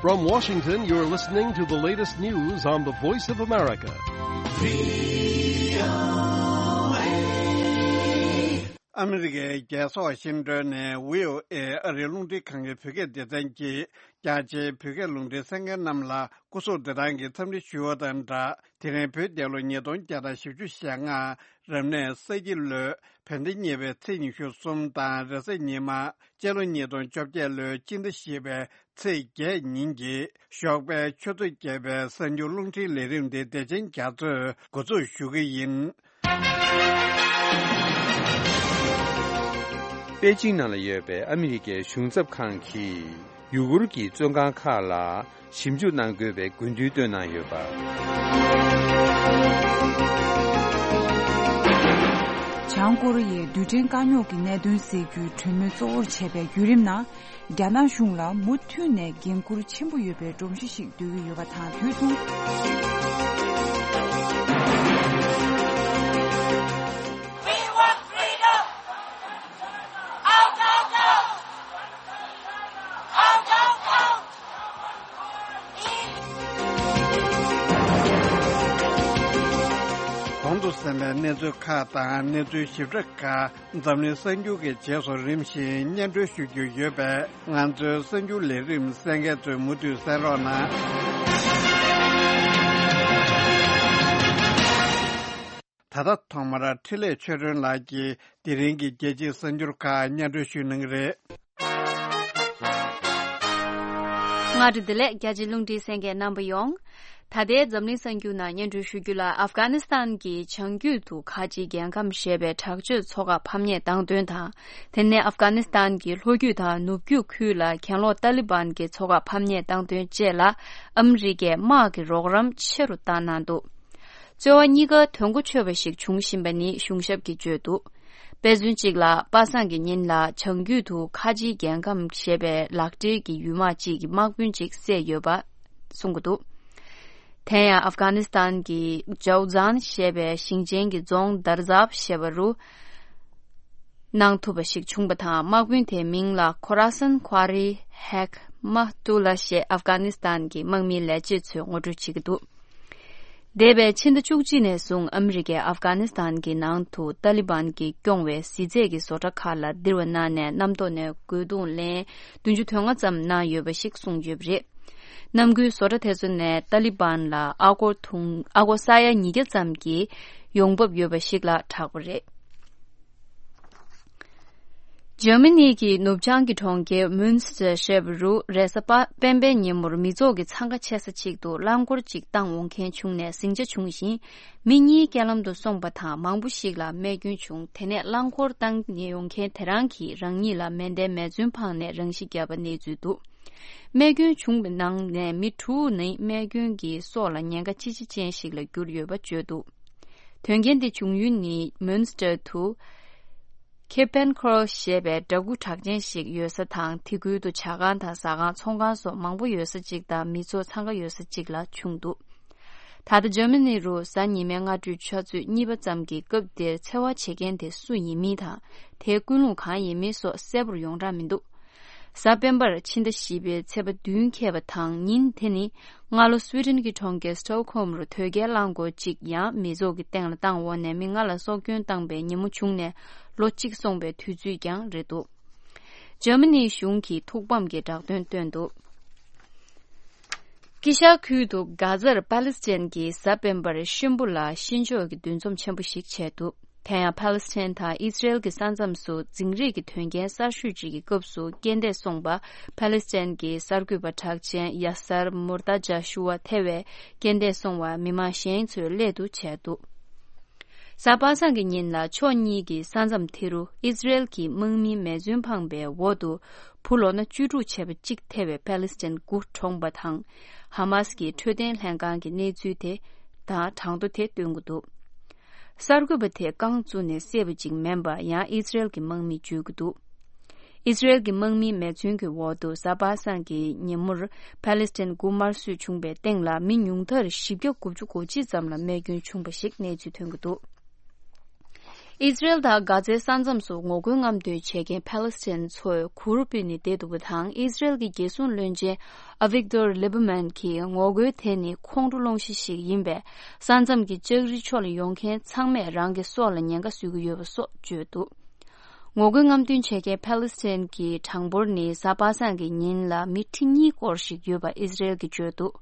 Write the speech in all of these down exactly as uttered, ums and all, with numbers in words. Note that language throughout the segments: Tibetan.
From Washington, you're listening to the latest news on the Voice of America. ཨ་མི་རི་ཀའི་རྒྱལ་ས་ཝ་ཤིང་ཏོན་ནས་བྷི་ཨོ་ཨེ་ཨ་རིའི་རླུང་འཕྲིན་ཁང་གི་བོད་སྐད་སྡེ་ཚན་གྱིས་རྒྱ་ཆེའི་བོད་སྐད་རླུང་འཕྲིན་གསན་མཁན་རྣམས་ལ་སྐུ་གཟུགས་བདེ་ཐང་གི་འཚམས་འདྲི་ཞུ་བ་དང་སྦྲགས། དེ་རིང་བོད་རྒྱལ་ལོ་ཉིས་སྟོང་བརྒྱ་དང་བཞི་བཅུ་ཞེ་ལྔ། རབ་གནས་ས་ཁྱི་ལོའི་བོད་ཟླ་གཉིས་པའི་ཚེས་ཉི་ཤུ་གསུམ་དང་། རེས་གཟའ་ཉི་མ་སྤྱི་ལོ་ཉིས་སྟོང་བཅོ་བརྒྱད་ལོའི་སྤྱི་ཟླ་བཞི་པའི་ཚེས་བརྒྱད་ཉིན་གྱི་ཞོགས་པའི་ཆུ་ཚོད་བརྒྱད་པའི་གསར་འགྱུར་རླུང་འཕྲིན་ལས་རིམ་འདི་བདེ་ཆེན་རྒྱ་མཚོས་འགོ་འཛུགས་ཞུ་གི་ཡིན། པེ་ཅིང་ནང་ལ་ཡོད་པའི་ཨ་མི་རི་ཀའི་གཞུང་ཚབ་ཁང་གིས་ཡུ་གུར་གྱི་བཙོན་ཁང་ཁག་ལ་ཞིབ་འཇུག་གནང་དགོས་པའི་དགོས་འདུན་བཏོན་གནང་ཡོད་པ། བྱང་ཀོ་རི་ཡའི་རྡུལ་ཕྲན་དཀའ་རྙོག་གི་གནད་དོན་སེལ་རྒྱུའི་གྲོས་མོལ་གཙོ་བོར་བྱས་པའི་བརྒྱུད་རིམ་ནང་། རྒྱ་ནག་གཞུང་ལ་མུ་མཐུད་ནས་འགན་འཁུར་ཆེན་པོ་ཡོད་པའི་སྒྲོམ་གཞི་ཞིག་འདོད་ཀྱི་ཡོད་པ་དང་དུས་མཚུངས། We want freedom! Out, out, out! Out, out, out! གོང་དུ་གསན་པའི་གནས་ཚུལ་ཁག་དང་གནས་ཚུལ་ཞིབ་ཕྲ་ཁག་འཛམ་གླིང་གསར་འགྱུར་གྱི་རྗེས་སུ་རིམ་བཞིན་སྙན་སྒྲོན་ཞུ་རྒྱུ་ཡོད་པས། ང་ཚོའི་གསར་འགྱུར་ལས་རིམ་གསན་མཁན་ཚོས་མུ་མཐུད་གསན་རོགས་གནང་། ད་ལྟ་ཐོག་མར་འཕྲིན་ལས་ཆོས་སྒྲོན་ལགས་ཀྱིས་དེ་རིང་གི་རྒྱལ་སྤྱིའི་གསར་འགྱུར་ཁག་སྙན་སྒྲོན་ཞུ་གནང་གི་རེད། སྔ་དྲོ་བདེ་ལེགས། རྒྱ་ཆེའི་རླུང་འཕྲིན་གསན་མཁན་རྣམ་པ་ཡོངས། ད་ལྟའི་འཛམ་གླིང་གསར་འགྱུར་ནང་སྙན་སྒྲོན་ཞུ་རྒྱུ་ལ། ཨབ་གྷ་ནི་སི་ཐན་གྱི་བྱང་རྒྱུད་དུ་ཁ་ཆེའི་རྒྱལ་ཁམས་ཞེས་པའི་དྲག་སྤྱོད་ཚོགས་ཁག་ཕམ་ཉེས་བཏང་དོན་དང་། དེ་ནས་ཨབ་གྷ་ནི་སི་ཐན་གྱི་ལྷོ་རྒྱུད་དང་ནུབ་རྒྱུད་ཁུལ་ལ་གྱེན་ལོག་ཏཱ་ལི་བན་གྱི་ཚོགས་ཁག་ཕམ་ཉེས་བཏང་དོན་བཅས་ལ་ཨ་མི་རི་ཀས་དམག་གི་རོགས་རམ་ཆེ་རུ་བཏང་གནང་འདུག། རྩོད་པ་གཉིས་ཀ་དོན་གོ་ཆོད་པ་ཞིག་བྱུང་བཞིན་པ་ནི་གཞུང་ཞབས་ཀྱིས་བརྗོད་འདུག། དཔེ་མཚོན་གཅིག་ལ། པ་སངས་ཀྱི་ཉིན་ལ་བྱང་རྒྱུད་དུ་ཁ་ཆེའི་རྒྱལ་ཁམས་ཞེས་པའི་ལག་འབྲེལ་གྱི་ཡུལ་དམག་ཅིག་གི་དམག་དཔོན་ཅིག་བསད་ཡོད་པ་གསུང་གི་འདུག། དེ་ཡང་ཨབ་གྷ་ནི་སི་ཐན་གྱི་ཇའོ་ཛན་ཞེས་པའི་ཞིང་ཆེན་གྱི་རྫོང་དར་ཛབ་ཞེས་པ་རུ་གནང་ཐུབ་པ་ཞིག་བྱུང་བ་དང་། དམག་དཔོན་དེའི་མིང་ལ་ཁོ་ར་སན་ཁ་རི་ཧེག་མ་ཏུ་ལ་ཞེས་ཨབ་གྷ་ནི་སི་ཐན་གྱི་དམག་མིའི་ལས་བྱེད་ཚོས་ངོ་སྤྲོད་བྱེད་ཀྱི་འདུག། འདས་པའི་ཕྱི་ཟླ་བཅུ་གཅིག་ནས་བཟུང་ཨ་མི་རི་ཀས་ཨབ་གྷ་ནི་སི་ཐན་གྱི་ནང་དུ་ཏཱ་ལི་བན་གྱིས་སྐྱོང་བའི་གཟི་རྫས་ཀྱི་བཟོ་གྲྭ་ཁག་ལ་ལྡིར་བ་གནང་ནས་གནམ་ཐོག་ནས་རྒོལ་རྡུང་ལན་བདུན་ཅུ་དོན་ལྔ་ཙམ་གནང་ཡོད་པ་ཞིག་གསུངས་ཡོད་པ་རེད། གནམ་སྒོའི་བཟོ་གྲྭ་དེ་ཚོ་ནས་ཏཱ་ལི་བན་ལ་ཨ་སྒོར་དུང་ཨ་སྒོར་ས་ཡ་ཉིས་བརྒྱ་ཙམ་གྱི་ཡོང་འབབ་ཡོད་པ་ཞིག་ལ་གྲགས་པ་རེད། འཇར་མ་ནི་གི་ནུབ་བྱང་གི་གྲོང་ཁྱེར་མུན་སི་ཏེར་ཞེས་པ་རུ་རེས་གཟའ་སྤེན་པའི་ཉིན་མོར་མི་ཚོགས་ཀྱི་འཚང་ཁ་ཆེ་ས་ཅིག་ཏུ་རླངས་འཁོར་ཅིག་བཏང་འོང་མཁན་བྱུང་ནས་ཟིང་ཆ་བྱུང་ཞིང་། མི་གཉིས་རྐྱེན་ལམ་དུ་སོང་པ་དང་མང་པོ་ཞིག་ལ་རྨས་སྐྱོན་བྱུང་། དེ་ནས་རླངས་འཁོར་བཏང་ཡོང་མཁན་དེ་རང་གིས་རང་ཉིད་ལ་མེ་མདའི་མེ་མཚོན་འཕངས་ནས་རང་ཤི་བརྒྱབ་པ་གནས་ཚུལ་འདུག། རྨས་སྐྱོན་བྱུང་བའི་ནང་ནས་མི་དྲུག་ནི་རྨས་སྐྱོན་གྱིས་སྲོག་ལ་ཉེན་ཁ་ཅི་ཆེ་ཅན་ཞིག་ལ་གྱུར་ཡོད་པ་བརྗོད་འདུག། དོན་རྐྱེན་དེ་བྱུང་ཡུལ་ནི་མུན་སི་ཏེར་དུ་ཁེ་པན་ཁོར་ཞེས་པའི་འདྲ་སྐུ་གྲགས་ཅན་ཞིག་ཡོད་ས་དང་། དེ་ཁུལ་དུ་ཇ་ཁང་དང་ཟ་ཁང་། ཚོང་ཁང་སོགས་མང་པོ་ཡོད་ས་གཅིག་དང་མི་ཚོགས་འཚང་ཁ་ཡོད་ས་གཅིག་ལ་བྱུང་འདུག། ད་ལྟ་འཇར་མ་ནི་རུ་གཟའ་ཉི་མའི་སྔ་དྲོའི་ཆུ་ཚོད་གཉིས་པ་ཙམ་གྱི་སྐབས་དེར་འཚེ་བ་བྱེད་མཁན་དེ་སུ་ཡིན་མིན་དང་། དེའི་ཀུན་སློང་གང་ཡིན་མིན་སོགས་གསལ་པོར་ཡོངས་གྲགས་མི་འདུག། གཟའ་སྤེན་པར་ཕྱི་ཟླ་བཞི་པའི་ཚེས་པ་བདུན་འཁེལ་བ་དང་ཉིན་དེ་ནི་སྔ་ལོ་སུའི་ཌེན་གྱི་གྲོང་ཁྱེར་སི་ཊོག་ཧོམ་རུ་དོལ་རྒྱལ་རླངས་འཁོར་གཅིག་ཡང་མི་ཚོགས་ཀྱི་སྟེང་ལ་བཏང་འོག་ནས་མི་ལྔ་ལ་སྲོག་སྐྱོན་བཏང་པའི་ཉིན་མོ་བྱུང་ནས་ལོ་གཅིག་སོང་པའི་དུས་ཚོད་ཀྱང་རེད་འདུག། འཇར་མ་ནིའི་གཞུང་གིས་ཐུགས་ཕམ་གྱི་བསྒྲགས་དོན་བཏོན་འདུག། དཀྱིལ་ཤར་ཁུལ་དུ་གྷ་ཛར་པ་ལི་སི་ཐན་གྱིས་གཟའ་སྤེན་པར་གཤིན་པོ་ལ་གཤིན་ཆོག་གི་འདུ་འཛོམས་ཆེན་པོ་ཞིག་བྱས་འདུག། དེ་ཡང་པ་ལི་སི་ཐན་དང་ཨི་སི་རེལ་གྱི་ས་མཚམས་སུ་འཛིང་རེས་ཀྱི་དོན་རྐྱེན་གསར་ཤོས་ཅིག་གི་སྐབས་སུ་རྐྱེན་འདས་སོང་བ། པ་ལི་སི་ཐན་གྱི་གསར་འགོད་པ་གྲགས་ཅན་ཡ་སར་མུར་ཏཱ་ཇཱ་ཤུ་ཝ་ཐེ་བའི་རྐྱེན་འདས་སོང་བ་མི་མང་གཞན་ཚོས་སླད་དུ་བྱས་འདུག། གཟའ་པ་སངས་ཀྱི་ཉིན་ལ་ཕྱོགས་གཉིས་ཀྱི་ས་མཚམས་དེ་རུ་ཨི་སི་རེལ་གྱི་དམག་མིའི་མེ་མཚོན་འཕངས་པའི་འོག་ཏུ་བུ་ལོ་ན་བཅུ་དྲུག་བྱས་པ་གཅིག་ཐེ་བའི་པ་ལི་སི་ཐན་དགུ་གྲོངས་པ་དང་། ཧ་མ་སི་ཀྱི་འཕྲོད་བསྟེན་ལྷན་ཁང་གིས་གནས་ཚུལ་དེ་དང་གྲངས་ཐོ་དེ་བཏོན་གྱི་འདུག། གསར་འགོད་པ་དེ་རྐང་བཙུགས་ནས་བསད་པ་ཅིག་མིན་པ་ཡང་ཨི་སི་རེལ་གྱི་དམག་མིས་བརྗོད་ཀྱི་འདུག། ཨི་སི་རེལ་གྱི་དམག་མིའི་མེ་མཚོན་གྱི་འོག་ཏུ་གཟའ་པ་སངས་ཀྱི་ཉིན་མོར་པ་ལི་སི་ཐན་དགུ་དམར་གསོད་བྱུང་བའི་སྟེང་ལ་མི་ཉུང་མཐར་བཞི་བརྒྱ་དགུ་བཅུ་གོ་གཅིག་ཙམ་ལ་རྨས་སྐྱོན་བྱུང་བ་ཞིག་གནས་ཚུལ་ཐོན་གྱི་འདུག། ཨི་ཟི་རེལ་དང་གྷ་ཛའི་ས་མཚམས་སུ་ངོ་རྒོལ་རྔམ་སྟོན་བྱེད་མཁན་ཕཱ་ལེ་སི་ཐན་ཚོས་གུར་ཕུབ་ནས་བསྡད་འདུག་པ་དང་། ཨི་ཟི་རེལ་གྱི་རྒྱལ་སྲུང་བློན་ཆེན་ཨ་བིག་ཏོར་ལི་བྷར་མན་གྱིས་ངོ་རྒོལ་དེ་ནི་ཁོང་ཁྲོ་སློང་གཞི་ཞིག་ཡིན་པས། ས་མཚམས་ཀྱི་ལྕགས་རི་ཕྱོགས་ལ་ཡོང་མཁན་ཚང་མས་རང་གི་སྲོག་ལ་ཉེན་ཁ་བཟོ་གི་ཡོད་པ་སོགས་བརྗོད་འདུག་ངོ་རྒོལ་རྔམ་སྟོན་བྱེད་མཁན་ཕཱ་ལེ་སི་ཐན་གྱི་གྲངས་འབོར་ནི་གཟའ་པ་སངས་ཀྱི་ཉིན་ལ་མི་ཁྲི་གཉིས་སྐོར་ཞིག་ཡོད་པ་ཨི་ཟི་རེལ་གྱིས་བརྗོད་འདུག་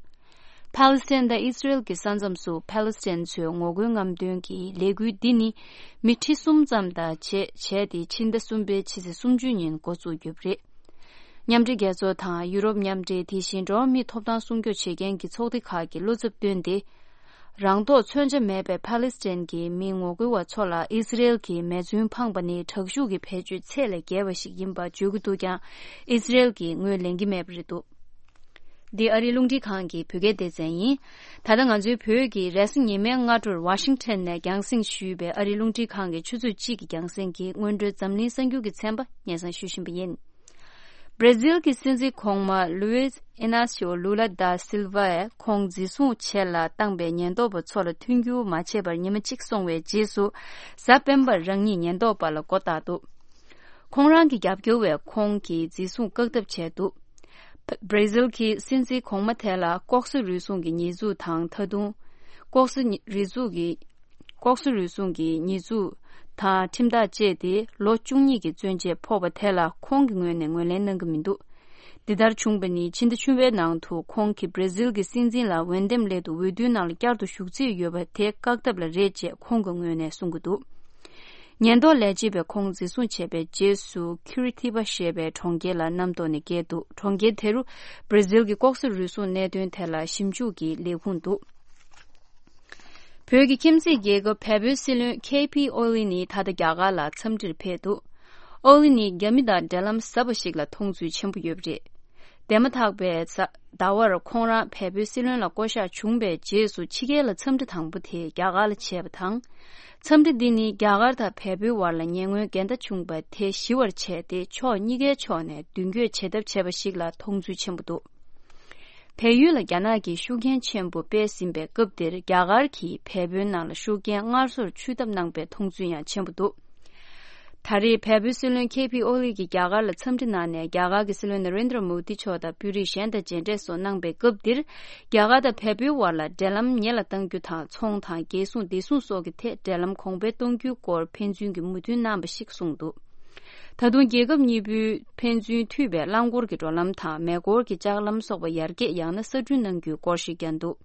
ཕཱ་ལེ་སི་ཐན་དང་ཨི་ཟི་རེལ་གྱི་ས་མཚམས་སུ་ཕཱ་ལེ་སི་ཐན་ཚོའི་ངོ་རྒོལ་རྔམ་སྟོན་གྱི་ལས་འགུལ་འདི་ནི་མི་ཁྲི་གསུམ་ཙམ་དང་བཅས་བྱས་ཏེ། ཕྱི་ཟླ་གསུམ་པའི་ཕྱི་ཚེས་སུམ་ཅུ་ཉིན་འགོ་བཙུགས་ཡོད་པ་རེད། མཉམ་འབྲེལ་རྒྱལ་ཚོགས་དང་ཡུ་རོབ་མཉམ་འབྲེལ། དེ་བཞིན་འགྲོ་བ་མིའི་ཐོབ་ཐང་སྲུང་སྐྱོབ་བྱེད་མཁན་གྱི་ཚོགས་སྡེ་ཁག་གིས་བློ་འཚབ་བཏོན་ཏེ། རང་ཐོག་མཚོན་ཆ་མེད་པའི་ཕཱ་ལེ་སི་ཐན་གྱི་མི་ངོ་རྒོལ་བ་ཚོ་ལ་ཨི་ཟི་རེལ་གྱིས་མེ་མཚོན་འཕངས་པ་ནི་དྲག་ཤུགས་ཀྱི་བེད་སྤྱོད་ཚད་ལས་བརྒལ་བ་ཞིག་ཡིན་པ་བརྗོད་ཀྱི་འདུག་ཀྱང་། ཨི་ཟི་རེལ་གྱིས་ངོས་ལེན་གྱི་མེད་པ་རེད་འདུག་འདི་ཨ་རིའི་རླུང་འཕྲིན་ཁང་གི་བོད་སྐད་སྡེ་ཚན་ཡིན། ད་ལྟ་ང་ཚོའི་བོད་ཀྱི་རེས་གཟའ་ཉི་མའི་སྔ་དྲོར་ཝ་ཤིང་ཊོན་ནས་རྒྱང་སྲིང་ཞུས་པའི་ཨ་རིའི་རླུང་འཕྲིན་ཁང་གི་ཆུ་ཚོད་གཅིག་གི་རྒྱང་སྲིང་གི་སྔོན་འགྲོའི་འཛམ་གླིང་གསར་འགྱུར་གྱི་ཚན་པ་སྙན་སེང་ཞུ་བཞིན་པ་ཡིན། བྷར་ཛིལ་གྱི་སྲིད་འཛིན་གོང་མ་ལུའིས་ཨི་ནཱ་སིའོ་ལུ་ལ་ད་སིལ་ཝས་ཁོང་འཛིན་བཟུང་བྱས་ལ་བཏང་པའི་ཉེན་རྟོག་པ་ཚོ་ལ་མཐུན་འགྱུར་མ་བྱས་པར་ཉི་མ་གཅིག་སོང་བའི་རྗེས་སུ། གཟའ་སྤེན་པར་རང་ཉིད་ཉེན་རྟོག་པ་ལ་མགོ་བཏགས་འདུག་ཁོང་རང་གི་རྒྱབ་སྐྱོར་བས་ཁོང་གི་འཛིན་བཟུང་བཀག་ཐབས་བྱས་འདུག་བྷར་ཛིལ་གྱི་སྲིད་འཛིན་གོང་མ་དེ་ལ་ལྐོག་ཟ་རུལ་སུངས་ཀྱི་ཉེས་འཛུགས་དང་། ད་དུང་ལྐོག་ཟ་རུལ་སུངས་ཀྱི། ལྐོག་ཟ་རུལ་སུངས་ཀྱི་ཉེས་འཛུགས་དང་ཁྲིམས་ཐག་བཅད་དེ་ལོ་བཅུ་གཉིས་ཀྱི་བཙོན་འཇལ་ཕོག་པ་དེ་ལ་ཁོང་གི་ངོས་ནས་ངོས་ལེན་གནང་གི་མི་འདུག་འདི་ལྟར་བྱུང་བ་ནི་ཕྱི་ཟླ་བཅུ་པའི་ནང་དུ་ཁོང་གིས་བྷར་ཛིལ་གྱི་སྲིད་འཛིན་ལ་འོས་འདེམས་སླད་དུ་འོས་བསྡུའི་ནང་ལ་བསྐྱར་དུ་ཞུགས་རྩིས་ཡོད་པ་དེ་བཀག་ཐབས་ལ་རེད་ཅེས་ཁོང་གི་ངོས་ནས་གསུང་གི་འདུག་ཉེན་རྟོག་ལས་བྱེད་པས་ཁོང་འཛིན་བཟུང་བྱས་པའི་རྗེས་སུ་ཁུ་རི་ཐི་པ་ཞེས་པའི་གྲོང་ཁྱེར་ལ་གནམ་ཐོག་ནས་བསྐྱལ་འདུག་གྲོང་ཁྱེར་དེ་རུ་བྷར་ཛིལ་གྱི་ལྐོག་ཟ་རུལ་སུངས་གནད་དོན་ཐད་ལ་ཞིབ་འཇུག་གི་ལས་ཁུངས་འདུག་བོད་ཀྱི་ཁྱིམ་མཚེས་རྒྱལ་ཁབ་བལ་པོའི་སྲིད་བློན་ཁེ་ཕི་ཨོ་ལི་ནི་ད་ལྟ་རྒྱ་གར་ལ་འཚམས་འདྲིར་ཕེབས་འདུག་ཨོ་ལི་ནི་རྒྱ་མི་དང་འབྲེལ་ལམ་ཟབ་པ་ཞིག་ལ་མཐོང་ཚུལ་ཆེན་པོ་ཡོད་པ་རེད། འདས་མ་ཐག་པའི་ཟ- ཟླ་བར་ཁོང་རང་བལ་པོའི་སྲིད་བློན་ལ་བསྐོ་གཞག་བྱུང་བའི་རྗེས་སུ་ཕྱི་རྒྱལ་ལ་འཚམས་འདྲི་དང་པོ་དེ་རྒྱ་གར་ལ་བྱས་པ་དང་། འཚམས་འདྲི་འདི་ནི་རྒྱ་གར་དང་བལ་པོའི་བར་ལ་ཉེ་སྔོན་འགལ་ཟླ་བྱུང་བ་དེ་ཞི་བར་བྱས་ཏེ། ཕྱོགས་གཉིས་ཀའི་ཕྱོགས་ནས་མདུན་སྐྱོད་བྱེད་ཐབས་བྱས་པ་ཞིག་ལ་མཐོང་ཚུལ་ཆེན་པོ་འདུག་བལ་ཡུལ་ལ་རྒྱ་ནག་གིས་ཤུགས་རྐྱེན་ཆེན་པོ་སྤེལ་ཟིན་པའི་སྐབས་འདིར། རྒྱ་གར་གྱིས་བལ་པོའི་ནང་ལ་ཤུགས་རྐྱེན་སྔར་སོར་ཆུད་ཐབས་གནང་པའི་མཐོང་ཚུལ་ཡང་ཆེན་པོ་འདུག་ད་རེས་བལ་པོའི་སྲིད་བློན་ཁེ་ཕི་ཨོ་ལི་གིས་རྒྱ་གར་ལ་འཚམས་འདྲི་གནང་ནས། རྒྱ་གར་གྱི་སྲིད་བློན་ན་རེན་དྲ་མོ་དི་མཆོག་དང་དཔོན་རིགས་གཞན་དང་མཇལ་འཕྲད་སོགས་གནང་པའི་སྐབས་འདིར། རྒྱ་གར་དང་བལ་པོའི་བར་ལ་འབྲེལ་ལམ་ཉེ་ལ་གཏང་རྒྱུ་དང་། ཚོང་དང་རྒྱལ་སྲུང་བདེ་སྲུང་སོགས་ཀྱི་ཐད་འབྲེལ་ལམ་གོང་འཕེལ་གཏོང་རྒྱུའི་སྐོར་ཕན་ཚུན་གྱི་མོས་མཐུན་གནང་པ་ཞིག་གསུངས་འདུག་ད་དུང་རྒྱལ་ཁབ་གཉིས་པོའི་ཕན་ཚུན་མཐུད་པའི་རླངས་འཁོར་གྱི་འགྲོ་ལམ་དང་། མེ་འཁོར་གྱི་ལྕགས་ལམ་སོགས་པ་ཡར་རྒྱས་ཡང་ན་གསར་སྐྲུན་གནང་རྒྱུའི་སྐོར་ཞིག་ཀྱང་འདུག་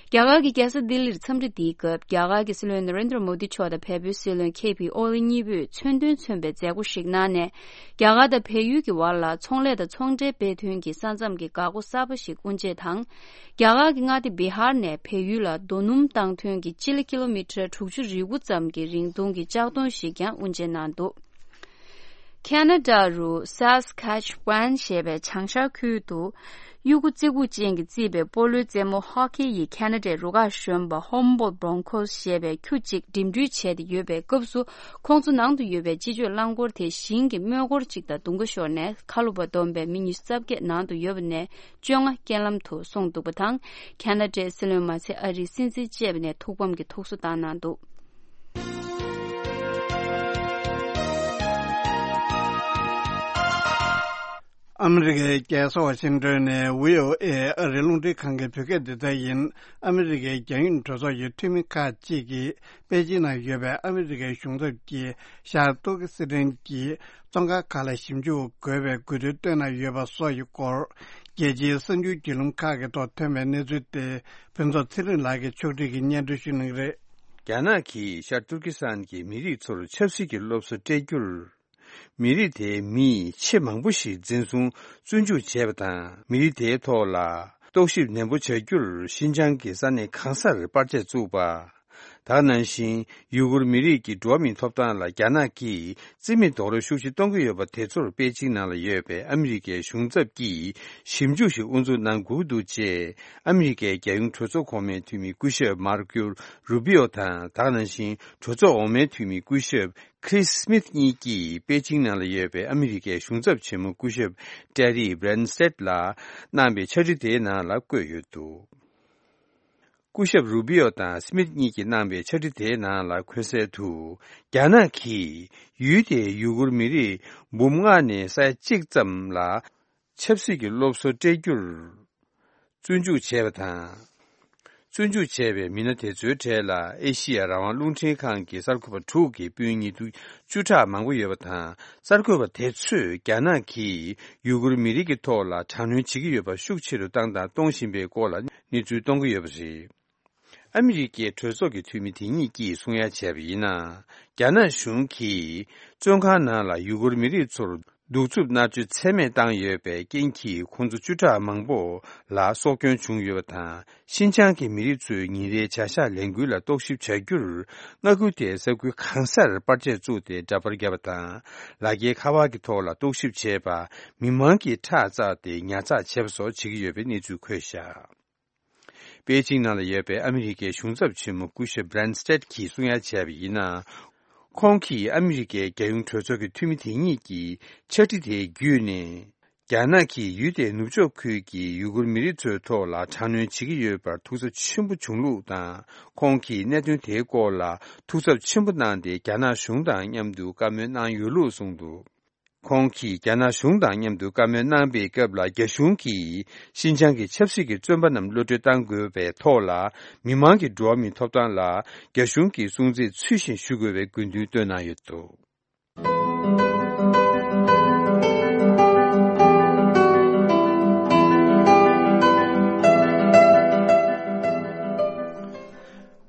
རྒྱ་གར་གྱི་རྒྱལ་ས་ལྡི་ལིར་འཚམས་འདྲི་འདིའི་སྐབས། རྒྱ་གར་གྱི་སྲིད་བློན་ན་རེན་དྲ་མོ་དི་མཆོག་དང་བལ་པོའི་སྲིད་བློན་ཁེ་ཕི་ཨོ་ལི་གཉིས་པོས་མཚོན་དོན་མཚོན་པའི་མཛད་སྒོ་ཞིག་གནང་ནས། རྒྱ་གར་དང་བལ་ཡུལ་གྱི་བར་ལ་ཚོང་ལས་དང་ཚོང་འབྲེལ་སྤེལ་ཐོན་གྱི་ས་མཚམས་ཀྱི་འགག་སྒོ་གསར་པ་ཞིག་དབུ་འབྱེད་དང་། རྒྱ་གར་གྱི་མངའ་སྡེ་བི་ཧར་ནས་བལ་ཡུལ་ལ་རྡོ་སྣུམ་བཏང་ཐོན་གྱི་སྤྱི་ལེ་ཀི་ལོ་མི་ཊར་དྲུག་ཅུ་རེ་དགུ་ཙམ་གྱི་རིང་ཐུང་གི་ལྕགས་མདོང་ཞིག་ཀྱང་དབུ་འབྱེད་གནང་འདུག་ཁ་ན་ཌ་རུ་སཱས་ཁེ་ཆི་ཝན་ཞེས་པའི་བྱང་ཤར་ཁུལ་དུ། གཡུ་གུ་རྩེ་ཁུག་ཅན་གྱིས་བརྩིས་པའི་སྤོ་ལོའི་རྩེད་མོ་ཧོ་ཁེ་ཡི་ཁ་ན་ཌའི་རུ་ཁག་གཞོན་པ་ཧོམ་བོལ་བྷོང་ཁོས་ཞེས་པའི་ཁྱུ་གཅིག་འགྲིམ་འགྲུལ་བྱས་ཏེ་ཡོད་པའི་སྐབས་སུ། ཁོང་ཚོ་ནང་དུ་ཡོད་པའི་སྤྱི་སྤྱོད་རླངས་འཁོར་དེ་ཞིང་གི་རྨོས་འཁོར་གཅིག་དང་རྡུང་ཁ་ཤོར་ནས། ཁ་ལོ་བ་བསྡོམས་པའི་མི་ཉི་ཤུ་རྩ་བརྒྱད་ནང་དུ་ཡོད་པ་ནས་བཅོ་ལྔ་རྐྱེན་ལམ་དུ་སོང་འདུག་པ་དང་། ཁ་ན་ཌའི་སྲིད་བློན་མ་ཚད་ཨ་རིའི་སྲིད་འཛིན་བཅས་པ་ནས་ཐུགས་ཕམ་གྱི་ཐུགས་གསོ་བཏང་གནང་འདུག་ཨ་མི་རི་ཀའི་རྒྱལ་ས་ཝ་ཤིང་ཏོན་ནས་བྷི་ཨོ་ཨེ་ཨ་རིའི་རླུང་འཕྲིན་ཁང་གི་བོད་སྐད་སྡེ་ཚན་ཡིན། ཨ་མི་རི་ཀའི་རྒྱལ་ཡོངས་གྲོས་ཚོགས་ཀྱི་འཐུས་མི་ཁག་ཅིག་གིས་པེ་ཅིན་ནང་ཡོད་པའི་ཨ་མི་རི་ཀའི་གཞུང་ཚབ་ཀྱིས་ཤར་ཏུར་ཀི་སི་ཐན་གྱི་བཙོན་ཁང་ཁག་ལ་ཞིབ་འཇུག་དགོས་པའི་དགོས་འདུན་བཏོན་གནང་ཡོད་པ་སོགས་ཀྱི་སྐོར། རྒྱལ་སྤྱིའི་གསར་འགྱུར་བརྒྱུད་ལམ་ཁག་གི་ཐོག་ཐོན་པའི་གནས་ཚུལ་དེ་ཕུན་ཚོགས་ཚེ་རིང་ལགས་ཀྱིས་ཕྱོགས་སྒྲིག་གིས་སྙན་སྒྲོན་ཞུ་གནང་གི་རེད། རྒྱ་ནག་གིས་ཤར་ཏུར་ཀི་སི་ཐན་གྱི་མི་རིགས་ཚོར་ཆབ་སྲིད་ཀྱི་སློབ་གསོ་སྤྲད་རྒྱུར། མི་རིགས་དེའི་མི་ཆེས་མང་པོ་ཞིག་འཛིན་བཟུང་བཙོན་འཇུག་བྱས་པ་དང་། མི་རིགས་དེའི་ཐོག་ལ་རྟོག་ཞིབ་ནན་པོ་བྱ་རྒྱུར་ཤིན་ཅང་གི་ས་གནས་གང་སར་པར་ཆས་བཙུགས་པ། ད་ག་ནང་བཞིན་ཡུ་གུར་མི་རིགས་ཀྱི་འགྲོ་བ་མིའི་ཐོབ་ཐང་ལ་རྒྱ་ནག་གིས་རྩིས་མེད་རྡོག་རོལ་ཤུགས་ཆེ་གཏོང་གི་ཡོད་པ་དེ་ཚོར་པེ་ཅིང་ནང་ལ་ཡོད་པའི་ཨ་མི་རི་ཀའི་གཞུང་ཚབ་ཀྱིས་ཞིབ་འཇུག་ཞིག་དབུ་འཛུགས་གནང་དགོས་ཀྱི་འདུག་ཅེས་ཨ་མི་རི་ཀའི་རྒྱལ་ཡོངས་གྲོས་ཚོགས་གོང་མའི་འཐུས་མི་སྐུ་ཞབས་མར་ཀོ་རུ་པི་ཨོ་དང་། ད་ག་ནང་བཞིན་གྲོས་ཚོགས་འོག་མའི་འཐུས་མི་སྐུ་ཞབས་ཁི་རིས་སི་མིཐ་གཉིས་ཀྱིས་པེ་ཅིང་ནང་ལ་ཡོད་པའི་ཨ་མི་རི་ཀའི་གཞུང་ཚབ་ཆེན་མོ་སྐུ་ཞབས་ཏེ་རི་བྷི་རན་སི་ཊེད་ལ་གནང་པའི་ཕྱག་བྲིས་དེའི་ནང་ལ་བཀོད་ཡོད་འདུག་སྐུ་ཞབས་རུ་བི་ཨོ་དང་སི་མིད་གཉིས་ཀྱིས་གནང་བའི་ཕྱག་བྲིས་དེའི་ནང་ལ་འཁོད་གསལ་དུ། རྒྱ་ནག་གིས་ཡུལ་དེའི་ཡུ་གུར་མི་རིགས་འབུམ་ལྔ་ནས་ས་ཡ་གཅིག་ཙམ་ལ་ཆབ་སྲིད་ཀྱི་སློབ་གསོ་སྤྲད་རྒྱུར་བཙོན་འཇུག་བྱས་པ་དང་། བཙོན་འཇུག་བྱས་པའི་མི་སྣ་དེ་ཚོའི་གྲས་ལ་ཨེ་ཤི་ཡ་རང་དབང་རླུང་འཕྲིན་ཁང་གི་གསར་འགོད་པ་དྲུག་གི་སྤུན་ཉེ་དུ་བཅུ་ཕྲག་མང་པོ་ཡོད་པ་དང་། གསར་འགོད་པ་དེ་ཚོས་རྒྱ་ནག་གིས་ཡུ་གུར་མི་རིགས་ཀྱི་ཐོག་ལ་དྲག་གནོན་བྱེད་ཀྱི་ཡོད་པ་ཤུགས་ཆེ་རུ་བཏང་དང་གཏོང་བཞིན་པའི་སྐོར་ལ་གནས་ཚུལ་གཏོང་གི་ཡོད་པ་རེད། ཨ་མི་རི་ཀའི་གྲོས་ཚོགས་ཀྱི་འཐུས་མི་དེ་གཉིས་ཀྱིས་གསུང་ཡ་བྱས་པ་ཡིན་ན། རྒྱ་ནག་གཞུང་གིས་བཙོན་ཁང་ནང་ལ་ཡུ་གུར་མི་རིགས་ཚོར་གདུག་རྩུབ་མནར་གཅོད་ཚད་མེད་བཏང་ཡོད་པའི་རྐྱེན་གྱིས་ཁོང་ཚོ་བཅུ་ཕྲག་མང་པོ་ལ་སྲོག་སྐྱོན་བྱུང་ཡོད་པ་དང་། ཤིན་ཅང་གི་མི་རིགས་ཚོའི་ཉིན་རེའི་བྱ་གཞག་ལས་འགུལ་ལ་རྟོག་ཞིབ་བྱ་རྒྱུར། མངའ་ཁུལ་དེའི་ས་ཁུལ་གང་སར་པར་ཆས་བཙུགས་ཏེ་འདྲ་པར་བརྒྱབ་པ་དང་། ལག་འཁྱེར་ཁ་པར་གྱི་ཐོག་ལ་རྟོག་ཞིབ་བྱས་པ། མི་མང་གིས་ཁྲག་བཙགས་ཏེ་ཉར་ཚགས་བྱས་པ་སོགས་བྱེད་ཀྱི་ཡོད་པའི་གནས་ཚུལ་འཁོད་བཞག་པེ་ཅིང་ནང་ལ་ཡོད་པའི་ཨ་མི་རི་ཀའི་གཞུང་ཚབ་ཆེན་མོ་སྐུ་ཞབས་Branstad་གྱིས་གསུང་ཡ་བྱས་པ་ཡིན་ན། ཁོང་གིས་ཨ་མི་རི་ཀའི་རྒྱལ་ཡོངས་གྲོས་ཚོགས་ཀྱི་འཐུས་མི་དེ་གཉིས་ཀྱི་ཕྱག་བྲིས་དེ་བརྒྱུད་ནས། རྒྱ་ནག་གིས་ཡུལ་དེའི་ནུབ་ཕྱོགས་ཁུལ་གྱི་ཡུ་གུར་མི་རིགས་ཚོའི་ཐོག་ལ་དྲག་གནོན་བྱེད་ཀྱི་ཡོད་པར་ཐུགས་འཚབ་ཆེན་པོ་བྱུང་ལུགས་དང་། ཁོང་གིས་གནད་དོན་དེའི་སྐོར་ལ་ཐུགས་འཚབ་ཆེན་པོ་གནང་སྟེ། རྒྱ་ནག་གཞུང་དང་མཉམ་དུ་བཀའ་མོལ་གནང་ཡོད་ལུགས་གསུངས་འདུག་ཁོང་གིས་རྒྱ་ནག་གཞུང་དང་མཉམ་དུ་བཀའ་མོལ་གནང་པའི་སྐབས་ལ། རྒྱ་གཞུང་གིས་ཤིན་ཅང་གི་ཆབ་སྲིད་ཀྱི་བཙོན་པ་རྣམས་གློད་གྲོལ་གཏང་དགོས་པའི་ཐོག་ལ། མི་མང་གི་འགྲོ་བ་མིའི་ཐོབ་ཐང་ལ་རྒྱ་གཞུང་གི་སྲུང་བརྩི་ཚུལ་བཞིན་ཞུ་དགོས་པའི་དགོས་འདུན་བཏོན་གནང་ཡོད་འདུག་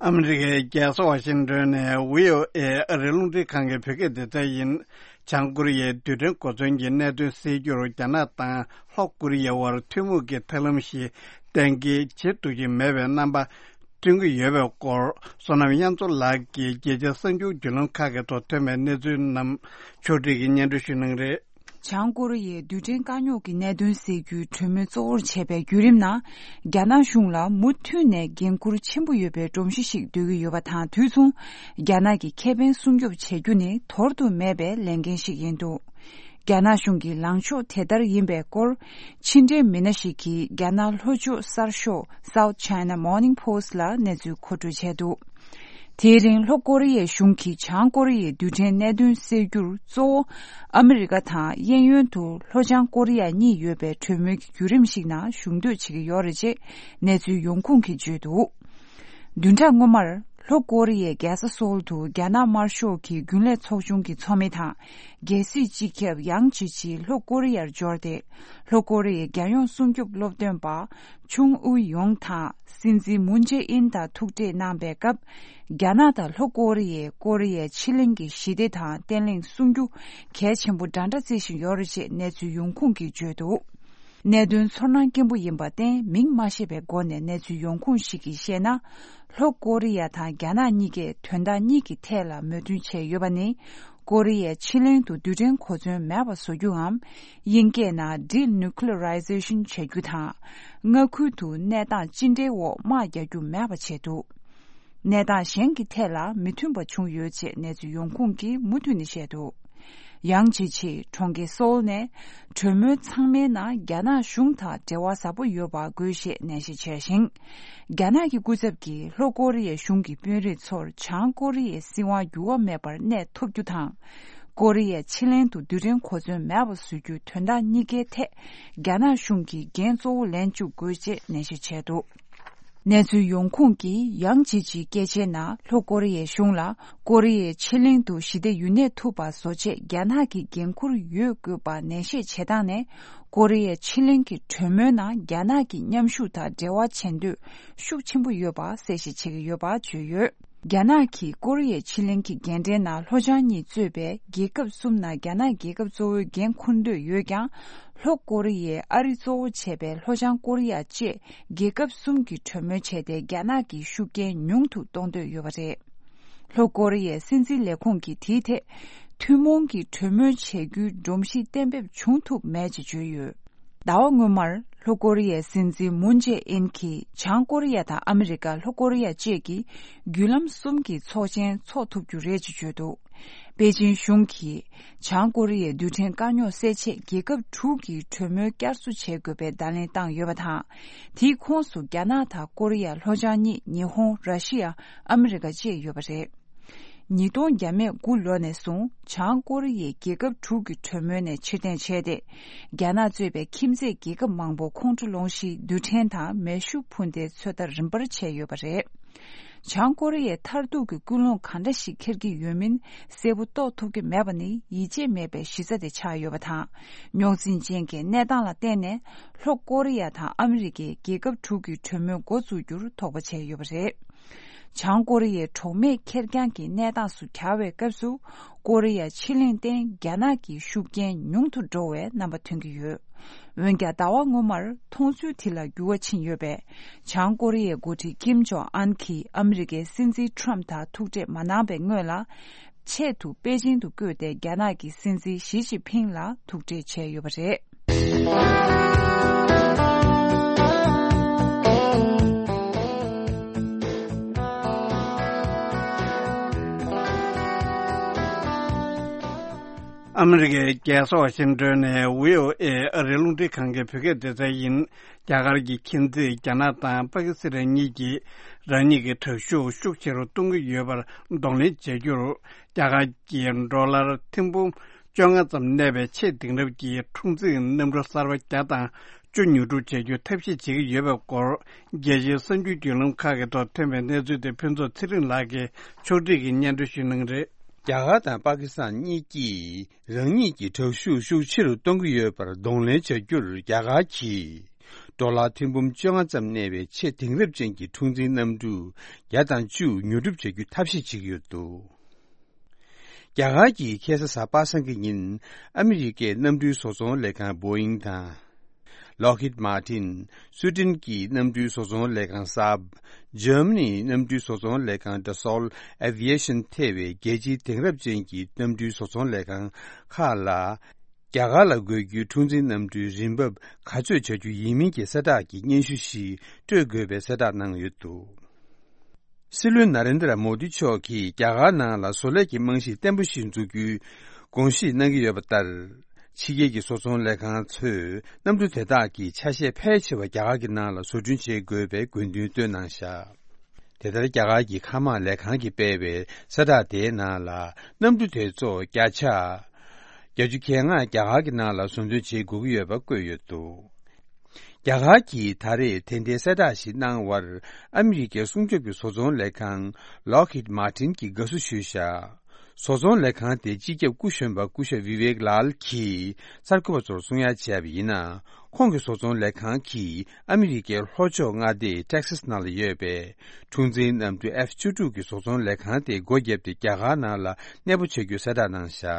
ཨ་མི་རི་ཀའི་རྒྱལ་ས་ཝ་ཤིང་ཏོན་ནས་བྷི་ཨོ་ཨེ་ཨ་རིའི་རླུང་འཕྲིན་ཁང་གི་བོད་སྐད་སྡེ་ཚན་ཡིན། བྱང་ཀོ་རི་ཡའི་རྡུལ་ཕྲན་གོ་མཚོན་གྱི་གནད་དོན་སེལ་རྒྱུར་རྒྱ་ནག་དང་ལྷོ་ཀོ་རི་ཡའི་དབར་ཐུན་མོང་གི་ཐབས་ལམ་ཞིག་གཏན་འཁེལ་བྱེད་ཐུབ་ཀྱི་མེད་པའི་རྣམ་པ་སྟོན་གྱི་ཡོད་པའི་སྐོར། བསོད་ནམས་དབྱངས་མཚོ་ལགས་ཀྱིས་རྒྱལ་སྤྱིའི་གསར་འགྱུར་བརྒྱུད་ལམ་ཁག་གི་ཐོག་ཐོན་པའི་གནས་ཚུལ་རྣམས་ཕྱོགས་སྒྲིག་གིས་སྙན་སྒྲོན་ཞུ་གནང་རེད། བྱང་ཀོ་རི་ཡའི་རྡུལ་ཕྲན་དཀའ་རྙོག་གི་གནད་དོན་སེལ་རྒྱུའི་གྲོས་མོལ་གཙོ་བོར་བྱས་པའི་བརྒྱུད་རིམ་ནང་། རྒྱ་ནག་གཞུང་ལ་མུ་མཐུད་ནས་འགན་འཁུར་ཆེན་པོ་ཡོད་པའི་སྒྲོམ་གཞི་ཞིག་འདོད་ཀྱི་ཡོད་པ་དང་། དུས་མཚུངས་རྒྱ་ནག་གི་ཁེ་ཕན་སྲུང་སྐྱོབ་བྱེད་རྒྱུ་ནི་དོར་དུ་མེད་པའི་ལས་འགན་ཞིག་ཡིན་འདུག་རྒྱ་ནག་གཞུང་གི་ལངས་ཕྱོགས་དེ་ལྟར་ཡིན་པའི་སྐོར། ཕྱི་འབྲེལ་མི་སྣ་ཞིག་གིས་རྒྱ་ནག་ལྷོ་ཕྱོགས་གསར་ཤོག་South China Morning Post་ལ་གནས་ཚུལ་མཁོ་སྤྲོད་བྱས་འདུག་དེའི་རིང་ལྷོ་ཀོ་རི་ཡའི་གཞུང་གིས་བྱང་ཀོ་རི་ཡའི་རྡུལ་ཕྲན་གནད་དོན་སེལ་རྒྱུར་གཙོ་བོ་ཨ་མི་རི་ཀ་དང་། གཡས་གཡོན་དུ་ལྷོ་བྱང་ཀོ་རི་ཡ་གཉིས་ཡོད་པའི་གྲོས་མོལ་གྱི་བརྒྱུད་རིམ་ཞིག་ནང་ཞུགས་འདོད་བྱེད་ཀྱི་ཡོད་རེད་ཅེས་གནས་ཚུལ་ཡོང་ཁུངས་ཀྱིས་བརྗོད་འདུག་བདུན་ཕྲག་སྔོན་མར་ལྷོ་ཀོ་རི་ཡའི་རྒྱལ་ས་སོལ་དུ་རྒྱ་ནག་དམར་ཤོག་གི་རྒྱུན་ལས་ཚོགས་ཆུང་གི་ཚོགས་མི་དང་། རྒྱལ་སྲིད་སྤྱི་ཁྱབ་ཡང་ཇི་ཆི་ལྷོ་ཀོ་རི་ཡར་འབྱོར་ཏེ། ལྷོ་ཀོ་རི་ཡའི་རྒྱལ་ཡོངས་སྲུང་སྐྱོབ་སློབ་སྟོན་པ་ཆུང་ཨུ་ཡོང་དང་། སྲིད་འཛིན་མུན་ཇེ་ཨིན་དང་ཐུག་འཕྲད་གནང་པའི་སྐབས། རྒྱ་ནག་དང་ལྷོ་ཀོ་རི་ཡས་ཀོ་རི་ཡའི་ཕྱེད་གླིང་གི་ཞི་བདེ་དང་བརྟན་ལྷིང་སྲུང་རྒྱུ་གལ་ཆེན་པོ་འདྲ་འདྲ་བརྩི་བཞིན་ཡོད་རེད་ཅེས་གནས་ཚུལ་ཡོང་ཁུངས་ཀྱིས་བརྗོད་འདུག་གནད་དོན་ཚོར་སྣང་སྐྱེན་པོ་ཡིན་པར་བརྟེན། མིང་མ་ཤེས་པའི་སྒོ་ནས་གནས་ཚུལ་ཡོང་ཁུངས་ཤིག་གིས་བཤད་ན། ལྷོ་ཀོ་རི་ཡ་དང་རྒྱ་ནག་གཉིས་ཀས་དོན་དག་གཉིས་ཀྱི་ཐད་ལ་མོས་མཐུན་བྱས་ཡོད་པ་ནི། ཀོ་རི་ཡའི་ཕྱེད་གླིང་དུ་རྡུལ་ཕྲན་གོ་མཚོན་མེད་པ་བཟོ་རྒྱུའམ། དབྱིན་སྐད་ནང་Denuclearization་བྱ་རྒྱུ་དང་། མངའ་ཁུལ་དུ་གནས་སྟངས་ཅི་འདྲའི་འོག་དམག་རྒྱག་རྒྱུ་མེད་པ་བྱས་འདུག་གནས་སྟངས་གཞན་གྱི་ཐད་ལ་མི་མཐུན་པ་བྱུང་ཡོད་ཅེས་གནས་ཚུལ་ཡོང་ཁུངས་ཀྱིས་མུ་མཐུད་ནས་བཤད་འདུག་ཡང་ཇི་ཆེ་གྲོང་ཁྱེར་སོལ་ནས་གྲོས་མོལ་ཚང་མའི་ནང་རྒྱ་ནག་གཞུང་དང་འབྲེལ་བ་ཟབ་པོ་ཡོད་པ་དགོས་ཞེས་ནན་བཤད་བྱས་ཤིང་། རྒྱ་ནག་གི་སྐུ་ཚབ་ཀྱིས་ལྷོ་ཀོ་རི་ཡའི་གཞུང་གི་དཔོན་རིགས་ཚོར་བྱང་ཀོ་རི་ཡའི་སྲིད་དབང་འགྱུར་བ་མེད་པར་གནས་ཐུབ་རྒྱུ་དང་། ཀོ་རི་ཡའི་ཕྱེད་གླིང་དུ་རྡུལ་ཕྲན་གོ་མཚོན་མེད་པ་བཟོ་རྒྱུའི་དོན་དག་གཉིས་ཀའི་ཐད་རྒྱ་ནག་གཞུང་གིས་འགན་གཙོ་བོ་ལེན་བཅུག་དགོས་ཅེས་ནན་བཤད་བྱས་འདུག་གནས་ཚུལ་ཡོང་ཁུངས་ཀྱིས་ཡང་ཇི་ཆིའི་སྐད་ཆའི་ནང་ལྷོ་ཀོ་རི་ཡའི་གཞུང་ལ་ཀོ་རི་ཡའི་ཕྱེད་གླིང་དུ་ཞི་བདེ་ཡུན་གནས་ཐུབ་པ་བཟོ་ཆེད་རྒྱ་ནག་གི་འགན་འཁུར་ཡོད་དགོས་པ་ནན་བཤད་བྱེད་སྟངས་ནས། ཀོ་རི་ཡའི་ཕྱེད་གླིང་གི་གྲོས་མོལ་ནང་རྒྱ་ནག་གི་མཉམ་ཞུགས་དང་འབྲེལ་བ་བྱེད་འདོད་ཤུགས་ཆེན་པོ་ཡོད་པ་གསལ་བཤད་བྱེད་ཀྱི་ཡོད་པ་བརྗོད་ཡོད། རྒྱ་ནག་གིས་ཀོ་རི་ཡའི་ཕྱེད་གླིང་གི་རྒན་གྲས་ནང་ལྷོ་བྱང་གཉིས་གཙོས་པའི་རྒྱལ་ཁབ་གསུམ་ནང་རྒྱ་ནག་རྒྱལ་ཁབ་གཙོ་བོའི་འགན་འཁུར་འདོད་ཡོད་ཀྱང་། ལྷོ་ཀོ་རི་ཡས་ཨ་རི་གཙོ་བོ་བྱས་པའི་ལྷོ་བྱང་ཀོ་རི་ཡ་བཅས་རྒྱལ་ཁབ་གསུམ་གྱིས་གྲོས་མོལ་བྱས་ཏེ་རྒྱ་ནག་གི་ཤུགས་རྐྱེན་ཉུང་དུ་གཏོང་འདོད་ཡོད་པ་རེད། ལྷོ་ཀོ་རི་ཡའི་སྲིད་འཛིན་ལས་ཁུངས་ཀྱིས་དེའི་ཐད་ཐུན་མོང་གི་གྲོས་མོལ་བྱེད་རྒྱུའི་སྒྲོམ་གཞི་གཏན་འབེབས་བྱུང་ཐུབ་མེད་ཅེས་བརྗོད་ཡོད། ཟླ་བ་སྔོན་མར། ལྷོ་ཀོ་རི་ཡའི་སྲིད་འཛིན་མུན་ཇེ་ཨིན་གྱིས་བྱང་ཀོ་རི་ཡ་དང་ཨ་མི་རི་ཀ། ལྷོ་ཀོ་རི་ཡ་བཅས་ཀྱིས་བརྒྱུད་ལམ་གསུམ་གྱི་ཚོགས་ཆེན་འཚོགས་ཐུབ་རྒྱུ་རེད་ཅེས་བརྗོད་འདུག་པེ་ཅིན་གཞུང་གིས་བྱང་ཀོ་རི་ཡའི་རྡུལ་ཕྲན་དཀའ་རྙོག་སེལ་ཆེད་རྒྱལ་ཁབ་དྲུག་གི་གྲོས་མོལ་བསྐྱར་གསོ་བྱེད་དགོས་པའི་བརྡ་ལན་བཏང་ཡོད་པ་དང་། དེའི་ཁོངས་སུ་རྒྱ་ནག་དང་ཀོ་རི་ཡ་ལྷོ་བྱང་གཉིས། ཉི་ཧོང་། ར་ཤི་ཡ། ཨ་མི་རི་ཀ་བཅས་ཡོད་པ་རེད། ཉིས་སྟོང་བརྒྱ་མེད་དགུ་ལོ་ནས་བཟུང་བྱང་ཀོ་རི་ཡས་རྒྱལ་ཁབ་དྲུག་གི་གྲོས་མོལ་ནས་ཕྱིར་འཐེན་བྱས་ཏེ། རྒྱ་ནག་གཙོས་པའི་ཁྱིམ་མཚེས་རྒྱལ་ཁབ་མང་པོ་ཁོང་ཁྲོ་སློང་གཞིའི་རྡུལ་ཕྲན་དང་མེ་ཤུགས་འཕུར་མདེལ་ཚོད་ལྟ་རིམ་པར་བྱས་ཡོད་པ་རེད། བྱང་ཀོ་རི་ཡས་མཐར་ཐུག་གི་ཀུན་སློང་ག་འདྲ་ཞིག་འཁྱེར་གྱི་ཡོད་མིན་གསལ་པོ་རྟོགས་ཐུབ་ཀྱི་མེད་པ་ནི་ཡིད་ཆེས་མེད་པའི་གཞི་རྩ་དེ་ཆགས་ཡོད་པ་དང་། རྙོག་འཛིང་ཅན་གྱི་གནས་སྟངས་ལ་བརྟེན་ནས་ལྷོ་ཀོ་རི་ཡ་དང་ཨ་མི་རི་ཀས་རྒྱལ་ཁབ་དྲུག་གི་གྲོས་མོལ་འགོ་བཙུགས་རྒྱུར་དོགས་པ་བྱས་ཡོད་པ་རེད། བྱང་ཀོ་རི་ཡའི་གྲོགས་མེད་ཁེར་རྐྱང་གི་གནས་སྟངས་སུ་གྱར་བའི་སྐབས་སུ། ཀོ་རི་ཡ་ཕྱེད་གླིང་སྟེང་རྒྱ་ནག་གི་ཤུགས་རྐྱེན་ཉུང་དུ་འགྲོ་བའི་རྣམ་པ་ཐོན་གྱི་ཡོད། འོན་ཀྱང་ཟླ་བ་སྔོན་མར་མཐོང་ཚུལ་དེ་ལ་འགྱུར་བ་ཕྱིན་ཡོད་པས། བྱང་ཀོ་རི་ཡའི་འགོ་ཁྲིད་ཀིམ་ཇོང་ཨན་གྱིས་ཨ་མི་རི་ཀའི་སྲིད་འཛིན་ཁྲོམ་དང་ཐུག་འཕྲད་མ་གནང་བའི་སྔོན་ལ། ཆེད་དུ་པེ་ཅིང་དུ་བསྐོས་ཏེ་རྒྱ་ནག་གི་སྲིད་འཛིན་ཞི་ཅིན་ཕིང་ལ་ཐུག་འཕྲད་བྱས་ཡོད་པ་རེད། ཨ་མི་རི་ཀའི་རྒྱལ་ས་ཝ་ཤིང་ཏོན་ནས་བྷི་ཨོ་ཨེ་ཨ་རིའི་རླུང་འཕྲིན་ཁང་གི་བོད་སྐད་སྡེ་ཚན་ཡིན། རྒྱ་གར་གྱི་ཁྱིམ་མཚེས་རྒྱ་ནག་དང་པ་ཀི་སི་ཐན་གཉིས་ཀྱིས་རང་ཉིད་ཀྱི་དྲག་ཤུགས་ཤུགས་ཆེ་རུ་གཏོང་གི་ཡོད་པར་གདོང་ལེན་བྱ་རྒྱུར། རྒྱ་གར་གྱིས་ཌོ་ལར་ཐེར་འབུམ་བཅོ་ལྔ་ཙམ་གནས་པའི་ཆེས་དེང་རབས་ཀྱི་འཁྲུག་འཛིང་གནམ་གྲུ་གསར་པ་བརྒྱ་དང་བཅུ་ཉོ་སྒྲུབ་བྱ་རྒྱུའི་ཐབས་ཤེས་བྱེད་ཀྱི་ཡོད་པའི་སྐོར། རྒྱལ་སྤྱིའི་གསར་འགྱུར་བརྒྱུད་ལམ་ཁག་གི་ཐོག་ཐོན་པའི་གནས་ཚུལ་དེ་ཕུན་ཚོགས་ཚེ་རིང་ལགས་ཀྱིས་ཕྱོགས་སྒྲིག་གིས་སྙན་སྒྲོན་ཞུ་གནང་གི་རེད། རྒྱ་གར་དང་པ་ཀི་སི་ཐན་གཉིས་ཀྱིས་རང་ཉིད་ཀྱི་དྲག་ཤུགས་ཤུགས་ཆེ་རུ་གཏོང་གི་ཡོད་པར་གདོང་ལེན་བྱ་རྒྱུར། རྒྱ་གར་གྱིས་ཌོ་ལར་ཐེར་འབུམ་བཅོ་ལྔ་ཙམ་གནས་པའི་ཆེས་དེང་རབས་ཅན་གྱི་འཁྲུག་འཛིང་གནམ་གྲུ་བརྒྱ་དང་བཅུ་ཉོ་སྒྲུབ་བྱ་རྒྱུའི་ཐབས་ཤེས་བྱེད་ཀྱི་ཡོད་འདུག་རྒྱ་གར་གྱིས་ཁ་སང་གཟའ་པ་སངས་ཀྱི་ཉིན་ཨ་མི་རི་ཀའི་གནམ་གྲུའི་བཟོ་ཚོང་ལས་ཁང་Boeing་དང་། Lockheed Martin། སུའེ་ཏེན་གྱི་གནམ་གྲུའི་བཟོ་ཚོང་ལས་ཁང་Saab། འཇར་མ་ནིའི་གནམ་གྲུའི་བཟོ་ཚོང་ལས་ཁང་Dassault Aviation་ཐེ་བའི་རྒྱལ་སྤྱིའི་དེང་རབས་ཅན་གྱི་གནམ་གྲུའི་བཟོ་ཚོང་ལས་ཁང་ཁག་ལ། རྒྱ་གར་ལ་དགོས་རྒྱུའི་འཁྲུག་འཛིང་གནམ་གྲུའི་རིན་འབབ་ག་ཚོད་བྱ་རྒྱུ་ཡིན་མིན་གྱི་གསལ་བསྒྲགས་ཀྱི་སྙན་ཞུ་ཞིག་སྤྲོད་དགོས་པའི་གསལ་བསྒྲགས་གནང་ཡོད་འདུག་སྲིད་བློན་ནཱ་རེན་དྲ་མོ་དི་མཆོག་གིས་རྒྱ་གར་ནང་ལ་བཟོ་ལས་ཀྱི་རྨང་གཞི་བརྟན་པོ་ཞིག་འཛུགས་རྒྱུའི་དགོངས་བཞེས་གནང་གི་ཡོད་པ་ལྟར། ཕྱི་རྒྱལ་གྱི་བཟོ་ཚོང་ལས་ཁང་ཚོས་གནམ་གྲུ་དེ་དག་གི་ཆ་ཤས་ཕལ་ཆེ་བ་རྒྱ་གར་གྱི་ནང་ལ་བཟོ་སྐྲུན་བྱེད་དགོས་པའི་དགོས་འདུན་བཏོན་གནང་བཞག་དེ་ལྟར་རྒྱ་གར་གྱི་མཁའ་དམག་ལས་ཁང་གིས་སྤེལ་བའི་གསལ་བསྒྲགས་དེའི་ནང་ལ། གནམ་གྲུ་དེ་ཚོ་བརྒྱ་ཆ་བརྒྱད་ཅུ་གྱ་ལྔ་རྒྱ་གར་གྱི་ནང་ལ་བཟོ་འདོན་བྱེད་དགོས་ཀྱི་ཡོད་པ་བཀོད་ཡོད་འདུག་རྒྱ་གར་གྱིས་ད་རེས་དེ་འདྲའི་གསལ་བསྒྲགས་ཤིག་གནང་བར། ཨ་མི་རི་ཀའི་སྲུང་སྐྱོབ་ཀྱི་བཟོ་ཚོང་ལས་ཁང་Lockheed Martin་གྱིས་དགའ་བསུ་ཞུས་བཞག་བཟོ་ཚོང་ལས་ཁང་དེ་སྤྱི་ཁྱབ་སྐུ་གཞོན་པ་སྐུ་ཞབས་Vivek Lal་གྱིས་གསར་འགོད་པ་ཚོར་གསུང་ཡ་བྱས་པ་ཡིན་ན། ཁོང་གི་བཟོ་ཚོང་ལས་ཁང་གིས་ཨ་མི་རི་ཀའི་ལྷོ་ཕྱོགས་མངའ་སྡེ་Texas་ནང་ལ་ཡོད་པའི་འཁྲུག་འཛིང་གནམ་གྲུ་F་བཅུ་དྲུག་གི་བཟོ་ཚོང་ལས་ཁང་དེ་སྒོ་བརྒྱབ་སྟེ་རྒྱ་གར་ནང་ལ་གནས་སྤོ་བྱ་རྒྱུའི་གསལ་བསྒྲགས་གནང་བཞག་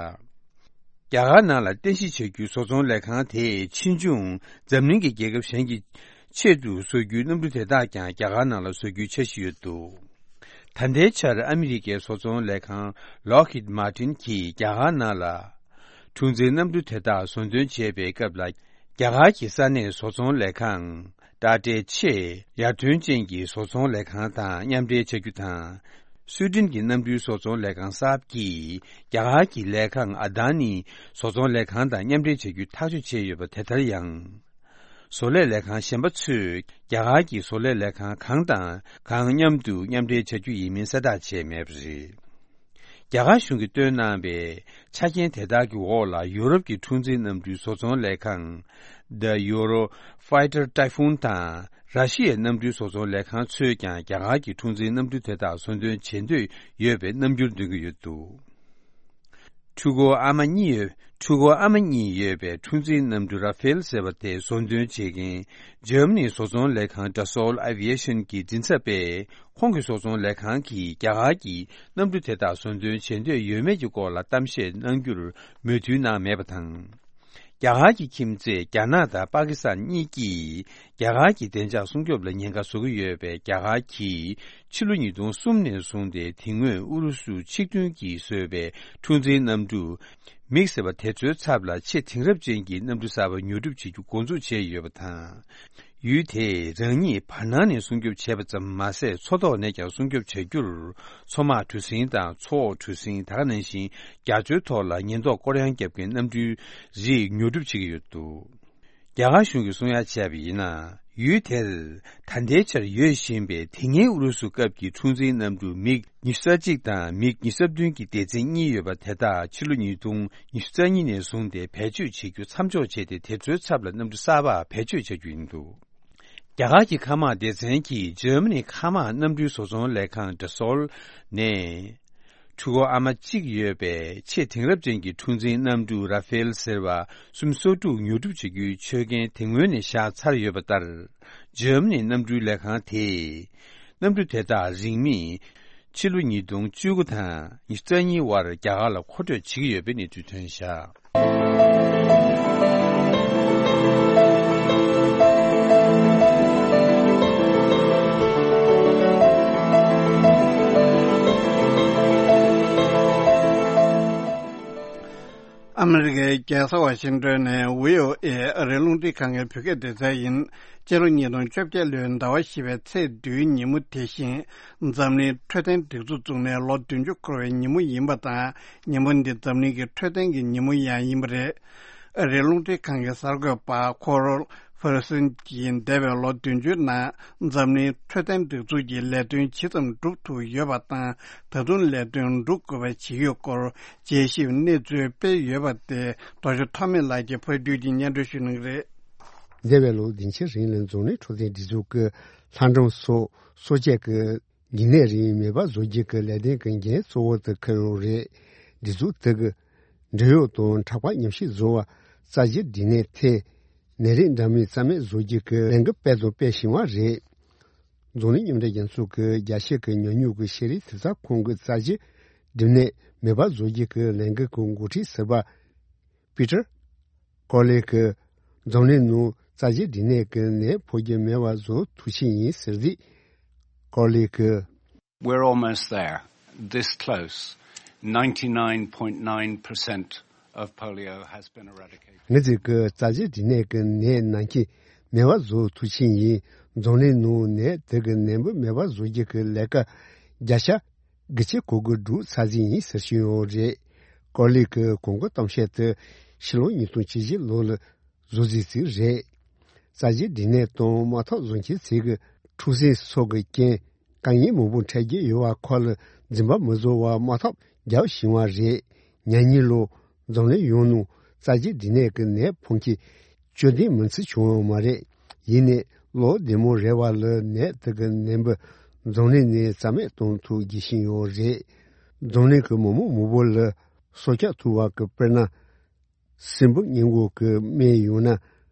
རྒྱ་གར་ནང་ལ་རྟེན་གཞི་བྱ་རྒྱུའི་བཟོ་ཚོང་ལས་ཁང་དེས་ཕྱིས་འབྱུང་འཛམ་གླིང་གི་རྒྱལ་ཁབ་གཞན་གྱི་ཆེད་དུ་བཟོ་རྒྱུའི་གནམ་གྲུ་དེ་དག་ཀྱང་རྒྱ་གར་ནང་ལ་བཟོ་རྒྱུའི་འཆར་གཞི་ཡོད་འདུག་ད་ལྟའི་ཆར་ཨ་མི་རི་ཀའི་བཟོ་ཚོང་ལས་ཁང་Lockheed Martin་གྱིས་རྒྱ་གར་ནང་ལ་འཁྲུག་འཛིང་གནམ་གྲུ་དེ་དག་བཟོ་འདོན་བྱེད་པའི་སྐབས་ལ། རྒྱ་གར་གྱི་ས་གནས་བཟོ་ཚོང་ལས་ཁང་། Tata་ཆེས་ཡར་ཐོན་ཅན་གྱི་བཟོ་ཚོང་ལས་ཁང་དང་མཉམ་འབྲེལ་བྱ་རྒྱུ་དང་། སུའེ་ཏེན་གྱི་གནམ་གྲུའི་བཟོ་ཚོང་ལས་ཁང་Saab་གྱིས་རྒྱ་གར་གྱི་ལས་ཁང་Adani་བཟོ་ཚོང་ལས་ཁང་དང་མཉམ་འབྲེལ་བྱ་རྒྱུའི་ཐག་གཅོད་བྱས་ཡོད་པ་དེ་ལྟར་ཡང་། བཟོ་ལས་ལས་ཁང་གཞན་པ་ཚོས་རྒྱ་གར་གྱི་བཟོ་ལས་ལས་ཁང་གང་དང་གང་མཉམ་དུ་མཉམ་འབྲེལ་བྱ་རྒྱུ་ཡིན་མིན་གསལ་བསྒྲགས་བྱས་མེད་པ་རེད། རྒྱ་གར་གཞུང་གིས་བཏོན་གནང་བའི་ཆ་རྐྱེན་དེ་དག་གི་འོག་ལ་ཡོ་རོབ་ཀྱི་འཁྲུག་འཛིང་གནམ་གྲུའི་བཟོ་ཚོང་ལས་ཁང་The Eurofighter Typhoon་དང་ར་ཤི་ཡའི་གནམ་གྲུའི་བཟོ་ཚོང་ལས་ཁང་ཚོས་ཀྱང་རྒྱ་གར་གྱི་འཁྲུག་འཛིང་གནམ་གྲུ་དེ་དག་བཟོ་འདོན་བྱེད་འདོད་ཡོད་པའི་རྣམ་འགྱུར་འདོན་གྱི་ཡོད་འདུག་འཕྲུལ་འཁོར་ཨ་མ་གཉིས་ཡོད། འཕྲུལ་འཁོར་ཨ་མ་གཉིས་ཡོད་པའི་འཁྲུག་འཛིང་གནམ་གྲུ་Rafale་ཟེར་བ་དེ་བཟོ་འདོན་བྱེད་མཁན་འཇར་མ་ནིའི་བཟོ་ཚོང་ལས་ཁང་Dassault Aviation་གྱི་མགྲིན་ཚབ་པས། ཁོང་གི་བཟོ་ཚོང་ལས་ཁང་གིས་རྒྱ་གར་གྱིས་གནམ་གྲུ་དེ་དག་བཟོ་འདོན་བྱེད་འདོད་ཡོད་མེད་ཀྱི་སྐོར་ལ་གཏམ་བཤད་གནང་རྒྱུར་མོས་མཐུན་གནང་མེད་པ་དང་། རྒྱ་གར་གྱི་ཁྱིམ་མཚེས་རྒྱ་ནག་དང་པ་ཀི་སི་ཐན་གཉིས་ཀྱིས་རྒྱ་གར་གྱི་བདེ་འཇགས་སྲུང་སྐྱོབ་ལ་ཉེན་ཁ་བཟོ་གི་ཡོད་པས། རྒྱ་གར་གྱིས་ཕྱི་ལོ་ཉིས་སྟོང་གསུམ་ནས་བཟུང་སྟེ་དེ་སྔོན་ཨུ་རུ་སུ་ཆིག་མཐུན་གྱིས་བཟོས་པའི་འཁྲུག་འཛིང་གནམ་གྲུ་ མིག་ཟེར་བ་དེ་ཚོའི་ཚབ་ལ་ཆེས་དེང་རབས་ཅན་གྱི་གནམ་གྲུ་གསར་པ་ཉོ་སྒྲུབ་བྱེད་རྒྱུ་འགོ་འཛུགས་བྱས་ཡོད་པ་དང་། ཡུལ་དེས་རང་ཉིད་བར་སྣང་ནས་སྲུང་སྐྱོབ་བྱས་པ་ཙམ་མ་ཟད། མཚོ་ཐོག་ནས་ཀྱང་སྲུང་སྐྱོབ་བྱ་རྒྱུར། མཚོ་དམག་གྲུ་གཟིངས་དང་མཚོ་འོག་གྲུ་གཟིངས། ད་ག་ནང་བཞིན་རྒྱ་མཚོའི་ཐོག་ལ་ཉེན་རྟོག་སྐོར་གཡང་བརྒྱབ་མཁན་གནམ་གྲུའི་རིགས་ཉོ་སྒྲུབ་བྱེད་ཀྱི་ཡོད་འདུག་རྒྱ་གར་གཞུང་གིས་གསུང་ཡ་བྱས་པ་ཡིན་ན། ཡུལ་དེར་ད་ལྟའི་ཆར་ཡོད་བཞིན་པའི་དེ་སྔའི་ཨུ་རུ་སུ་སྐབས་ཀྱི་འཁྲུག་འཛིང་གནམ་གྲུ་མིག་ཉི་ཤུ་རྩ་གཅིག་དང་མིག་ཉི་ཤུ་རྩ་བདུན་གྱི་སྡེ་ཚན་གཉིས་ཡོད་པ་དེ་དག་ཕྱི་ལོ་ཉིས་སྟོང་ཉི་ཤུ་རྩ་གཉིས་ནས་བཟུང་སྟེ་བེད་སྤྱོད་བྱེད་རྒྱུ་མཚམས་འཇོག་བྱས་ཏེ། དེ་ཚོའི་ཚབ་ལ་གནམ་གྲུ་གསར་པ་བེད་སྤྱོད་བྱ་རྒྱུ་ཡིན་འདུག་རྒྱ་གར་གྱི་མཁའ་དམག་སྡེ་ཚན་གྱིས་འཇར་མ་ནི་མཁའ་དམག་གནམ་གྲུའི་བཟོ་ཚོང་ལས་ཁང་Dassault་ནས། འཕྲུལ་འཁོར་ཨ་མ་གཅིག་ཡོད་པའི་ཆེས་དེང་རབས་ཅན་གྱི་འཁྲུག་འཛིང་གནམ་གྲུ་Rafale་ཟེར་བ་སུམ་སོ་དྲུག་ཉོ་སྒྲུབ་བྱེད་རྒྱུའི་ཆོད་གན་དེ་སྔོན་ནས་བཞག་ཚར་ཡོད་པ་ལྟར། འཇར་མ་ནིའི་གནམ་གྲུའི་ལས་ཁང་དེས། གནམ་གྲུ་དེ་དག་རིང་མིན། ཕྱི་ལོ་ཉིས་སྟོང་བཅུ་དགུ་དང་ཉི་ཤུ་རྩ་གཉིས་བར་རྒྱ་གར་ལ་མཁོ་སྤྲོད་བྱེད་ཀྱི་ཡོད་པའི་གནས་ཚུལ་ཐོན་བཞག་ཨ་མི་རི་ཀའི་རྒྱལ་ས་ཝ་ཤིང་ཏོན་ནས་བྷི་ཨོ་ཨེ་ཨ་རིའི་རླུང་འཕྲིན་ཁང་གི་བོད་སྐད་སྡེ་ཚན་ཡིན། སྤྱི་ལོ་ཉིས་སྟོང་བཅོ་བརྒྱད་ལོའི་ཟླ་བ་བཞི་པའི་ཚེས་བདུན་ཉིན་མོ་དེ་བཞིན། འཛམ་གླིང་འཕྲོད་བསྟེན་སྒྲིག་འཛུགས་བཙུགས་ནས་ལོ་བདུན་ཅུ་འཁོར་བའི་ཉིན་མོ་ཡིན་པ་དང་། ཉིན་མོ་འདི་འཛམ་གླིང་གི་འཕྲོད་བསྟེན་གྱི་ཉིན་མོ་ཡང་ཡིན་པ་རེད། ཨ་རིའི་རླུང་འཕྲིན་ཁང་གི་གསར་འགོད་པ་ཁོ་རོལ་ཧྥེར་སན་གྱིས་འདས་པའི་ལོ་བདུན་ཅུའི་ནང་འཛམ་གླིང་འཕྲོད་བསྟེན་སྒྲིག་འཛུགས་ཀྱི་ལས་དོན་ཇི་ཙམ་སྒྲུབ་ཐུབ་ཡོད་པ་དང་། ད་དུང་ལས་དོན་སྒྲུབ་དགོས་པ་ཇི་ཡོད་སྐོར་དཔྱད་ཞིབ་གནས་ཚུལ་སྤེལ་ཡོད་པ་དེ་རྡོ་རྗེ་ཐོགས་མེད་ལགས་ཀྱིས་ཕབ་སྒྱུར་གྱིས་སྙན་སྒྲོན་ཞུ་གནང་གི་རེད། འདས་པའི་ལོ་བདུན་ཕྱེད་རིང་ལ་འཛམ་གླིང་འཕྲོད་བསྟེན་སྒྲིག་འཛུགས་ཀྱིས་ལྷ་འབྲུམ་སོགས་སྲོག་ཆགས་ཀྱི་འགོས་ནད་རིགས་མེད་པ་བཟོ་རྒྱུ་གི་ལས་དོན་གྱི་འགན་གཙོ་བོ་དེ་འཁུར་ཡོད་རེད། སྒྲིག་འཛུགས་དེ་གི་འབྲེལ་ཡོད་དང་དྲག་པོ་ཉམས་ཞིབ་བཟོ་བ། རྩ་ཆེའི་འབྲས་ནད་ཐད་ནད་རིགས་འདྲ་མིན་རྩ་མེད་བཟོ་རྒྱུ་གི་ལས་འགུལ་སྤེལ་དང་སྤེལ་བཞིན་པ་རེད། འཛམ་གླིང་མཉམ་འབྲེལ་རྒྱལ་ཚོགས་ཀྱི་རྒྱ་ཆེ་གི་ཉམས་མྱོང་གི་ཤེས་རིག་དྲིལ་བསྒྲགས་ཁང་གི་རྩ་ཆེའི་འབྲས་ནད་མེད་པ་བཟོ་རྒྱུ་གི་ལས་འགུལ་གྱི་འགོ་ཁྲིད་ཟུར་པ་པི་ཏར་ཀོ་ལི་གིས་འཛམ་གླིང་ནང་རྩ་ཆེའི་འབྲས་ནད་ཀྱི་ནད་ཕོག་རྒྱུ་མེད་པ་བཟོ་ཐུབ་ཆེད་ཡིན་ཟེར་དུས། ཀོ་ལི་གིས། We're almost there, this close. Ninety-nine point nine percent of polio has been eradicated. ང་ཚོས་ཀྱི་རྩ་ཆེའི་འབྲས་ནད་ཀྱི་ནད་ནང་རྐྱེན་མེད་པ་བཟོ་ཐུབ་ཆེད་ཡིན། འཛམ་གླིང་ནང་ནད་དེ་གི་ནད་འབུ་མེད་པ་བཟོ་རྒྱུ་གི་ལས་ཀ་བརྒྱ་ཆ་དགུ་བཅུ་གོ་དགུ་སྒྲུབ་ཚར་ཟིན་ཡིན་ཟེར་བཞིན་ཡོད་རེད། ཀོ་ལི་གི་གོང་གི་གཏམ་བཤད་དེ་ཕྱི་ལོ་ཉིས་སྟོང་བཅུ་བཞི་ལོ་ལ་བཟོ་རྩིས་རེད། རྩ་ཆེའི་འབྲས་ནད་དང་དམག་འཐབ་བཟུང་མཁན་ཚོས་ཀྱི་འཁྲུག་ཟིང་སོགས་ཀྱི་རྐྱེན། དཀའ་ངལ་མང་པོ་འཕྲད་ཀྱི་ཡོད་པ་ཁོ་ལ་འཛེམ་པ་མི་བཟོ་བར་དམག་འཐབ་རྒྱག་བཞིན་པ་རེད། ཉེ་ལོ་འཛམ་གླིང་ཡོངས་ནང་རྩ་ཆེའི་འབྲས་ནད་ཀྱི་ནད་ཕོག་མཁན་བཅུ་བདུན་མིན་ཙམ་བྱུང་ཡོད་མ་རེད། ཡིན་ནའི་ལོ་བདུན་མ་རེ་བ་ལ་ནད་དེ་གི་ནད་འབུ་འཛམ་གླིང་ནས་རྩ་མེད་གཏོང་ཐུབ་བགྱིད་བཞིན་ཡོད་རེད། འཛམ་གླིང་གི་མི་མང་མང་པོ་ལ་སྲོག་སྐྱོབ་ཐུབ་པ་གི་དཔེར་ན། སྲིན་འབུ་སྔོན་འགོག་གི་སྨན་ཡང་ན་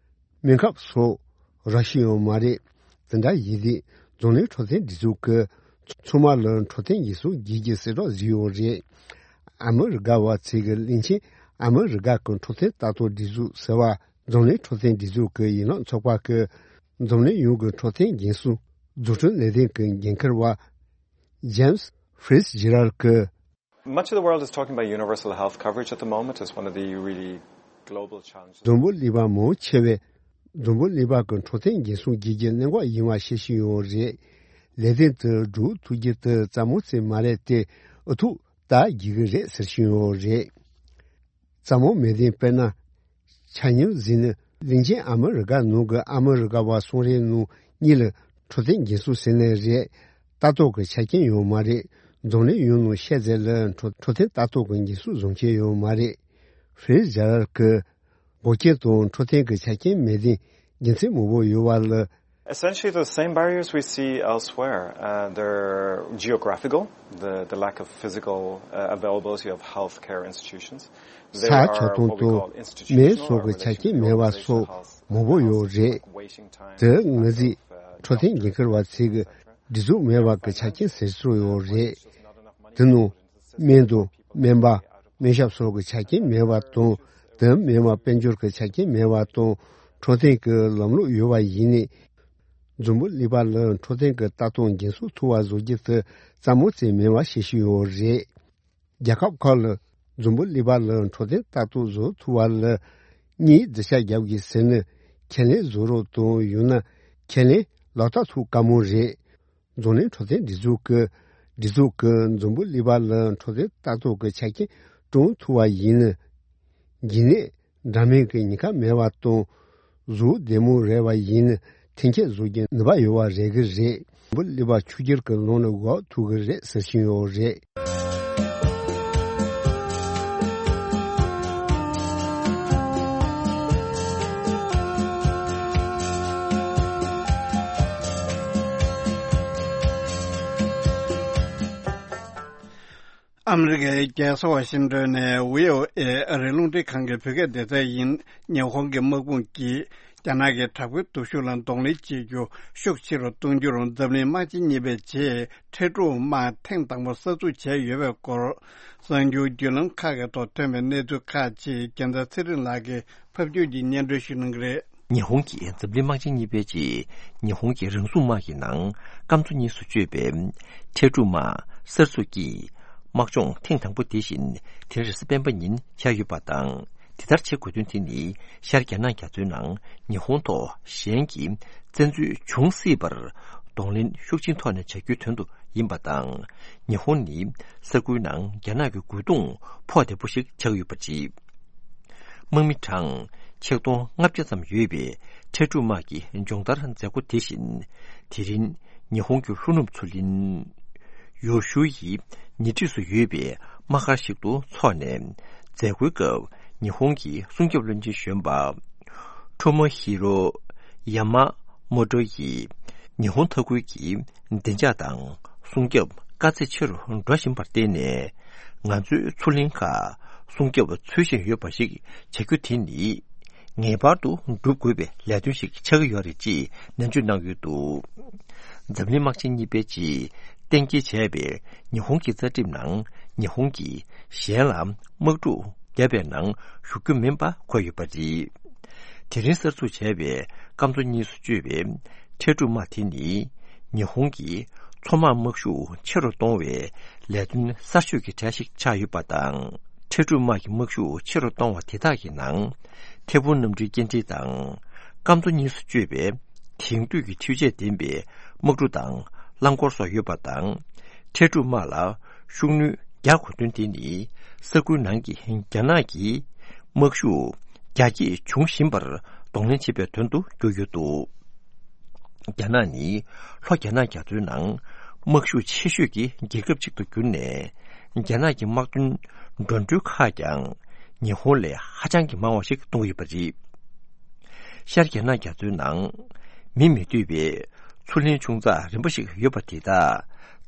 སྨན་ཁབ་སོགས་རག་བཞིན་ཡོད་མ་རེད། དེ་འདྲ་ཡིན་དུས་འཛམ་གླིང་འཕྲོད་བསྟེན་སྒྲིག་འཛུགས་ཀྱིས་ཚང་མ་ལ་འཕྲོད་བསྟེན་འགན་སྲུང་བགྱིད་རྒྱུ་གསལ་བསྒྲགས་བཟོས་ཡོད་རེད། ཨ་མི་རི་ཀ་བ་ཚོས་ཀྱི་གླིང་ཆེན་ཨ་མི་རི་ཀ་གི་འཕྲོད་བསྟེན་ལྟ་རྟོག་སྒྲིག་འཛུགས་ཟེར་བ། འཛམ་གླིང་འཕྲོད་བསྟེན་སྒྲིག་འཛུགས་ཀྱི་ཡན་ལག་ཚོགས་པ་གི་འཛམ་གླིང་ཡོངས་ཀྱི་འཕྲོད་བསྟེན་འགན་སྲུང་འཛུགས་སྐྲུན་ལས་དོན་གྱི་འགན་འཁུར་བ་James Fitzgerald་གིས། Much of the world is talking about universal health coverage at the moment as one of the really global challenges. འཛམ་བུ་གླིང་པ་མང་ཆེ་བས་འཛམ་བུ་གླིང་པ་གི་འཕྲོད་བསྟེན་འགན་སྲུང་བགྱིད་རྒྱུ་གནད་འགག་ཡིན་པ་བཤད་བཞིན་ཡོད་རེད། ལས་དོན་དེ་སྒྲུབ་ཐུབ་རྒྱུ་དེ་རྩ་མོ་ཙམ་མ་རེད་དེ། ཨུ་ཐུག་ད་བགྱིད་ཀྱི་རེད་ཟེར་བཞིན་ཡོད་རེད། རྩ་མོ་མེད་དེ་དཔེར་ན། ཆ་སྙོམས་ཟིན་ནས་གླིང་ཆེན་ཨ་མི་རི་ཀ་ནང་གི་ཨ་མི་རི་ཀ་བ་གསུང་རེའི་ནང་གཉིས་ལ་འཕྲོད་བསྟེན་འགན་སྲུང་ཟེར་ནའི་རེད། ལྟ་རྟོག་གི་ཆ་རྐྱེན་ཡོད་མ་རེད། འཛམ་གླིང་ཡོངས་ནང་ཤེས་ཚད་ལ་འཕྲོད་འཕྲོད་བསྟེན་ལྟ་རྟོག་གི་འགན་སྲུང་བཟུང་མཁན་ཡོད་མ་རེད། ཧྥེ་རི་ཛ་རལ་གྱིས་འགོག་རྐྱེན་དང་འཕྲོད་བསྟེན་གྱི་ཆ་རྐྱེན་མེད་དེ་རྒྱུ་མཚན་མང་པོ་ཡོད་པ་ལ། Essentially, the same barriers we see elsewhere. Uh, they're geographical, the, the lack of physical uh, availability of healthcare institutions. ས་ཆ་དང་དང་སྨན་སོགས་ཀྱི་ཆ་རྐྱེན་མེད་པ་སོགས་མང་པོ་ཡོད་རེད། དེ་ང་ཚོས་འཕྲོད་བསྟེན་འགན་འཁུར་བ་ཚོས་ཀྱི་སྒྲིག་འཛུགས་མེད་པ་གི་ཆ་རྐྱེན་ཟེར་སྲོལ་ཡོད་རེད། དེ་ནང་སྨན་དང་སྨན་པ། སྨན་ཞབས་སོགས་ཀྱི་ཆ་རྐྱེན་མེད་པ་དང་། དེ་མིན་པ་དཔལ་འབྱོར་གྱི་ཆ་རྐྱེན་མེད་པ་དང་། འཕྲོད་བསྟེན་གྱི་ལམ་ལུགས་ཡོད་པ་ཡིན་ནའི། འཛམ་བུ་གླིང་པ་ལ་འཕྲོད་བསྟེན་གྱི་ལྟ་རྟོག་འགན་སྲུང་ཐུབ་པ་བཟོ་རྒྱུ་དེ་རྩ་མོ་ཙམ་མིན་པ་ཤེས་བཞིན་ཡོད་རེད། རྒྱལ་ཁབ་ཁག་ལ་ འཛམ་བུ་གླིང་པ་ལ་འཕྲོད་བསྟེན་ལྟ་རྟོག་བཟོ་ཐུབ་པ་ལ་གཉིས་བརྗོད་བྱ་རྒྱབ་དགོས་ཟེར་ན། ཁས་ལེན་བཟོ་རོགས་དང་། ཡང་ན་ཁས་ལེན་ལག་བསྟར་ཐུབ་དཀའ་མོ་རེད། འཛམ་གླིང་འཕྲོད་བསྟེན་སྒྲིག་འཛུགས་ཀྱི་སྒྲིག་འཛུགས་ཀྱིས་འཛམ་བུ་གླིང་པ་ལ་འཕྲོད་བསྟེན་ལྟ་རྟོག་གི་ཆ་རྐྱེན་བསྐྲུན་ཐུབ་པ་ཡིན་ན། འགོས་ནད་འདྲ་མིན་གྱི་ཉེན་ཁ་མེད་པ་དང་། གཟུགས་བདེ་མོ་རེད་པ་ཡིན་ན་འཐེན་འཁྱེར་བཟོ་རྒྱུའི་ནུས་པ་ཡོད་པ་རེད་གི་རེད། འཛམ་བུ་གླིང་པ་ཕྱུག་འགྱུར་གྱི་ལམ་ལ་འགོག་ཐུབ་གི་རེད་ཟེར་བཞིན་ཡོད་རེད། ཨ་མི་རི་ཀའི་རྒྱལ་ས་ཝ་ཤིང་ཏོན་ནས་བྷི་ཨོ་ཨེ་ཨ་རིའི་རླུང་འཕྲིན་ཁང་གི་བོད་སྐད་སྡེ་ཚན་ཡིན། ཉི་ཧོང་གི་དམག་དཔུང་གིས་རྒྱ་ནག་གི་དྲག་པོའི་སྟོབས་ཤུགས་ལ་གདོང་ལེན་བྱེད་རྒྱུ་ཤུགས་ཆེ་རུ་གཏོང་རྒྱུར་འཛམ་གླིང་དམག་ཆེན་གཉིས་པའི་རྗེས་ཁྲལ་སྒྲུབ་དམག་ཐེངས་དང་པོ་གསར་འཛུགས་བྱས་ཡོད་པའི་སྐོར། གསར་འགྱུར་བརྒྱུད་ལམ་ཁག་གི་ཐོག་ཐོན་པའི་གནས་ཚུལ་ཁག་ཅིག་རྒྱལ་མཚན་ཚེ་རིང་ལགས་ཀྱིས་ཕབ་སྒྱུར་གྱིས་སྙན་སྒྲོན་ཞུ་གནང་གི་རེད། ཉི་ཧོང་གིས་འཛམ་གླིང་དམག་ཆེན་གཉིས་པའི་རྗེས་ཉི་ཧོང་གི་རང་སྲུང་དམག་གི་ནང་སྐམ་མཚོ་གཉིས་སུ་གཅོད་པའི་ཁྲལ་སྒྲུབ་དམག་གསར་འཛུགས་ཀྱིས་དམག་སྦྱོང་ཐེངས་དང་པོ་དེ་བཞིན་དེ་རིང་རེས་གཟའ་སྤེན་པ་ཉིན་བྱས་ཡོད་པ་དང་། དེ་ལྟར་བྱེད་དགོས་དོན་དེ་ནི་ཤར་རྒྱ་ནག་རྒྱ་མཚོའི་ནང་ཉི་ཧོང་ཐོག་གཞན་གྱི་བཙན་འཛུལ་འབྱུང་སྲིད་པར་གདོང་ལེན་ཤུགས་ཆེན་ཐོག་ནས་བྱ་རྒྱུའི་དོན་དུ་ཡིན་པ་དང་། ཉི་ཧོང་ནི་ས་ཁུལ་ནང་རྒྱ་ནག་གི་རྒོལ་རྡུང་ཕོག་བདེ་པོ་ཞིག་ཆགས་ཡོད་པ་རེད། དམག་མི་གྲངས་ཆིག་སྟོང་ལྔ་བརྒྱ་ཙམ་ཡོད་པའི་ཁྲལ་སྒྲུབ་དམག་གི་སྦྱོང་བརྡར་མཛད་སྒོ་དེ་བཞིན་དེ་རིང་ཉི་ཧོང་གི་ལྷོ་ནུབ་མཚོ་གླིང་ཡོ་ཤུ་ཡི་ཉེ་འཁྲིས་སུ་ཡོད་པའི་དམག་སྒར་ཞིག་ཏུ་འཚོགས་ནས། མཛད་སྒོའི་སྐབས་ཉི་ཧོང་གི་སྲུང་སྐྱོབ་བློན་ཆེན་གཞོན་པ་ཁྲོ་མོ་ཧི་རོ་ཡ་མ་མོ་ཏོ་ཡིས་ཉི་ཧོང་མཐའ་ཁུལ་གྱི་བདེ་འཇགས་དང་སྲུང་སྐྱོབ་དཀའ་ཚེགས་ཆེ་རུ་འགྲོ་བཞིན་པར་བརྟེན་ནས། ང་ཚོའི་མཚོ་གླིང་ཁག་སྲུང་སྐྱོབ་ཚུལ་བཞིན་ཡོད་པ་ཞིག་བྱ་རྒྱུ་དེ་ནི་ངེས་པར་དུ་བསྒྲུབ་དགོས་པའི་ལས་དོན་ཞིག་ཆགས་ཀྱི་ཡོད་རེད་ཅེས་ནན་བརྗོད་གནང་ཡོད་འདུག། འཛམ་གླིང་དམག་ཆེན་གཉིས་པའི་རྗེས་གཏན་འཁེལ་བྱས་པའི་ཉི་ཧོང་གི་རྩ་ཁྲིམས་ནང་ཉི་ཧོང་གིས་གཞན་ལ་དམག་འཁྲུག་བརྒྱབ་པའི་ནང་ཞུགས་རྒྱུ་མིན་པ་འཁོད་ཡོད་པ་རེད། དེ་རིང་གསར་འཛུགས་བྱས་པའི་སྐམ་མཚོ་གཉིས་སུ་གཅོད་པའི་ཁྲལ་སྒྲུབ་དམག་དེ་ནི་ཉི་ཧོང་གི་མཚོ་དམག་དམག་ཤུགས་ཆེ་རུ་གཏོང་བའི་ལས་དོན་གསར་ཤོས་ཀྱི་གྲས་ཤིག་ཆགས་ཡོད་པ་དང་། ཁྲལ་སྒྲུབ་དམག་གི་དམག་ཤུགས་ཆེ་རུ་གཏོང་བ་དེ་དག་གི་ནང་ཐེ་ཕུ་གནམ་གྲུའི་སྐྱེལ་འདྲེན་དང་སྐམ་མཚོ་གཉིས་སུ་གཅོད་པའི་དེང་དུས་ཀྱི་འཕྲུལ་ཆས་ལྡན་པའི་དམག་གྲུ་དང་རླངས་འཁོར་སོགས་ཡོད་པ་དང་། ཁྲལ་སྒྲུབ་དམག་ལ་ཤུགས་སྣོན་རྒྱག་དགོས་དོན་དེ་ནི་ས་ཁུལ་ནང་གི་རྒྱ་ནག་གི་དམག་ཤུགས་རྒྱ་སྐྱེད་འབྱུང་བཞིན་པར་གདོང་ལེན་བྱེད་པའི་དོན་དུ་གྱུར་ཡོད་འདུག། རྒྱ་ནག་ནི་ལྷོ་རྒྱ་ནག་རྒྱ་མཚོའི་ནང་དམག་ཤུགས་ཆེ་ཤོས་ཀྱི་རྒྱལ་ཁབ་ཅིག་ཏུ་གྱུར་ནས། རྒྱ་ནག་གི་དམག་དོན་འགྲོ་གྲོན་ཁག་ཀྱང་ཉི་ཧོང་ལས་ཧ་ཅང་གི་མང་བ་ཞིག་གཏོང་གི་ཡོད་པ་རེད། ཤར་རྒྱ་ནག་རྒྱ་མཚོའི་ནང་མི་མི་སྡོད་པའི་མཚོ་གླིང་ཆུང་ཙག་རིམ་པ་ཞིག་ཡོད་པ་དེ་དག་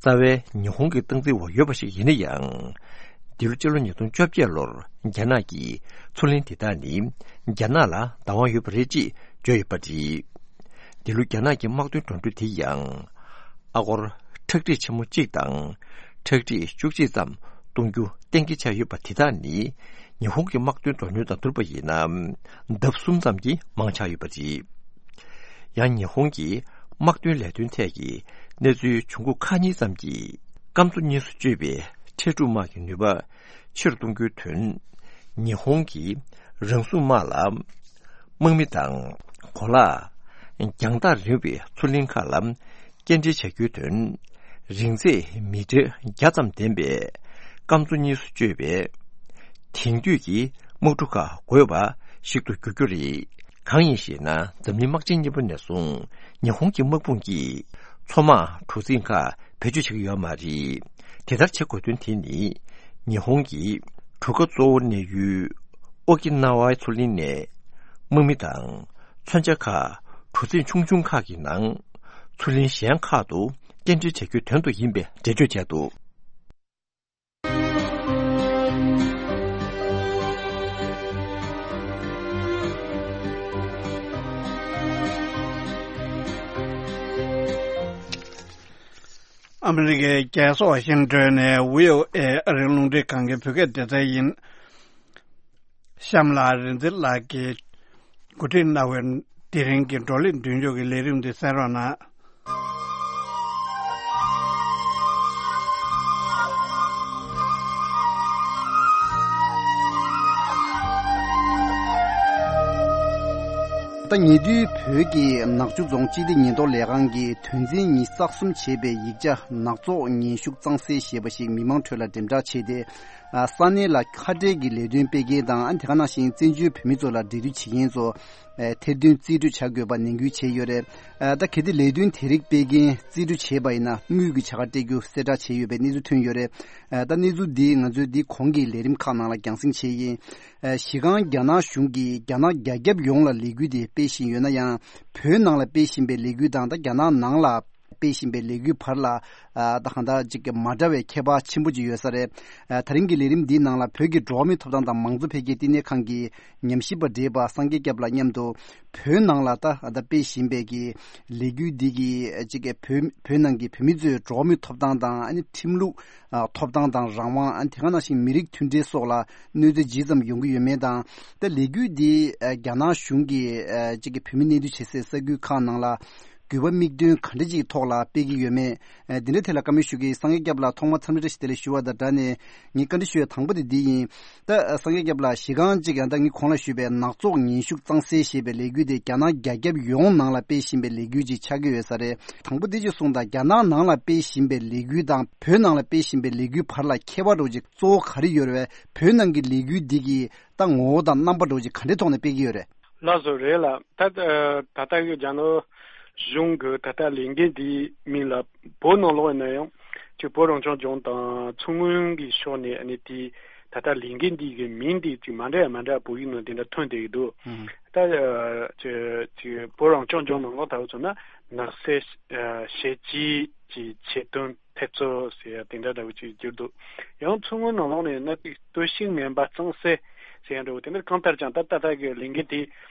རྩ་བའི་ཉི་ཧོང་གི་སྟངས་འཛིན་འོག་ཡོད་པ་ཞིག་ཡིན་ན་ཡང་། འདི་ལོ་སྤྱི་ལོ་ཉིས་སྟོང་བཅོ་བརྒྱད་ལོར་རྒྱ་ནག་གིས་མཚོ་གླིང་དེ་དག་ནི་རྒྱ་ནག་ལ་བདག་དབང་ཡོད་པ་རེད་ཅེས་བརྗོད་ཡོད་པ་རེད། འདི་ལོ་རྒྱ་ནག་གི་དམག་དོན་འགྲོ་གྲོན་དེ་ཡང་ཨ་སྒོར་ཁྲག་ཁྲིག་ཆེན་མོ་གཅིག་དང་ཁྲག་ཁྲིག་བཅུ་གཅིག་ཙམ་གཏོང་རྒྱུ་གཏན་འཁེལ་བྱས་ཡོད་པ་དེ་དག་ནི་ཉི་ཧོང་གི་དམག་དོན་འགྲོ་གྲོན་དང་བསྡུར་བ་ཡིན་ན་ལྡབ་གསུམ་ཙམ་གྱིས་མང་ཆགས་ཡོད་པ་རེད། ཡང་ཉི་ཧོང་གི་དམག་དོན་ལས་དོན་ཐད་ཀྱི་གནས་ཚུལ་བྱུང་ཁུངས་ཁག་གཉིས་ཙམ་གྱིས་སྐམ་མཚོ་གཉིས་སུ་གཅོད་པའི་ཁྲལ་སྒྲུབ་དམག་གི་ནུས་པ་ཆེ་རུ་གཏོང་རྒྱུའི་དོན། ཉི་ཧོང་གི་རང་སྲུང་དམག་ལ་དམག་མི་དང་གོ་ལག་རྒྱང་ཐག་རིང་བའི་མཚོ་གླིང་ཁག་ལ་སྐྱེལ་འདྲེན་བྱ་རྒྱུའི་དོན། རིང་ཚད་མི་ཊར་བརྒྱ་ཙམ་ལྡན་པའི་སྐམ་མཚོ་གཉིས་སུ་གཅོད་པའི་དེང་དུས་ཀྱི་དམག་གྲུ་ཁག་དགོས་པ་ཞིག་ཏུ་འགྱུར་རྒྱུ་རེད། གང་ཡིན་ཞེ་ན། འཛམ་གླིང་དམག་ཆེན་གཉིས་པ་ནས་བཟུང་ཉི་ཧོང་གི་དམག་དཔུང་གིས་མཚོ་དམག་གྲུ་གཟིངས་ཁག་བེད་སྤྱོད་བྱེད་ཀྱི་ཡོད་མ་རེད། དེ་ལྟར་བྱེད་དགོས་དོན་དེ་ནི་ཉི་ཧོང་གི་གྲུ་ཁ་གཙོ་བོ་གནས་ཡུལ་ཨོ་ཀི་ན་ཝའི་མཚོ་གླིང་ནས་དམག་མི་དང་མཚོན་ཆ་ཁག་གྲུ་གཟིངས་ཆུང་ཆུང་ཁག་གི་ནང་མཚོ་གླིང་གཞན་ཁག་ཏུ་སྐྱེལ་འདྲེན་བྱ་རྒྱུའི་དོན་དུ་ཡིན་པའི་འགྲེལ་བརྗོད་བྱས་འདུག། ཨ་མི་རི་ཀའི་རྒྱལ་ས་ཝ་ཤིང་ཏོན་ནས་བྷི་ཨོ་ཨེ་ཨ་རིའི་རླུང་འཕྲིན་ཁང་གི་བོད་སྐད་སྡེ་ཚན་ཡིན། གཤམ་ལ་རིག་འཛིན་ལགས་ཀྱིས་གོ་སྒྲིག་གནང་བའི་དེ་རིང་གི་བགྲོ་གླེང་མདུན་ལྕོག་གི་ལས་རིམ་འདི་གསན་རོགས་གནང་། ད་ཉེ་དུས་བོད་ཀྱི་ནག་ཆུ་རྫོང་སྤྱི་བདེ་ཉེན་རྟོག་ལས་ཁང་གིས་དོན་ཚན་ཉིས་གསར་རྩོམ་བྱས་པའི་ཡིག་ཆ་ནག་བཙོག་ངན་ཞུགས་གཙང་སེལ་ཞེས་པ་ཞིག་མི་མང་ཁྲོད་ལ་འགྲེམས་བསྒྲགས་བྱས་ཏེ། ཨ། ས་གནས་ལ་ཁ་བྲལ་གྱི་ལས་དོན་སྤེལ་མཁན་དང་། ཨ། དེ་ག་ནང་བཞིན་བཙན་བྱོལ་བོད་མི་ཚོ་ལ་འབྲེལ་མཐུད་བྱེད་མཁན་ཚོ། ཨ། ཐེར་འདོན་རྩིས་སྤྲོད་བྱ་དགོས་པ་ནན་སྐུལ་བྱས་ཡོད་རེད། ཨ། ད་གལ་ཏེ་ལས་དོན་དེ་རིགས་སྤེལ་མཁན་རྩིས་སྤྲོད་བྱས་པ་ཡིན་ན་དངུལ་གྱི་བྱ་དགའ་སྤྲད་རྒྱུ་གསལ་བསྒྲགས་བྱས་ཡོད་པའི་གནས་ཚུལ་ཐོན་ཡོད་རེད། ཨ། ད་གནས་ཚུལ་འདི་ང་ཚོས་འདི་གོང་གི་ལས་རིམ་ཁག་ནང་ལ་རྒྱང་སྲིང་བྱས་ཡིན། ཨ། གཞི་རྐང་རྒྱ་ནག་གཞུང་གིས་རྒྱ་ནག་རྒྱ་ཁྱབ་ཡོངས་ལ་ལས་འགུལ་དེ་སྤེལ་བཞིན་ཡོད་ན་ཡང་། བོད་ནང་ལ་སྤེལ་བཞིན་པའི་ལས་འགུལ་དང་། ད་རྒྱ་ནག་ནང་ལ་སྤེལ་བཞིན་པའི་ལས་འགུལ་བར་ལ། ཨ། ད་གང་ལྟར་ཅིག་མ་འདྲ་བའི་ཁྱད་པར་ཆེན་པོ་ཅིག་ཡོད་ས་རེད། ཨ། ད་རིང་གི་ལས་རིམ་འདིའི་ནང་ལ་བོད་ཀྱི་འགྲོ་བ་མིའི་ཐོབ་ཐང་དང་མང་གཙོ་འཕེལ་རྒྱས་བསྟི་གནས་ཁང་གི་ཉམས་ཞིབ་པ་བགྲེས་པ་སངས་རྒྱས་སྐྱབས་ལགས་མཉམ་དུ། བོད་ནང་ལ་ད་ད་སྤེལ་བཞིན་པའི་གི་ལས་འགུལ་འདི་གི་ཅིག་བོད་བོད་ནང་གི་བོད་མི་ཚོའི་འགྲོ་བ་མིའི་ཐོབ་ཐང་དང་། ཨ་ནི་ཁྲིམས་ལུགས། ཨ། ཐོབ་ཐང་དང་རང་དབང་། ཨ། དེ་ག་ནང་བཞིན་མི་རིགས་མཐུན་སྒྲིལ་སོགས་ལ་གནོད་འཚེ་ཇི་ཙམ་ཡོང་གི་ཡོད་མེད་དང་། ད་ལས་འགུལ་འདི། ཨ། རྒྱ་ནག་གཞུང་གིས། ཨ། ཅིག་གི་བོད་མི་གནས་སྡོད་བྱེད་སའི་ས་ཁུལ་ཁག་ནང་ལ་དགོས་པ་དམིགས་འདུན་ག་འདྲ་ཅིག་ཐོག་ལ་སྤེལ་གྱི་ཡོད་མེད། ཨ། འདི་འདྲའི་ཐད་ལ་བཀའ་མོལ་ཞུ་གི། སངས་རྒྱས་སྐྱབས་ལགས། ཐོག་མར་འཚམས་འདྲི་བཀྲ་ཤིས་བདེ་ལེགས་ཞུ་བ་དང་སྦྲགས་ནས། ངས་བཀའ་འདྲི་ཞུ་ཡ་དང་པོ་དེ་འདི་ཡིན། ད་སངས་རྒྱས་སྐྱབས་ལགས། གཞི་རྐང་གཅིག་ཡང་ད་ངས་གོང་ལ་ཞུས་པའི་ནག་བཙོག་ངན་ཞུགས་གཙང་སེལ་ཞེས་པའི་ལས་འགུལ་དེ་རྒྱ་ནག་རྒྱ་ཁྱབ་ཡོངས་ནང་ལ་སྤེལ་བཞིན་པའི་ལས་འགུལ་ཅིག་ཆགས་ཀྱི་ཡོད་ས་རེད། དང་པོ་དེ་ཅིག་གསུངས་དང་། རྒྱ་ནག་ནང་ལ་སྤེལ་བཞིན་པའི་ལས་འགུལ་དང་བོད་ནང་ལ་སྤེལ་བཞིན་པའི་ལས་འགུལ་བར་ལ་ཁྱད་པར་འདྲ་བོ་ཅིག་གཙོ་བོ་ག་རེ་ཡོད་རེད་པས། བོད་ནང་གི་ལས་འགུལ་འདི་གི་ད་ངོ་བོ་དང་རྣམ་པ་འདྲ་བོ་ཅིག་ག་འདྲའི་ཐོག་ནས་སྤེལ་གྱི་ཡོད་རེད། ལགས་སོ། རེད་ལགས། ད་ད་ལྟ་གི་རྒྱ་ནག་གཞུང་གི་ད་ལྟ་ལས་འགུལ་འདིའི་མིང་ལ་བོད་ནང་ལོགས་ཡིན་ན་ཡང་ཅིག་བོད་རང་སྐྱོང་ལྗོངས་དང་མཚོ་སྔོན་གྱི་ཕྱོགས་ནས། ཨ་ནི་དེའི་ད་ལྟ་ལས་འགུལ་འདི་གི་མིང་འདི་ཅིག་མ་འདྲ་ཡ་མ་འདྲ་བོད་ཡིག་ནང་དེ་འདྲ་ཐོན་བསྡད་ཀྱི་འདུག། ཨང་། ད་ཅིག་ཅིག་བོད་རང་སྐྱོང་ལྗོངས་ནང་ལོགས་ལྟ་བུ་མཚོན་ན་ནག་སེལ་ཨ་གཞི་བྱེས་ཀྱི་ཆེད་དོན་འཐབ་རྩོད་ཟེར་ཡ་དེ་འདྲ་འདྲ་བོ་ཅིག་གྱུར་འདུག། ཡང་མཚོ་སྔོན་ནང་ལོགས་ནས་ནད་དུག་གཏོར་བཤིག་ངན་པ་གཙང་སེལ་ཟེར་ཡ་འདྲ་བོ་དེ་འདྲ། གང་ལྟར་ཀྱང་ད་ད་ལྟ་གི་ལས་འགུལ་དེ་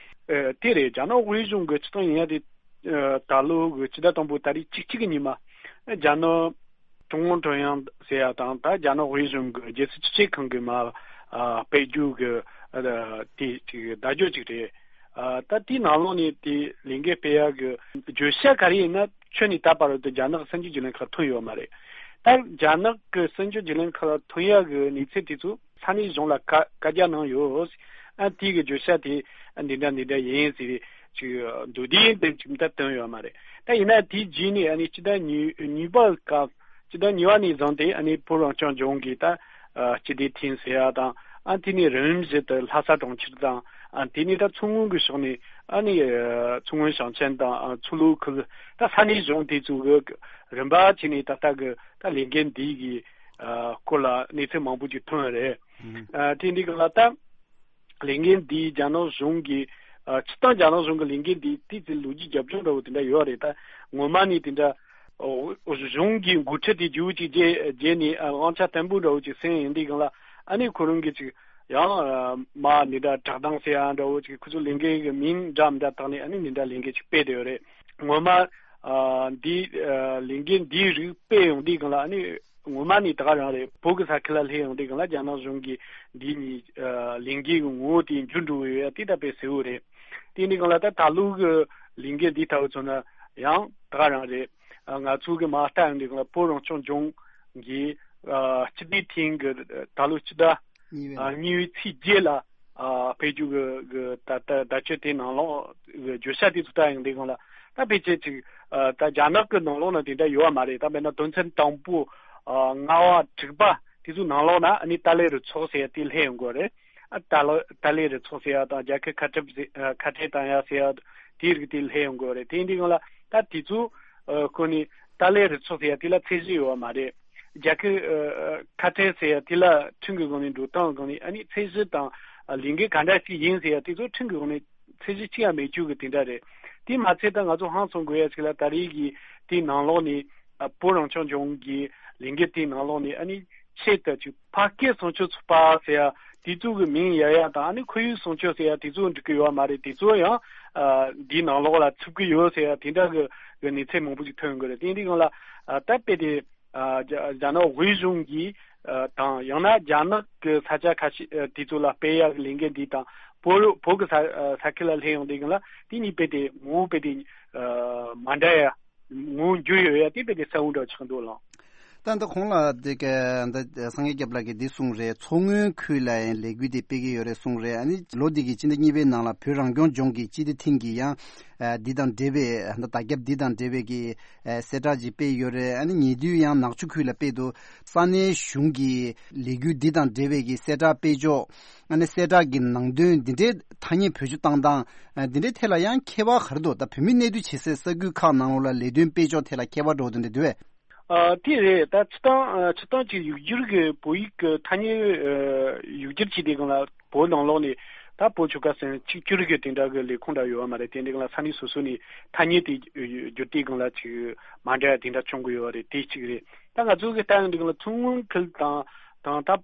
ཨ་དེ་རེད། རྒྱ་ནག་དབུས་གཞུང་གི་སྤྱི་བཏང་ཡིན་ཡ་དེ། ཨ་ད་ལོ་གི་ཕྱི་ཟླ་དང་པོ་ཏ་རིག་བཅུ་གཅིག་གི་ཉིན་མ་རྒྱ་ནག་ཀྲུང་ཨུ་ཀྲུང་དབྱང་ཟེར་ཡ་དང་། ད་རྒྱ་ནག་དབུས་གཞུང་གི་རྒྱལ་སྲིད་སྤྱི་ཁྱབ་ཁང་གི་མ་ཨ་སྤེལ་རྒྱུ་གི་ཨ་དེ་ཅིག་བརྡ་བརྒྱུད་ཅིག་རེད། ཨ་ད་དེའི་ནང་ལོགས་ནས་དེ་ལས་འགུལ་སྤེལ་ཡ་གི་བརྗོད་བྱ་ག་རེ་ཡིན་ན། ཁྱོན་ནས་ད་བར་དུ་རྒྱ་ནག་གི་གསར་འགྱུར་བརྒྱུད་ལམ་ཁག་ཐོན་ཡོད་མ་རེད། ད་རྒྱ་ནག་གི་གསར་འགྱུར་བརྒྱུད་ལམ་ཁག་ལ་ཐོན་ཡ་གི་གནས་ཚུལ་དེ་ཚོ་ས་གནས་གཞུང་ལ་བཀའ་བཀའ་རྒྱ་གནང་ཡོད། ཨ་དེ་གི་བརྗོད་བྱ་དེ་འདི་འདྲ་འདི་འདྲ་ཡིན་ཟེར་ཅིག་མདོར་བསྡུས་དེ་ཅིག་ད་བཏོན་ཡོད་མ་རེད། ད་ཡིན་ན་དེའི་རྗེས་ནས་ཨ་ནི་སྤྱི་ཟླ་གཉིས་གཉིས་པ་སྐབས། སྤྱི་ཟླ་གཉིས་པ་ནས་བཟུང་སྟེ་ཨ་ནི་བོད་རང་སྐྱོང་ལྗོངས་ཀྱི་ད་ཨ་སྤྱི་བདེ་ཐིང་ཟེར་ཡ་དང་། ཨ་དེ་ནས་རིམ་བཞིན་དུ་ལྷ་ས་གྲོང་ཁྱེར་དང་། ཨ་དེ་ནས་ད་མཚོ་སྔོན་གྱི་ཕྱོགས་ནས་ཨ་ནི་ཨ་མཚོ་སྔོན་ཞིང་ཆེན་དང་། ཨ་མཚོ་ལྷོ་ཁུལ། ད་ས་གནས་གཞུང་དེ་ཚོ་གི་རིམ་པ་བྱས་ནས་ད་ལྟ་གི་ད་ལས་འགུལ་འདི་གི་ཨ་སྐོར་ལ་གནས་ཚུལ་མང་པོ་ཅིག་ཐོན་རེད། ཨ་དེ་འདི་ག་ལ་ད་ལས་འགུལ་འདི་རྒྱ་ནག་གཞུང་གི་ཨ་སྤྱི་བཏང་རྒྱ་ནག་གཞུང་གི་ལས་འགུལ་འདི་ཏོག་ཙམ་ལོ་རྒྱུས་རྒྱབ་ལྗོངས་འདྲ་བོ་དེ་འདྲ་ཡོད་རེད། ད་ངོ་མ་ནས་དེ་འདྲ་ཨོ་གཞུང་གི་འགོ་ཁྲིད་དེ་རྒྱུ་གཅིག་བརྗེ་བརྗེ་ནས་ཨ་དབང་ཆ་བརྟན་པོ་འདྲ་བོ་ཅིག་ཟིན་ཡོང་དུས་སྒང་ལ། ཨ་ནི་ཁོ་རང་གིས་ཅིག་ཡང་ཨ་མ་འདི་འདྲ་བསྒྲགས་གཏམ་ཟེར་ཡ་འདྲ་བོ་ཅིག་ཁོ་ཚོ་ལས་འགུལ་གི་མིང་འདྲ་མི་འདྲ་བཏགས་ནས་ཨ་ནི་འདི་འདྲ་ལས་འགུལ་ཅིག་སྤེལ་བསྡད་ཡོད་རེད། ངོ་མ་ཨ་འདི་ཨ་ལས་འགུལ་འདིའི་རིགས་སྤེལ་ཡོང་དུས་སྒང་ལ། ཨ་ནི་ངོ་མ་ནས་ད་ག་རང་རེད། བོད་ཀྱི་ས་ཁུལ་ལ་སླེབས་ཡོང་དུས་སྒང་ལ་རྒྱ་ནག་གཞུང་གིས་འདི་གཉིས་ཨ་ལས་འགུལ་གྱི་ངོ་བོ་དེ་འགྱུར་འགྲོ་གི་ཡོད་ཡ་དེ་ད་དཔེ་གསལ་བོ་རེད། དེ་ནས་གང་ལ་ད་ད་ལོ་གི་ལས་འགུལ་འདི་ལྟ་བུ་མཚོན་ན་ཡང་ད་ག་རང་རེད། ཨ་ང་ཚོ་གི་མ་ལྟ་ཡོང་དུས་སྒང་ལ་བོད་རང་སྐྱོང་ལྗོངས་ཀྱི་ཨ་སྤྱི་བདེ་ཐིང་གི་ད་ལོ་སྤྱི་ཟླ་གཉིས་པའི་ཨ་ནང་གཉིས་པའི་ཚེས་བརྒྱད་ལ་ཨ་ཕེབས་རྒྱུ་གི་གི་ད་ད་ད་ཆོས་དེ་ནང་ལོགས་གི་བརྗོད་བྱ་དེ་ཚོ་ལྟ་ཡོང་དུས་སྒང་ལ། ད་ཕལ་ཆེར་ཅིག་ཨ་ད་རྒྱ་ནག་གི་ནང་ལོགས་ན་དེ་འདྲ་ཡོད་པ་མ་རེད། ད་དཔེར་ན་དོན་ཚན་དང་པོ་ཨ་ལྔ་པ་དྲུག་པ་དེ་ཚོའི་ནང་ལོགས་ན་ཨ་ནི་ཏཱ་ལའི་རུ་ཚོགས་ཟེར་ཡ་དེ་སླེབས་ཡོང་གི་རེད། ཨ་ཏཱ་ལ་ཏཱ་ལའི་རུ་ཚོགས་ཟེར་ཡ་དང་རྒྱལ་ཁབ་ཁ་བྲལ་ཟེར་ཨ་ཁ་བྲལ་བཏང་ཡ་ཟེར་ཡ་དེའི་རིགས་དེ་སླེབས་ཡོང་གི་རེད། དེ་ཡིན་དུས་སྒང་ལ་ད་དེ་ཚོ་ཨ་ཁོ་ནི་ཏཱ་ལའི་རུ་ཚོགས་ཟེར་ཡ་དེ་ལ་ཚད་གཞི་ཡོད་པ་མ་རེད། རྒྱལ་ཁབ་ཨ་ཁ་བྲལ་ཟེར་ཡ་དེ་ལ་ཁྲིམས་ཀྱི་སྒང་ནས་འགྲོ་སྟངས་སྒང་ནས་ཨ་ནི་ཚད་གཞི་དང་ཨ་ལས་འགུལ་ག་འདྲ་ཞིག་ཡིན་ཟེར་ཡ་དེ་ཚོ་ཁྲིམས་ཀྱི་སྒང་ནས་ཚད་གཞི་གཅིག་ཡང་མེད་རྒྱུ་གི་དེ་འདྲ་རེད། དེ་མ་ཚད་ད་ང་ཚོ་ཧང་སང་དགོས་ཡ་ཞིག་ལ་ད་རེས་ཀྱི་དེའི་ནང་ལོགས་ནས་ཨ་བོད་རང་སྐྱོང་ལྗོངས་ཀྱི་ལས་འགུལ་དེའི་ནང་ལོགས་ནས་ཨ་ནི་ཆེད་དུ་ཅིག་ཕ་སྐད་སྲུང་སྐྱོབ་ཚོགས་པ་ཟེར་ཡ་དེ་ཚོ་གི་མིང་ཡ་ཡ་དང་། ཨ་ནི་ཁོར་ཡུག་སྲུང་སྐྱོབ་ཟེར་ཡ་དེ་ཚོ་འགྲིག་གི་ཡོད་མ་རེད། དེ་ཚོ་ཡང་ཨ་འདིའི་ནང་ལོགས་ལ་ཚུད་ཀྱི་ཡོད་ཟེར་ཡ་དེ་འདྲ་གི་གི་གནས་ཚུལ་མང་པོ་ཅིག་ཐོན་གི་རེད། དེ་འདི་སྒང་ལ་ཨ་ད་དཔེ་དེ་ཨ་རྒྱ་རྒྱ་ནག་དབུས་གཞུང་གིས་ཨ་དང་ཡང་ན་རྒྱ་ནག་གི་ས་ཆ་ཁ་ཤས་ཨ་དེ་ཚོ་ལ་སྤེལ་ཡག་གི་ལས་འགུལ་འདི་དང་། བོད་བོད་ཀྱི་ས་ཨ་ས་ཁུལ་ལ་སླེབས་ཡོང་དུས་སྒང་ལ་དེ་གཉིས་དཔེ་དེ་ངོ་བོ་དཔེ་དེ་ཨ་མ་འདྲ་ཡ། ངོ་བོ་འགྱུར་ཡོད་ཡ་དེ་དཔེ་དེ་གསལ་བོ་འདྲ་ཆགས་འདུག་ལགས། ད་ལྟ་གོང་ལ་དེ་ག་ད་སངས་རྒྱས་སྐྱབས་ལགས་ཀྱིས་འདི་གསུངས་རེད། མཚོ་སྔོན་ཁུལ་ལ་ཡང་ལས་འགུལ་དེ་སྤེལ་གྱི་ཡོད་རེད་གསུངས་རེད། ཨ་ནི་ལོ་འདི་གི་སྤྱི་ཟླ་གཉིས་པའི་ནང་ལ་བོད་རང་སྐྱོང་ལྗོངས་ཀྱི་སྤྱི་བདེ་ཐིང་གིས་ཡང་ཨ་འདི་དང་འབྲེལ་བའི་ད་བརྒྱབ་འདི་དང་འབྲེལ་བའི་གི་ཨ་གསལ་བསྒྲགས་ཅིག་སྤེལ་ཡོད་རེད། ཨ་ནི་ཉེ་དུས་ཡང་ནག་ཆུ་ཁུལ་ལ་སྤེལ་འདུག་ས་གནས་གཞུང་གི་ལས་འགུལ་འདི་དང་འབྲེལ་བའི་གི་གསལ་བསྒྲགས་སྤེལ་ཕྱོགས། ཨ་ནི་གསལ་བསྒྲགས་ཀྱི་ནང་དོན་འདི་འདྲའི་ཐ་སྙད་བེད་སྤྱོད་བཏང་སྟངས་ཨ་འདི་འདྲའི་ཐད་ལ་ཡང་ཁྱད་པར་ག་རེ་འདུག་ད་བོད་མི་གནས་སྡོད་བྱེད་སའི་ས་ཁུལ་ཁག་ནང་ལོགས་ལ་ལས་དོན་སྤེལ་ཕྱོགས་ཐད་ལ་ཁྱད་པར་འགྲོ་བ་དེ་འདྲ་འདུག་གས། ཨ་དེ་རེད། ད་སྤྱིར་བཏང་ཨ་སྤྱིར་བཏང་གི་ཡིག་སྒྱུར་གྱི་བོད་ཡིག་གི་ཐ་སྙད་ཨ་ཡིག་སྒྱུར་བྱས་དུས་སྒང་ལ་བོད་ནང་ལོགས་ནས་ད་བོད་ཆོལ་ཁ་གསུམ་གཅིག་གྱུར་གྱི་དེ་འདྲ་གི་ལས་ཁུངས་འདྲ་ཡོད་པ་མ་རེད། དེ་འདྲའི་སྒང་ལ་ས་གནས་སོ་སོ་ནས་ཐ་སྙད་དེ་བསྒྱུར་དུས་སྒང་ལ་ཅིག་མ་འདྲ་བ་དེ་འདྲ་བྱུང་གི་ཡོད་པ་རེད། དེ་གཅིག་རེད། ད་ང་ཚོ་གི་ལྟ་ཡོང་དུས་སྒང་ལ་མཚོ་སྔོན་ཁུལ་དང་དང་ད་ཨ་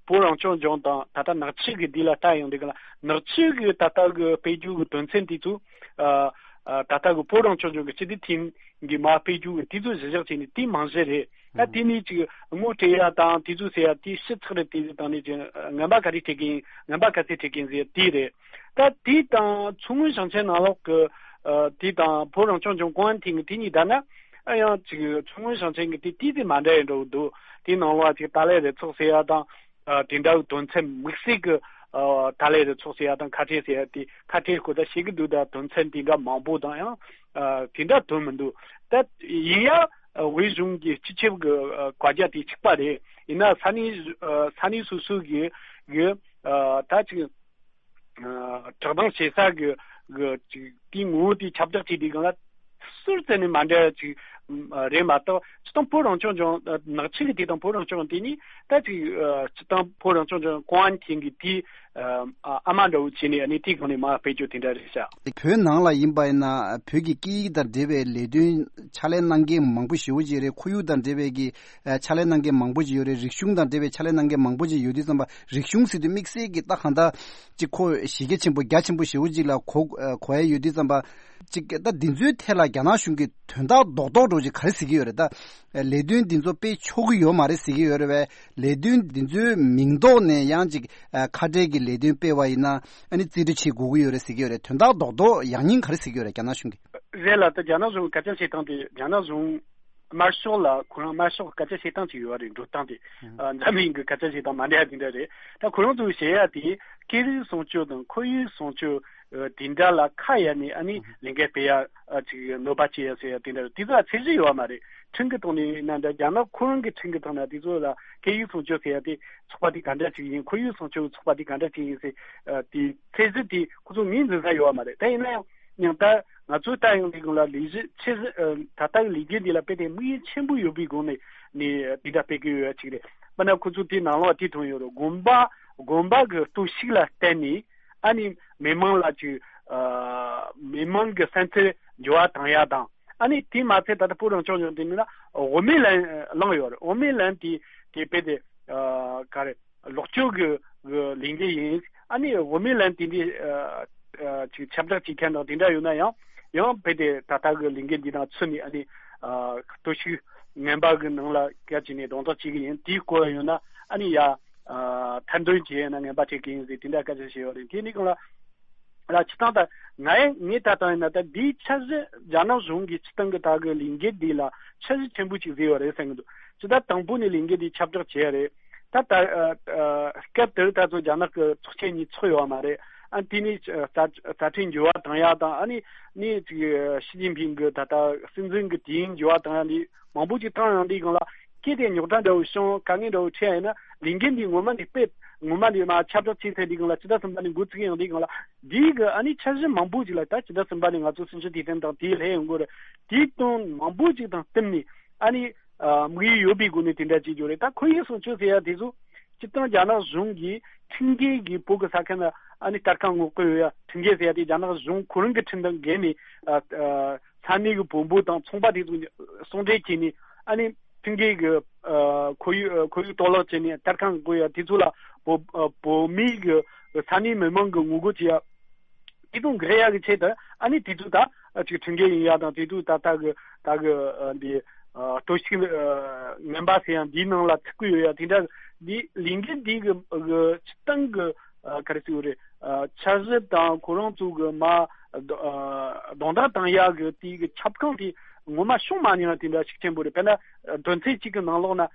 བོད་རང་སྐྱོང་ལྗོངས་དང་ད་ལྟ་ནག་ཆུ་གི་འདི་ལ་ལྟ་ཡོང་དུས་སྒང་ལ་ནག་ཆུ་གི་ད་ལྟ་གི་སྤེལ་རྒྱུ་གི་དོན་ཚན་དེ་ཚོ་ཨ་ཨ་ད་ལྟ་གི་བོད་རང་སྐྱོང་ལྗོངས་ཀྱི་སྤྱི་བདེ་ཐིང་གི་མར་སྤེལ་རྒྱུ་གི་དེ་ཚོ་གཞི་བཞག་བྱས་ནས་དེ་རྨང་གཞི་རེད། ད་དེ་ནས་ཅིག་ངོ་སྤྲད་ཡ་དང་དེ་ཚོ་ཟེར་ཡ་དེ་ཕྱི་ཚགས་རེད། དེ་ཚོ་དང་ནས་ཅིག་ངན་པ་ག་རེ་སྤྲད་གིན་ངན་པ་ག་ཚད་སྤྲད་གིན་ཟེར་དེ་རེད། ད་དེ་དང་མཚོ་སྔོན་ཞིང་ཆེན་ནང་ལོགས་ཀྱི་ཨ་དེ་དང་བོད་རང་སྐྱོང་ལྗོངས་ཀུང་ཨན་ཐིང་གི་དེ་གཉིས་བསྡུར་ན་ཨ་ཡང་ཅིག་མཚོ་སྔོན་ཞིང་ཆེན་གྱི་དེ་དེ་དེ་མ་འདྲ་ཡི་འགྲོ་གི་འདུག་དེ་ནང་ལོགས་ཅིག་ཏཱ་ལའི་རུ་ཚོགས་ཟེར་ཡ་དང་། ཨ་དེ་འདྲ་གི་དོན་ཚན་དམིགས་བསལ་གྱི་ཨ་ཏཱ་ལའི་རུ་ཚོགས་ཟེར་ཡ་དང་ཁ་བྲལ་ཟེར་ཡ་དེ་ཁ་བྲལ་སྐོར་ད་བཤད་གི་འདུག་ད་དོན་ཚན་དེ་འདྲ་མང་པོ་དང་ཡང་ཨ་དེ་འདྲ་དོན་མི་འདུག་ད་ཡིན་ཡང་ཨ་བོད་གཞུང་གི་སྤྱི་ཁྱབ་ཀྱི་ཨ་བཀའ་རྒྱ་དེ་གཅིག་པ་རེད། ཡིན་ན་ས་གནས་ཨ་ས་གནས་སོ་སོ་གི་གི་ཨ་ད་ཅིག་ཨ་བཀྲག་མདངས་ཆེ་ས་གི་གི་ཅིག་དེའི་ངོ་བོ་དེ་ཁྱབ་བསྒྲགས་བྱས་དུས་སྒང་ལ་སུར་བཙལ་ནས་མ་འདྲ་ཅིག་རེད་མ་གཏོགས་སྤྱིར་བཏང་བོད་རང་སྐྱོང་ལྗོངས་ནག་ཆུ་གི་དེ་དང་བོད་རང་སྐྱོང་དེ་གཉིས་ད་ཅིག་སྤྱིར་བཏང་བོད་རང་སྐྱོང་ལྗོངས་ཀུང་ཨན་ཐིང་གི་དེ་ཨ་མ་འདྲ་བོ་བྱས་ནས་ཨ་ནི་དེའི་སྒང་ནས་མར་སྤེལ་རྒྱུ་དེ་འདྲ་རེད་ཤག་བོད་ནང་ལ་ཡིན་པ་ཡིན་ན་བོད་ཀྱི་སྐད་ཡིག་དང་འབྲེལ་བའི་ལས་དོན་ཕྱག་ལས་གནང་མཁན་མང་པོ་ཞེ་པོ་ཅིག་རེད། ཁོར་ཡུག་དང་འབྲེལ་བའི་གི་ཨ་ཕྱག་ལས་གནང་མཁན་མང་པོ་ཅིག་ཡོད་རེད། རིག་གཞུང་དང་འབྲེལ་བའི་ཕྱག་ལས་གནང་མཁན་མང་པོ་ཅིག་ཡོད་དུས་ཙམ་པ་རིག་གཞུང་ཟེར་དུས་དམིགས་བསལ་གྱི་ད་གང་ལྟར་ཅིག་ཁོ་གཞི་རྒྱ་ཆེན་པོ་རྒྱ་ཆེན་པོ་ཞེ་པོ་ཅིག་ལ་གོ་ཨ་གོ་ཡ་ཡོད་དུས་ཙམ་པ་ཅིག་ད་འདི་ཚོའི་ཐད་ལ་རྒྱ་ནག་གཞུང་གིས་དོན་དག་རྡོག་རྡོག་འདྲ་བོ་ཅིག་ག་རེ་ཟེར་གྱི་ཡོད་རེད། ད་ལས་དོན་འདི་ཚོ་སྤེལ་ཆོག་གི་ཡོད་མ་རེད་ཟེར་གྱི་ཡོད་རེད་པས། ལས་དོན་འདི་ཚོའི་མིང་ཐོག་ནས་ཡང་ཅིག་ཨ་ཁ་བྲལ་གྱི་ལས་དོན་སྤེལ་བ་ཡིན་ན་ཨ་ནི་རྩིས་སྤྲོད་བྱེད་དགོས་ཀྱི་ཡོད་རེད་ཟེར་གྱི་ཡོད་རེད། དོན་དག་རྡོག་རྡོག་ཡག་ཉེས་ག་རེ་ཟེར་གྱི་ཡོད་རེད་རྒྱ་ནག་གཞུང་གིས། རེད་ལ། ད་རྒྱ་ནག་གཞུང་སྐད་ཆ་བཤད་སྟངས་དེ་རྒྱ་ནག་གཞུང་དམར་ཤོག་ལ་ཁོ་རང་དམར་ཤོག་སྐད་ཆ་བཤད་སྟངས་ཅིག་ཡོད་རེད། འགྲོ་སྟངས་དེ་ཨ་འཛམ་གླིང་གི་སྐད་ཆ་བཤད་སྟངས་མ་འདྲ་དེ་འདྲ་རེད། ད་ཁོ་རང་ཚོས་བཤད་ཡ་དེ་སྐད་རིགས་སྲུང་སྐྱོབ་དང་ཁོར་ཡུག་སྲུང་སྐྱོབ་དེ་འདྲ་ལ་ཁ་གཡར་ནས་ཨ་ནི་ལས་འགུལ་སྤེལ་ཡ་ཅིག་གནོད་པ་སྐྱེལ་ཡ་ཟེར་ཡ་དེ་འདྲ་རེད། དེ་ཚོ་ལ་ཚད་གཞི་ཡོད་མ་རེད། ཁྲིམས་ཀྱི་ཐོག་ནས་ཡིན་ན་འདྲ། རྒྱ་ནག་ཁོ་རང་གི་ཁྲིམས་ཀྱི་ཐོག་ན་དེ་ཚོ་ལ་སྐད་ཡིག་སྲུང་སྐྱོབ་ཟེར་ཡ་དེ་ཚོགས་པ་དེ་ག་འདྲ་ཅིག་ཡིན། ཁོར་ཡུག་སྲུང་སྐྱོབ་ཚོགས་པ་དེ་ག་འདྲ་ཅིག་ཡིན་ཟེར་དེ་ཚད་གཞི་དེ་ཁོ་ཚོ་ངོས་འཛིན་ས་ཡོད་མ་རེད། ད་ཡིན་ན་ཡང་ཡང་ད་ང་ཚོའི་ལྟ་ཡོང་དུས་སྒང་ལ་ལས་གཞི་ཆེ་ཤོས་ཨ་ད་ལྟ་གི་ལས་འགུལ་འདི་ལ་དཔེ་དེ་དམིགས་ཡུལ་ཆེན་པོ་ཡོད་པའི་སྒོ་ནས་ནས་དེ་འདྲ་སྤེལ་གི་ཡོད་ཅིག་རེད། དཔེར་ན་ཁོ་ཚོ་དེའི་ནང་ལོགས་དེ་མཐོང་ཡོད་རེད། དགོན་པ་དགོན་པ་གི་གཏོར་བཤིག་ལ་བརྟེན་ནས་ཨ་ནི་མི་མང་ལ་ཅིག་ཨ་མི་མང་གི་བསམ་ཚུལ་འགྱུར་བ་བཏང་ཡ་དང་ཨ་ནི་དེ་མ་ཚད་ད་ལྟ་བོད་རང་སྐྱོང་ལྗོངས་དེ་མིན་ན་དབུ་མའི་ལན་བླངས་ཡོད་རེད། དབུ་མའི་ལན་དེ་དེ་དཔེ་དེ་ཨ་ག་རེ། ལོག་སྤྱོད་ཀྱི་ཀྱི་ལས་འགུལ་ཡིན། ཨ་ནི་དབུ་མའི་ལན་དེ་འདྲའི་ཨ་ཨ་ཅིག་ཁྱབ་བསྒྲགས་བྱེད་མཁན་དང་དེ་འདྲ་ཡོད་ན་ཡང་ཡང་རྦད་དེ་ད་ལྟ་གི་ལས་འགུལ་འདི་དང་ཚུར་ནས་ཨ་ནི་ཨ་གཏོར་བཤིག་ངན་པ་གི་ནང་ལ་སྐད་ཅིག་ནས་གདོང་ཐག་བྱེད་ཀྱི་ཡིན། དེའི་སྐོར་ཡོད་ན་ཨ་ནི་ཡ་ཨ་ཐེར་འདོན་བྱས་ཡོད་ན་ངན་པ་བྱེད་ཀྱི་ཡིན་ཟེར་དེ་འདྲ་སྐད་ཆ་བཤད་ཡོད་རེད། དེ་ནི་གང་ལ་ལ་སྤྱིར་བཏང་ད་ང་ཡང་ངས་ད་ལྟ་ཡིན་ན་ད་འདིའི་འཆར་གཞི་རྒྱ་ནག་གཞུང་གིས་སྤྱིར་བཏང་གི་ད་གི་ལས་འགུལ་འདི་ལ་འཆར་གཞི་ཆེན་པོ་ཅིག་བཟོས་ཡོད་རེད་བསམ་གྱི་འདུག་ཇི་ལྟར་དང་པོ་ནས་ལས་འགུལ་འདི་ཁྱབ་བསྒྲགས་བྱས་རེད། ད་ད་ཨ་ཨ་སྐབས་དེར་ད་ཚོ་རྒྱ་ནག་གི་ཚོགས་ཆེན་གཉིས་ཚོགས་ཡོད་མ་རེད། ཨ་དེ་ནས་རྩ་རྩ་ཁྲིམས་འགྱུར་བ་བཏང་ཡ་དང་ཨ་ནི་ནི་ཅིག་ཞི་ཅིན་ཕིང་གི་ད་ལྟ་སྲིད་འཛིན་གི་དུས་ཡུན་འགྱུར་བ་བཏང་ཡ་འདི་མང་པོ་ཅིག་བཏང་ཡོང་དུས་སྒང་ལ་སྐད་དེ་རྙོག་དྲ་འདྲ་བོ་བྱུང་། དཀའ་ངལ་འདྲ་བོ་འཕྲད་ཡ་ཡིན་ན་ལས་འགུལ་འདི་ངོ་མ་ནས་སྤེལ་ངོ་མ་ནས་མ་ཁྱབ་བསྒྲགས་བྱས་ཚར་དུས་སྒང་ལ་ཕྱི་ཟླ་གསུམ་པ་ནས་འགོ་བཙུགས་ཡོང་དུས་སྒང་ལ་འདིའི་གི་ཨ་ནི་འཆར་གཞི་མང་པོ་ཅིག་ལ་ད་ཕྱི་ཟླ་གསུམ་པ་ནས་ང་ཚོ་སྲིད་ཇུས་དེ་བསྟན་དང་དེའི་ལྷད་ཡོང་གི་རེད། དེའི་དོན་མང་པོ་ཅིག་དང་བསྟུན་ནས་ཨ་ནི་ཨ་དམིགས་ཡུལ་ཡོད་པའི་སྒོ་ནས་དེ་འདྲ་བྱེད་རྒྱུ་རེད། ད་ཁོར་ཡུག་སྲུང་སྐྱོབ་ཟེར་ཡ་དེ་ཚོ་སྤྱིར་བཏང་རྒྱ་ནག་གཞུང་གིས་ཁྲིམས་འགལ་གྱི་བོད་ཀྱི་ས་ཁུལ་ན་ཨ་ནི་གཏེར་ཁ་སྔོག་གི་ཡོད་ཡ། ཁྲིམས་འགལ་ཟེར་ཡ་དེ་རྒྱ་ནག་གཞུང་ཁོ་རང་གི་ཁྲིམས་དང་འགལ་ནས་ཨ་ཨ་ས་གནས་ཀྱི་བོན་པོ་དང་ཚོང་པ་དེ་ཚོ་ཟུང་འབྲེལ་བྱས་ནས་ཨ་ནི་ཁྲིམས་འགལ་གྱི་ཨ་ཁོར་ཡུག་ཨ་ཁོར་ཡུག་གཏོར་བརླག་བྱས་ནས་གཏེར་ཁ་སྔོག་གི་ཡོད་ཡ། དེ་ཚོ་ལ་བོད་ཨ་བོད་མི་གི་ས་གནས་མི་མང་གི་ངོ་རྒོལ་བྱེད་ཡ། དེ་དང་འགལ་ཡག་གི་ཆེད་དུ་ཨ་ནི་དེ་ཚོ་ད་ཅིག་ཁྲིམས་འགལ་ཡིན་ཡ་དང་དེ་ཚོ་ད་ལྟ་གི་ད་གི་ཨ་འདི་ཨ་གཏོར་བཤིག་ཨ་ངན་པ་ཟེར་ཡང་འདིའི་ནང་ལ་ཚུད་ཀྱི་ཡོད་ཡ། དེ་འདྲ་འདི་ལས་འགུལ་འདི་གི་གི་སྤྱིར་བཏང་གི་ཨ་ག་རེ་ཟེར་དགོས་རེད། ཨ་འཆར་གཞི་དང་ཁོ་རང་ཚོ་གི་མ་ཨ་རྡོག་རྡོག་བཏང་ཡག་གི་དེ་གི་ཁྱབ་ཁོངས་དེ་ ངོ་མ་བྱུང་མ་མྱོང་བ་དེ་འདྲ་ཤུགས་ཆེན་པོ་རེད། དཔེར་ན་དོན་ཚན་གཅིག་གི་ནང་ལོགས་ན་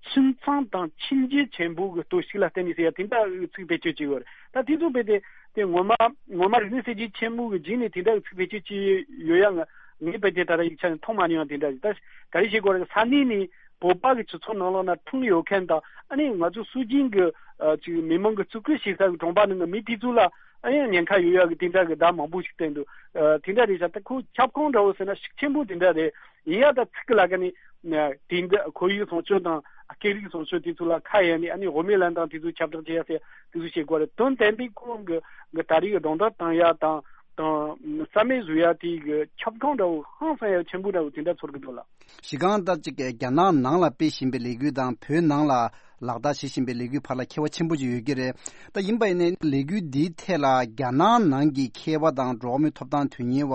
ཁྱིམ་ཚང་དང་ཁྱིམ་རྒྱུད་ཆེན་པོ་གི་གཏོར་བཤིག་ལ་བརྟེན་ནས་ཟེར་ཡ་དེ་འདྲ་ཚིག་བེད་སྤྱོད་བྱས་ཡོད་རེད། ད་དེ་ཚོ་བེད་དེ་དེ་ངོ་མ་ངོ་མ་རིག་གནས་གསར་བརྗེ་ཆེན་མོ་གི་རྗེས་ནས་དེ་འདྲ་ཚིག་བེད་སྤྱོད་བྱས་ཡོད་ཡ། ང་ངས་བེད་དེ་ད་ལྟ་ཡིག་ཆ་ནས་མཐོང་མ་མྱོང་བ་དེ་འདྲ་རེད། ད་ག་རེ་བྱེད་དགོས་རེད། ས་གནས་ནས་བོད་པ་གི་སྤྱི་ཚོགས་ནང་ལོགས་ན་ཁྲིམས་ཡོད་མཁན་དང་ཨ་ནི་ང་ཚོ་སྲོལ་རྒྱུན་གྱི་ཨ་ཅིག་མི་མང་གི་བརྩི་བཀུར་བྱེད་ས་གི་གྲོང་པ་ནང་གི་མི་དེ་ཚོ་ལ་ཨ་ཡང་ཉེན་ཁ་ཡོད་ཡག་གི་དེ་འདྲ་གི་བརྡ་མང་པོ་ཞིག་བསྟན་འདུག་ཨ་དེ་འདྲ་རེད་ཤག་ད་ཁོ་ཁྱབ་ཁོངས་འདྲ་བོ་ཟེར་ན་ཤུགས་ཆེན་པོ་དེ་འདྲ་རེད། ཡིན་ཡང་ད་ཚིག་གི་ལ་ཀ་ནི་དེ་འདྲ་ཁོར་ཡུག་སྲུང་སྐྱོབ་དང་སྐད་རིགས་སྲུང་སྐྱོབ་དེ་ཚོ་ལ་ཁ་གཡར་ནས་ཨ་ནི་དབུ་མའི་ལམ་དང་དེ་ཚོ་ཁྱབ་བསྒྲགས་བྱེད་ཡག་ཟེར་དེ་ཚོ་བྱེད་དགོས་རེད། དོན་དམ་པའི་ཁོང་གི་གི་ད་རེས་ཀྱི་སྒྲོག་འདོན་བཏང་ཡག་དང་དང་རྩ་མེད་བཟོ་ཡག་དེ་གི་ཁྱབ་ཁོངས་འདྲ་བོ་ཧང་སང་ཡག་ཆེན་པོ་འདྲ་བོ་དེ་འདྲ་ཚོར་གི་འདུག་ལགས། གཞི་རྐང་ད་ཅིག་རྒྱ་ནག་ནང་ལ་སྤེལ་བཞིན་པའི་ལས་འགུལ་དང་བོད་ནང་ལ་ལག་བསྟར་བྱེད་བཞིན་པའི་ལས་འགུལ་བར་ལ་ཁྱད་པར་ཆེན་པོ་ཅིག་ཡོད་ཀྱི་རེད། ད་ཡིན་པ་ཡིན་ནའི་ལས་འགུལ་འདིའི་ཐད་ལ་རྒྱ་ནག་ནང་གི་མཁས་པ་དང་འགྲོ་བ་མིའི་ཐོབ་ཐང་དོན་གཉེར་བ་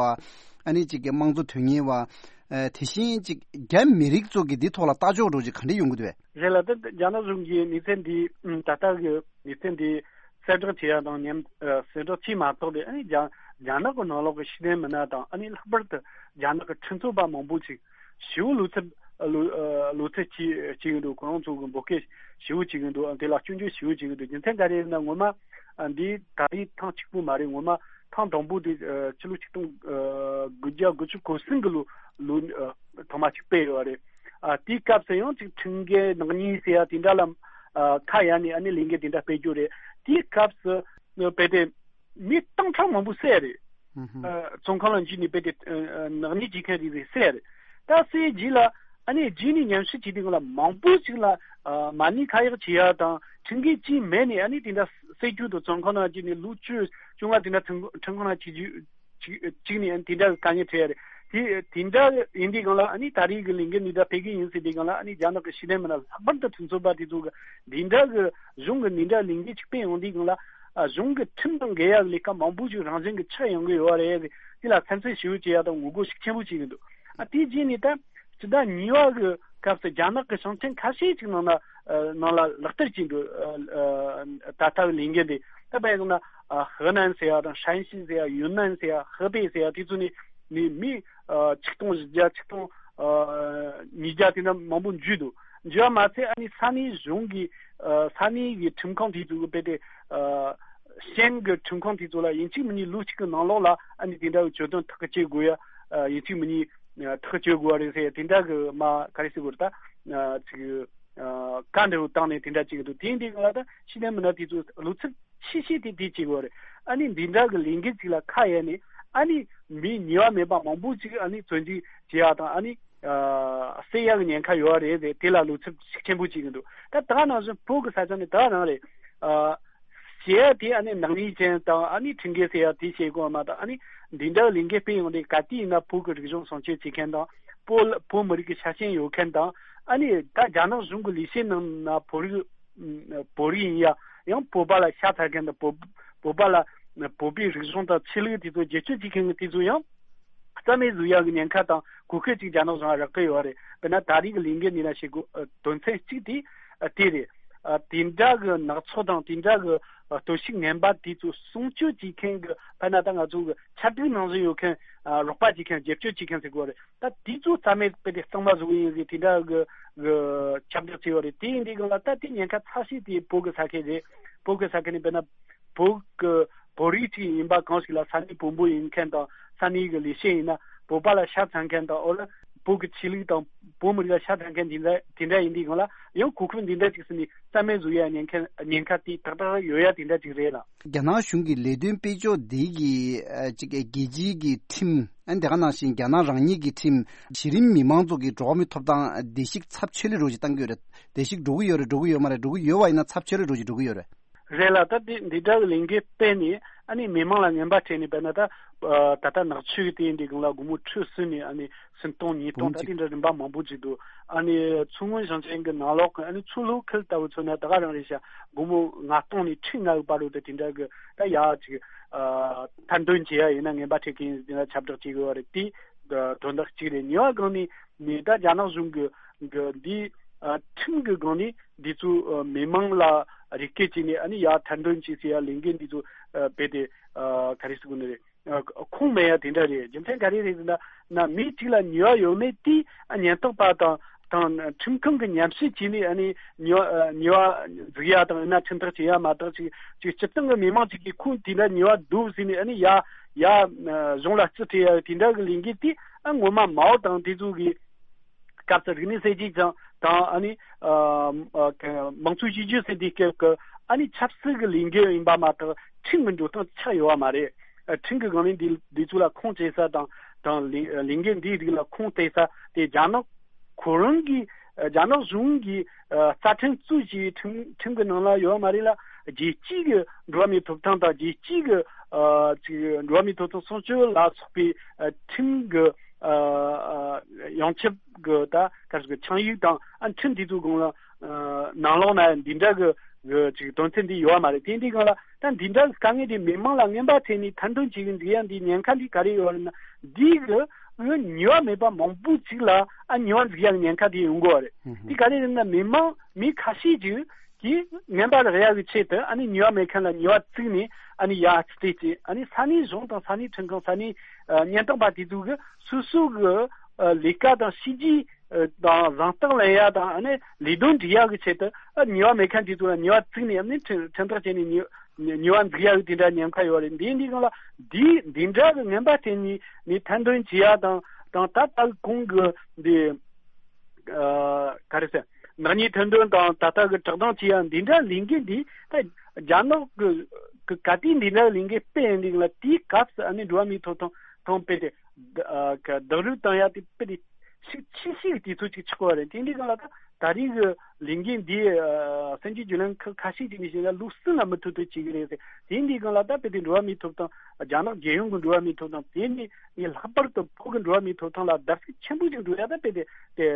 ཨ་ནི་ཅིག་གི་དམངས་གཙོ་དོན་གཉེར་བ་ཨ་དེ་བཞིན་ཅིག་རྒྱ་མི་རིགས་ཚོ་གི་འདི་ཐོག་ལ་ལྟ་ཕྱོགས་འདྲ་ཅིག་ག་འདྲ་ཡོང་གི་འདུག་བས། རེད་ལགས། ད་རྒྱ་ནག་གཞུང་གིས་གནས་ཚུལ་འདི་ད་ལྟ་གི་གནས་ཚུལ་འདི་གསལ་བསྒྲགས་བྱེད་ཡག་དང་མཉམ་གསལ་བསྒྲགས་བྱས་མ་ཐག་ཏུ་ཨ་ནི་རྒྱ་རྒྱ་ནག་གི་ནང་ལོགས་ཀྱི་ཤེས་ལྡན་མི་སྣ་དང་ཨ་ནི་ལྷག་པར་དུ་རྒྱ་ནག་གི་ཁྲིམས་རྩོད་པ་མང་པོ་ཅིག་ཞེ་པོ་ལོ་ཚབས་ལོ་ལོ་ཚབས་བྱེད་བྱེད་ཀྱི་འདུག་ཁོ་རང་ཚོ་གི་འབོད་སྐུལ་ཞེ་པོ་བྱེད་ཀྱི་འདུག་དེ་ལ་སྐྱོན་བརྗོད་ཞེ་པོ་བྱེད་ཀྱི་འདུག་རྒྱུ་མཚན་ག་རེ་ཡིན་ན་ངོ་མ་འདི་ད་རེས་ཐེངས་གཅིག་པུ་མ་རེད། ངོ་མ་ཐེངས་དང་པོ་དེ་ཕྱི་ལོ་ཆིག་སྟོང་དགུ་བརྒྱ་དགུ་བཅུ་གོ་གསུམ་གི་ལོ་ལོ་ཐོག་མ་ཅིག་སྤེལ་ཡོད་རེད། ཨ་དེའི་སྐབས་སུ་ཡང་ཅིག་ཁྲིམས་འགལ་ནག་ཉེས་ཟེར་ཡ་དེ་འདྲ་ལ་ཨ་ཁ་གཡར་ནས་ཨ་ནི་ལས་འགུལ་དེ་འདྲ་སྤེལ་རྒྱུ་རེད། དེའི་སྐབས་སུ་ཨ་དཔེ་དེ་མི་སྟོང་ཕྲག་མང་པོ་བསད་རེད། ཨ་བཙོན་ཁང་ལ་འཇུས་ནས་དཔེ་དེ་ཨ་ཨ་ནག་ཉེས་བྱེད་མཁན་རེ་རེ་བསད་རེད། ད་བསད་རྗེས་ལ་ཨ་ནི་རྗེས་ནས་ཉམས་ཞིབ་བྱས་དུས་སྒང་ལ་མང་པོ་ཞིག་ལ་ཨ་མ་ཎི་ཁ་གཡར་བྱེད་ཡ་དང་ཁྲིམས་འགལ་ཅིག་མེད་ནས་ཨ་ནི་དེ་འདྲ་བསད་རྒྱུ་དང་བཙོན་ཁང་ནང་འཇུས་ནས་ལོ་བཅུ་བཅོ་ལྔ་དེ་འདྲ་ཁྲིམས་ཁྲིམས་ཁང་ནང་བཅུག་རྒྱུ་གཅིག་གཅིག་ནས་དེ་འདྲ་གི་དཀའ་ངལ་འཕྲད་ཡ་རེད། དེ་དེ་འདྲ་ཡིན་དུས་སྒང་ལ་ཨ་ནི་ད་རེས་ཀྱི་ལས་འགུལ་འདི་འདྲ་སྤེལ་གི་ཡིན་ཟེར་དུས་སྒང་ལ་ཨ་ནི་རྒྱ་ནག་གི་ཤེས་ལྡན་མི་སྣ་ལྷག་པར་དུ་ཁྲིམས་རྩོད་པ་དེ་ཚོ་གི་འདི་འདྲ་གི་གཞུང་གི་འདི་འདྲ་ལས་འགུལ་ཅིག་སྤེལ་ཡོང་དུས་སྒང་ལ་ཨ་གཞུང་གི་ཁྲིམས་དང་འགལ་ཡ་གི་ལས་ཀ་མང་པོ་ཞིག་རང་བཞིན་གྱི་ཆགས་ཡོང་གི་ཡོད་རེད། དེ་ལ་སེམས་ཁྲལ་ཞེ་པོ་བྱེད་ཡ་དང་ངོ་རྒོལ་ཤུགས་ཆེན་པོ་བྱེད་ཀྱི་འདུག་ཨ་དེ་རྗེས་ནས་ད་སྤྱི་ཟླ་གཉིས་པ་གི་སྐབས་སུ་རྒྱ་ནག་གི་ཞིང་ཆེན་ཁ་ཤས་ཅིག་ནང་ལ་ཨ་ནང་ལ་ལག་བསྟར་བྱས་འདུག་ཨ་ཨ་ད་ལྟ་གི་ལས་འགུལ་འདི་ད་དཔེ་བཞག་ན། ཨ་ཧེ་ནན་ཟེར་ཡ་དང་ཧྲན་ཞི་ཟེར་ཡ་ཡུན་ནན་ཟེར་ཡ་ཧེ་པེ་ཟེར་ཡ་དེ་ཚོ་ནི་ནི་མི་ཨ་ཆིག་སྟོང་བཞི་བརྒྱ་ཆིག་སྟོང་ཨ་ཉིས་བརྒྱ་དེ་འདྲ་མང་པོ་འཇུས་འདུག་འཇུས་པ་མ་ཚད་ཨ་ནི་ས་གནས་གཞུང་གི་ཨ་ས་གནས་ཀྱི་ཁྲིམས་ཁང་དེ་ཚོ་གི་དཔེ་དེ་ཨ་ཤན་གྱི་ཁྲིམས་ཁང་དེ་ཚོ་ལ་ཡིན་གཅིག་མིན་གཉིས་ལོ་གཅིག་གི་ནང་ལོགས་ལ་ཨ་ནི་དེ་འདྲ་གི་གྱོད་དོན་ཐག་གཅོད་དགོས་ཡ་ཨ་ཡིན་གཅིག་མིན་གཉིས་ཨ་ཐག་གཅོད་དགོས་པ་རེད་ཟེར་ཡ་དེ་འདྲ་གི་མ་ག་རེ་ཟེར་དགོས་རེད་ད་ཨ་ཅིག་ཨ་བཀའ་འདྲ་བོ་བཏང་ནས་དེ་འདྲ་བྱེད་ཀྱི་འདུག་དེ་ཡིན་དུས་སྒང་ལ་ད་ཤེས་ལྡན་མི་སྣ་དེ་ཚོ་ལོ་ཚབས་ཆེ་ཤོས་དེ་དེ་བྱེད་དགོས་རེད། ཨ་ནི་འདི་འདྲ་གི་ལས་འགུལ་ཅིག་ལ་ཁ་གཡར་ནས་ཨ་ནི་མི་ཉེས་པ་མེད་པ་མང་པོ་ཅིག་ཨ་ནི་བཙོན་འཇུག་བྱེད་ཡག་དང་ཨ་ནི་ཨ་བསད་ཡག་གི་ཉེན་ཁ་ཡོད་རེད་ཟེར་དེ་ལ་ལོ་ཚབས་ཤུགས་ཆེན་པོ་བྱེད་ཀྱི་འདུག་ད་ད་ག་ནང་བཞིན་བོད་ཀྱི་ས་ཆ་ནི་ད་ག་རང་རེད། ཨ་བྱེད་ཡག་དེ་ཨ་ནི་ནག་ཉེས་ཅན་དང་ཨ་ནི་ཁྲིམས་འགལ་ཟེར་ཡག་དེ་བྱེད་དགོས་མ་གཏོགས་ཨ་ནི་འདི་འདྲ་གི་ལས་འགུལ་སྤེལ་ཡོང་དུས་ག་དུས་ཡིན་ན་བོད་ཀྱི་རིག་གཞུང་སྲུང་སྐྱོབ་བྱེད་མཁན་དང་བོད་བོད་མི་རིགས་ཀྱི་ཆ་རྐྱེན་ཡོད་མཁན་དང་ཨ་ནི་ད་རྒྱ་ནག་གཞུང་གི་ལས་བྱེད་ནང་ན་བོད་རིགས་བོད་རིགས་ཡིན་ཡ་ཡང་བོད་པ་ལ་ཤ་ཚ་མཁན་དང་བོད་བོད་པ་ལ་བོད་པའི་རིག་གཞུང་དང་ཆོས་ལུགས་དེ་ཚོ་བརྗེད་སྤྱོད་བྱེད་མཁན་གྱི་དེ་ཚོ་ཡང་རྩ་མེད་བཟོ་ཡག་གི་ཉེན་ཁ་དང་གོ་སྐབས་ཅིག་རྒྱ་ནག་གཞུང་ལ་རག་གི་ཡོད་རེད། དཔེར་ན་ད་རེས་ཀྱི་ལས་འགུལ་འདི་ན་བྱེད་དགོས་དོན་ཚན་གཅིག་དེ་དེ་རེད། དེ་འདྲ་གི་ནག་ཚོགས་དང་དེ་འདྲ་གི་གཏོར་བཤིག་ངན་པ་དེ་ཚོ་སྲུང་སྐྱོབ་བྱེད་མཁན་གྱི་དཔེར་ན་ད་ང་ཚོ་གི་ཆབ་སྲིད་ནང་བཞིན་ཡོད་མཁན་རོགས་པ་བྱེད་མཁན་རྒྱབ་སྐྱོར་བྱེད་མཁན་ཟེར་དགོས་རེད། ད་དེ་ཚོ་རྩ་མེད་དཔེ་དེ་གཙང་མ་བཟོ་གི་ཡིན་ཟེར་དེ་འདྲ་གི་གི་ཁྱབ་བསྒྲགས་བྱས་ཡོད་རེད། དེ་ཡིན་དུས་སྒང་ལ་ད་དེ་ཉེན་ཁ་ཚ་ཤོས་དེ་བོད་ཀྱི་ས་ཁུལ་རེད། བོད་ཀྱི་ས་ཁུལ་ནས་དཔེར་ན་བོད་ཀྱི་བོད་རིགས་ཅིག་ཡིན་པ་གང་ཞིག་ལ་ས་གནས་བོན་པོ་ཡིན་མཁན་དང་ས་གནས་ཀྱི་ལས་བྱེད་ཡིན་ན་བོད་པ་ལ་ཤ་ཚ་མཁན་དང་འོ་ལ་བོད་ཀྱི་ཆོས་ལུགས་དང་བོད་མི་རིགས་ལ་ཤ་ཚ་མཁན་དེ་འདྲ་དེ་འདྲ་ཡིན་དུས་སྒང་ལ་ཡང་གོ་སྐབས་འདི་འདྲ་ཅིག་ཟིན་ནས་རྩ་མེད་བཟོ་ཡ་ཉེན་ཁ་ཉེན་ཁ་དེ་ཏག་ཏག་ཡོད་ཡ་དེ་འདྲ་ཅིག་རེད་ལ། རྒྱ་ནག་གཞུང་གི་ལས་དོན་སྤེལ་ཕྱོགས་འདི་གི་ཨ་ཅིག་རྒྱལ་སྤྱིའི་གི་ཁྲིམས། ཨ་ནི་དེ་ག་ནང་བཞིན་རྒྱ་ནག་རང་ཉིད་ཀྱི་ཁྲིམས། གཞི་རིམ་མི་མང་ཚོ་གི་འགྲོ་བ་མིའི་ཐོབ་ཐང་བརྡལ་བཤིག་ཚབས་ཆེ་ལོས་རོགས་ཀྱིས་བཏང་གི་ཡོད་རེད། བརྡལ་བཤིག་འགྲོ་གི་ཡོད་རེད། འགྲོ་གི་ཡོད་མ་རེད། འགྲོ་གི་ཡོད་པ་ཡིན་ན་ཚབས་ཆེ་ལོས་རོགས་ཀྱིས་འགྲོ་གི་ཡོད་རེད། རེད་ལ་ད་འདི་འདི་འདྲ་གི་ལས་འགུལ་སྤེལ་ནས་ཨ་ནི་མི་མང་ལ་ངན་པ་སྤྲད་ནས་དཔེར་ན་ད་ད་ལྟ་ནག་ཆུ་གི་དེ་འདི་གང་ལ་སྒོར་མོ་ཁྲི་གསུམ་ནས་ཨ་ནི་སུམ་སྟོང་ཉིས་སྟོང་ད་དེ་འདྲ་རིམ་པ་མང་པོ་ཅིག་འདུག་ཨ་ནི་མཚོ་སྔོན་ཞིང་ཆེན་གི་ནང་ལོགས་གི་ཨ་ནི་མཚོ་ལྷོ་ཁུལ་ལྟ་བུ་མཚོན་ན་ད་ག་རང་རེད་ཤག་སྒོར་མོ་ལྔ་སྟོང་ནས་ཁྲི་ལྔ་གི་བར་དུ་ད་དེ་འདྲ་གི་ད་ཡག་ཅིག་ཐེར་འདོན་བྱེད་ཡ་ཡིན་ན་ངན་པ་སྤྲད་མཁན་ཡིན་ཟེར་ན་ཁྱབ་བསྒྲགས་བྱེད་དགོས་པ་རེད། དེ་དོན་དག་གཅིག་རེད། གཉིས་པ་སྒང་ནས་ནས་ད་རྒྱ་ནག་གཞུང་གི་གི་འདི་ཁྲིམས་ཀྱི་སྒང་ནས་འདི་ཚོ་མི་མང་ལ་རེ་སྐུལ་བྱས་ནས་ཨ་ནི་ཡ་ཐེར་འདོན་བྱེད་ཟེར་ཡ་ལས་འགན་འདི་ཚོ་རྦད་དེ་ག་རེ་ཟེར་དགོས་ནི་རེད། ཁུངས་མེད་ཡ་དེ་འདྲ་རེད། རྒྱུ་མཚན་ག་རེ་རེད་ཟེར་ན། ན་མི་གཅིག་ལ་ཉེས་པ་ཡོད་མེད་དེ་ཉེན་རྟོག་པ་དང་དང་ཁྲིམས་ཁང་གི་ཉམས་ཞིབ་བྱས་ནས་ཨ་ནི་ཉེས་པ་ཉེས་པ་འཛུགས་ཡ་དང་ཡིན་ན་ཁྲིམས་ཐག་བཅད་ཡ་མ་གཏོགས་ཅིག་ཅིག་སྤྱིར་བཏང་གི་མི་མང་ཅིག་གིས་ཁུངས་དེ་འདྲ་ཉེས་པ་འདུག་ཟེར་ནས་ཨ་ནི་ཡ་ཡ་གཞུང་ལ་རྩིས་སྤྲད་ཡ་དེ་འདྲ་གི་ལས་འགུལ་དེ་ཨ་ངོ་མ་མའོ་དང་དེ་ཚོ་གི་སྐབས་སུ་རིག་གནས་གསར་བརྗེ་དང་དང་ཨ་ནི་ཨ་ཨ་ག་དམངས་གཙོའི་བཅོས་བསྒྱུར་ཟེར་དུས་སྐབས་ཀྱི་ཨ་ནི་ཆབ་སྲིད་ཀྱི་ལས་འགུལ་ཡིན་པ་མ་གཏོགས་ཁྲིམས་ཀྱི་འགྲོ་སྟངས་ཆགས་ཡོད་པ་མ་རེད། ཨ་ཁྲིམས་ཀྱི་སྒང་ནས་འདི་འདི་ཚོ་ལ་ཁུངས་སྐྱེལ་ས་དང་དང་ལས་ལས་འགུལ་འདིའི་རིགས་ལ་ཁུངས་གཏད་ས་དེ་རྒྱ་ནག་ཁོ་རང་གི་ཨ་རྒྱ་ནག་གཞུང་གི་ཨ་རྩ་ཁྲིམས་གཙོས་ཀྱི་ཁྲིམས་ཁྲིམས་ཀྱི་ནང་ལ་ཡོད་པ་མ་རེད་ལ། རྒྱལ་སྤྱིའི་གི་འགྲོ་བ་མིའི་ཐོབ་ཐང་དང་རྒྱལ་སྤྱིའི་གི་ཨ་ཅིག་འགྲོ་བ་མིའི་ཐོབ་ཐང་སྲུང་སྐྱོབ་ལ་སོགས་པའི་ཨ་ཁྲིམས་ཀྱི་ཨ་ཡོངས་ཁྱབ་གི་ད་ག་རེ་ཟེར་ཆིངས་ཡིག་དང་ཨ་ཁྲིམས་དེ་ཚོའི་སྒང་ལ་ནང་ལོགས་ན་འདི་འདྲ་གི་གི་ཅིག་དོན་ཚན་འདི་ཡོད་པ་མ་རེད། དེ་འདི་སྒང་ལ་ད་འདི་འདྲ་གི་དཀའ་ངལ་དེ་མི་མང་ལ་རྔན་པ་སྤྲད་ནས་ཐེར་འདོན་བྱེད་གི་འདུག་ཡ། འདི་ཉེན་ཁ་འདི་ག་རེ་ཡོད་རེད་ན། འདི་གི་ཉེས་པ་མེད་པ་མང་པོ་ཅིག་ལ་ཨ་ཉེས་པ་འཛུགས་ཡ་གི་ཉེན་ཁ་དེ་ཡོང་གི་ཡོད་རེད། འདི་ག་རེ་རེད་ན་མི་མང་མི་ཁ་ཤས་ཅིག་གིས་རྔན་པ་རག་ཡག་གི་ཆེད་དུ་ཨ་ནི་ཉེས་པ་མེད་མཁན་ལ་ཉེས་པ་བཙུགས་ནས་ཨ་ནི་ཡར་རྩིས་སྤྲད་བྱས། ཨ་ནི་ས་གནས་གཞུང་དང་ས་གནས་ཁྲིམས་ཁང་ས་གནས་ཨ་ཉེན་རྟོག་པ་དེ་ཚོ་གི་སོ་སོ་གི་ཨ་ལས་ཀ་དང་བྱས་རྗེས་ཨ་དང་གཟེངས་རྟགས་ལེན་ཡག་དང་ཨ་ནི་ལས་དོན་སྒྲུབ་ཡག་གི་ཆེད་དུ་ཨ་ཉེས་པ་མེད་མཁན་དེ་ཚོ་ལ་ཉེས་པ་བཙུགས་ནས་ཨ་ནི་ཁྲིམས་ཁྲིམས་ཐག་བཅད་ནས་ཉེས་ཉེས་པ་འཛུགས་ཡག་གི་དེ་འདྲ་ཉེན་ཁ་ཡོད་རེད། འདི་འདི་སྒང་ལ་འདི་འདི་འདྲ་གི་རྔན་པ་སྤྲད་ནས་ནས་ཐེར་འདོན་བྱེད་ཡག་དང་དང་ད་ལྟ་གོང་གི་འདི། ཨ་ག་རེ་ཟེར། ནག་ཉེས་ཐེར་འདོན་དང་ད་ལྟ་གི་བསྒྲགས་གཏམ་བྱེད་ཡ་འདི་འདྲ་ལས་འགུལ་འདི་ད་རྒྱ་ནག་གི་གི་ག་དུས་འདི་འདྲ་ལས་འགུལ་སྤེལ་ཡོང་དུས་ལ་དེའི་སྐབས་སུ་ཨ་ནི་འགྲོ་བ་མིའི་ཐོབ་ཐང་ཐོང་སྤེལ་ཏེ་ཨ་ག་རྡོག་རོལ་བཏང་ཡ་དེ་སྤེལ་ཏེ་ཤུགས་ཆེ་ཤོས་ཀྱི་དུས་ཚོད་ཅིག་ཆགས་པ་རེད། དེ་འདི་སྒང་ལ་ད་ད་རེས་ཀྱི་ལས་འགུལ་འདི་ཨ་སངས་རྒྱས་བརྒྱུད་ལམ་ཁག་ཁ་ཤས་ཅིག་ནས་བཤད་ན་ལུགས་སྲོལ་ལ་མི་ཐུག་ཐུག་བྱེད་ཀྱི་རེད་ཟེར། དེ་འདི་སྒང་ལ་ད་དཔེ་དེ་འགྲོ་བ་མིའི་ཐོབ་ཐང་རྒྱ་ནག་རྒྱལ་ཡོངས་ཀྱི་འགྲོ་བ་མིའི་ཐོབ་ཐང་དེ་ནི་ངས་ལྷག་པར་དུ་བོད་ཀྱི་འགྲོ་བ་མིའི་ཐོབ་ཐང་ལ་བརྡབ་གསིག་ཆེན་པོ་ཞིག་འགྲོ་ཡ་ད་དཔེ་དེ་དེ་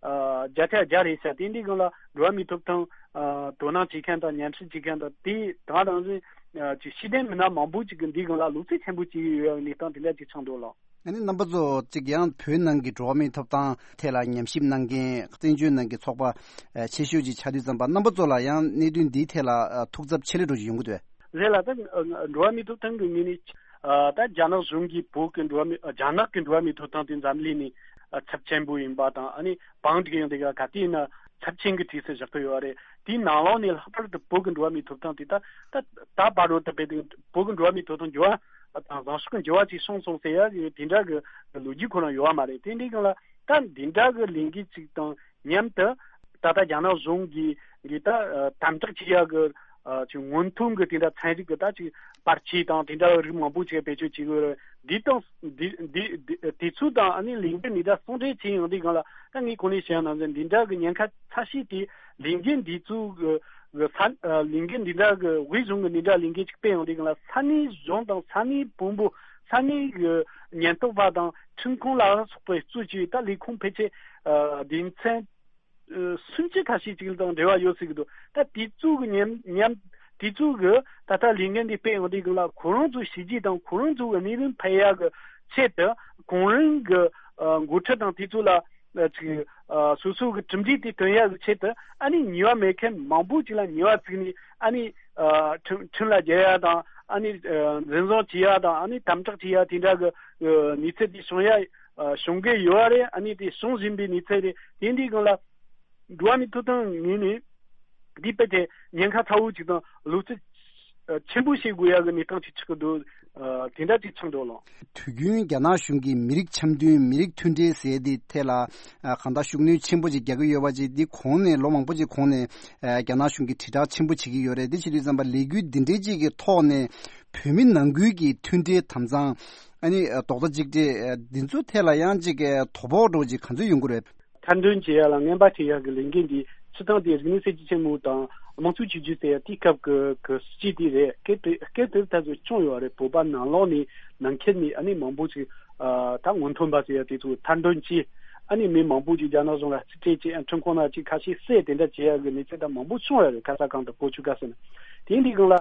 ཨ་བརྒྱ་ཆ་བརྒྱ་རེད་ཤག་དེ་འདི་སྒང་ལ་འགྲོ་བ་མིའི་ཐོབ་ཐང་ཨ་དོ་སྣང་བྱེད་མཁན་དང་ཉམས་ཞིབ་བྱེད་མཁན་དང་དེ་དང་རང་བཞིན་ཨ་ཅིག་ཤེས་ལྡན་མི་སྣ་མང་པོ་ཅིག་གིས་འདི་སྒང་ལ་བློ་རྩེ་ཆེན་པོ་བྱེད་ཀྱི་ཡོད་ཡ་གི་གནས་སྟངས་དེ་འདྲ་ཅིག་ཆགས་འདུག་ལགས། ཨ་ནི་རྣམ་པ་ཚོ་གཅིག་ཡང་བོད་ནང་གི་འགྲོ་བ་མིའི་ཐོབ་ཐང་ཐད་ལ་ཉམས་ཞིབ་གནང་མཁན་བཙན་བྱོལ་ནང་གི་ཚོགས་པ་ཨ་ཆེ་ཤོས་ཅིག་ཆགས་དུས་ཙམ་པ་རྣམ་པ་ཚོ་ལ་ཡང་གནད་དོན་འདིའི་ཐད་ལ་ཨ་ཐུགས་འཚབ་ཆེ་ལེ་འགྲོ་ཞིག་ཡོང་གི་འདུག་གས། རེད་ལགས། ད་འགྲོ་བ་མིའི་ཐོབ་ཐང་གི་ངོས་ནས་ཨ་ད་རྒྱ་ནག་གཞུང་གིས་བོད་ཀྱི་འགྲོ་བ་མི་ཨ་རྒྱ་ནག་གི་འགྲོ་བ་མིའི་ཐོབ་ཐང་དེ་འཛམ་གླིང་ནས་ཨ་ཚབས་ཆེན་པོ་ཡིན་པ་དང་། ཨ་ནི་བང་སྒྲིག་ཡོང་དེ་ག་ག་དུས་ཡིན་ན་ཚབས་ཆེན་གྱི་གྲས་སུ་བཞག་གི་ཡོད་རེད། དེའི་ནང་ལོགས་ནས་ལྷག་པར་དུ་བོད་ཀྱི་འགྲོ་བ་མིའི་ཐོབ་ཐང་དེ་ད་ད་ད་བར་དུ་ད་དཔེ་དེ་བོད་ཀྱི་འགྲོ་བ་མིའི་ཐོབ་ཐང་འགྱུར་བ་དང་བཟང་ཕྱོགས་ཀྱི་འགྱུར་བ་ཅིག་བྱུང་སོང་ཟེར་ཡ་དེ་འདྲ་གི་ལོ་རྒྱུས་ཁོ་རང་ཡོད་པ་མ་རེད། དེ་འདྲའི་སྒང་ལ་ད་འདི་འདྲ་གི་ལས་འགུལ་ཅིག་དང་མཉམ་དུ་ད་ལྟ་རྒྱ་ནག་གཞུང་གིས་གིས་ད་ཨ་དམ་དྲག་བྱེད་ཡག་གི་ཨ་ཅིག་སྔོན་ཐོན་གྱི་དེ་འདྲ་ཚན་རིག་གི་ད་ཅིག་པར་ཆས་དང་དེ་འདྲ་རིགས་མང་པོ་ཅིག་བེད་སྤྱོད་བྱེད་དགོས་རེད། འདི་དང་འདི་འདི་འདི་དེ་ཚོ་དང་ཨ་ནི་ལས་འགུལ་འདི་འདྲ་ཟུང་འབྲེལ་བྱས་ཡོང་དུས་སྒང་ལ་ད་ངས་གོང་ནས་བཤད་ཡ་ནང་བཞིན་འདི་འདྲ་གི་ཉེན་ཁ་ཚ་ཤོས་དེ་ལས་འགུལ་འདི་ཚོ་གི་གི་ས་ཨ་ལས་འགུལ་འདི་འདྲ་གི་དབུས་གཞུང་གི་འདི་འདྲ་ལས་འགུལ་ཅིག་སྤེལ་ཡོང་དུས་སྒང་ལ་ས་གནས་གཞུང་དང་ས་གནས་དཔོན་པོ་ས་གནས་གི་ཉེན་རྟོག་པ་དང་ཁྲིམས་ཁང་ལ་སོགས་པའི་གཙོ་བྱས་ད་ལས་ཁུངས་ཕལ་ཆེར་ཨ་སྡེ་ཚན་ཨ་སུམ་ཅུ་ཁ་ཤས་ཅིག་དང་འབྲེལ་བ་ཡོད་སྲིད་ཀྱི་འདུག་ད་དེ་ཚོ་གི་མཉམ་མཉམ་དེ་ཚོ་གི་ད་ལྟ་ལས་འགུལ་འདི་སྤེལ་ཡོང་དུས་སྒང་ལ་ཁོ་རང་ཚོའི་བྱས་རྗེས་དང་ཁོ་རང་ཚོ་གི་གནས་ལུགས་འཕེལ་ཡག་གི་ཆེད་དུ་གོང་རིམ་གི་ཨ་འགོ་ཁྲིད་དང་དེ་ཚོ་ལ་ཨ་ཅིག་ཨ་སོ་སོ་གི་གྲུབ་འབྲས་དེ་ཐོན་ཡག་གི་ཆེད་དུ་ཨ་ནི་ཉེས་པ་མེད་མཁན་མང་པོ་ཅིག་ལ་ཉེས་པ་བཙུགས་ནས་ཨ་ནི་ཨ་ཁྲིམས་ཁྲིམས་ལ་འགེལ་ཡ་དང་ཨ་ནི་ཨ་འཛིན་བཟུང་བྱེད་ཡ་དང་ཨ་ནི་དམ་དྲག་བྱེད་ཡ་དེ་འདྲ་གི་ཨ་གནས་ཚུལ་དེ་བྱུང་ཡ་ཨ་བྱུང་གི་ཡོད་རེད། ཨ་ནི་དེ་བྱུང་བཞིན་པའི་གནས་ཚུལ་རེད། དེ་འདིའི་སྒང་ལ་འགྲོ་བ་མིའི་ཐོབ་ཐང་ངོས་ནས་འདི་དཔེ་དེ་ཉེན་ཁ་ཚ་བོ་ཅིག་དང་བློ་རྩེ་ཆེན་པོ་བྱེད་དགོས་ཡ་གི་གནས་སྟངས་ཅིག་ཆགས་ཀྱི་འདུག་ཨ་དེ་འདྲ་ཅིག་ཆགས་འདུག་ལགས། དུས་རྒྱུན་རྒྱ་ནག་གཞུང་གིས་མི་རིགས་འཆམ་མཐུན་མི་རིགས་མཐུན་སྒྲིལ་ཟེར་དེ་ཐད་ལ་ཨ་གང་ལྟར་ཤུགས་སྣོན་ཆེན་པོ་ཅིག་རྒྱག་གི་ཡོད་པ་ཅིག་འདི་གོང་ནས་ལོ་མང་པོ་ཅིག་གོང་ནས་ཨ་རྒྱ་ནག་གཞུང་གིས་དྲིལ་བསྒྲགས་ཆེན་པོ་བྱེད་ཀྱི་ཡོད་རེད། འདི་བྱེད་དུས་ཙམ་པ་ལས་འགུལ་འདི་འདྲའི་ཅིག་གི་ཐོག་ནས་བོད་མི་ནང་ཁུལ་གྱི་མཐུན་སྒྲིལ་དམ་གཙང་ཨ་ནི་རྡོག་རྩ་གཅིག་སྒྲིལ་འདི་ཚོ་ཐད་ལ་ཡང་ཅིག་དོ་ཕོག་འགྲོ་ཅིག་ག་ཚོད་ཡོང་གི་རེད། ཐེར་འདོན་བྱེད་ཡ་ལ་རྔན་པ་སྤྲད་ཡ་གི་ལས་འགུལ་འདི་སྤྱིར་བཏང་དེ་རིག་གནས་གསར་བརྗེ་ཆེན་མོ་དང་དམངས་གཙོའི་བཅོས་བསྒྱུར་ཟེར་ཡ་དེའི་སྐབས་ཀྱི་གི་སྲིད་ཇུས་དེ་རེད། སྐབས་དེ་སྐབས་དེར་ད་གཟོད་བྱུང་ཡོད་རེད། བོད་པ་ནང་ལོགས་ནས་ནང་ཁུལ་ནས་ཨ་ནི་མང་པོ་ཅིག་ཨ་ད་སྔོན་ཐོན་པ་ཟེར་ཡ་དེ་ཚོ་ཐེར་འདོན་བྱས། ཨ་ནི་མི་མང་པོ་ཅིག་རྒྱ་ནག་གཞུང་ལ་རྩིས་སྤྲད་བྱས། ཁྲིམས་ཁང་ནང་ཅིག་ཁ་ཤས་བསད། དེ་འདྲ་བྱེད་ཡ་གི་གནས་ཚུལ་ད་མང་པོ་བྱུང་ཡོད་རེད། ཁ་ས་གང་དུ་བོད་ཆུ་ཁ་ཟེར་ན། དེ་འདི་སྒང་ལ་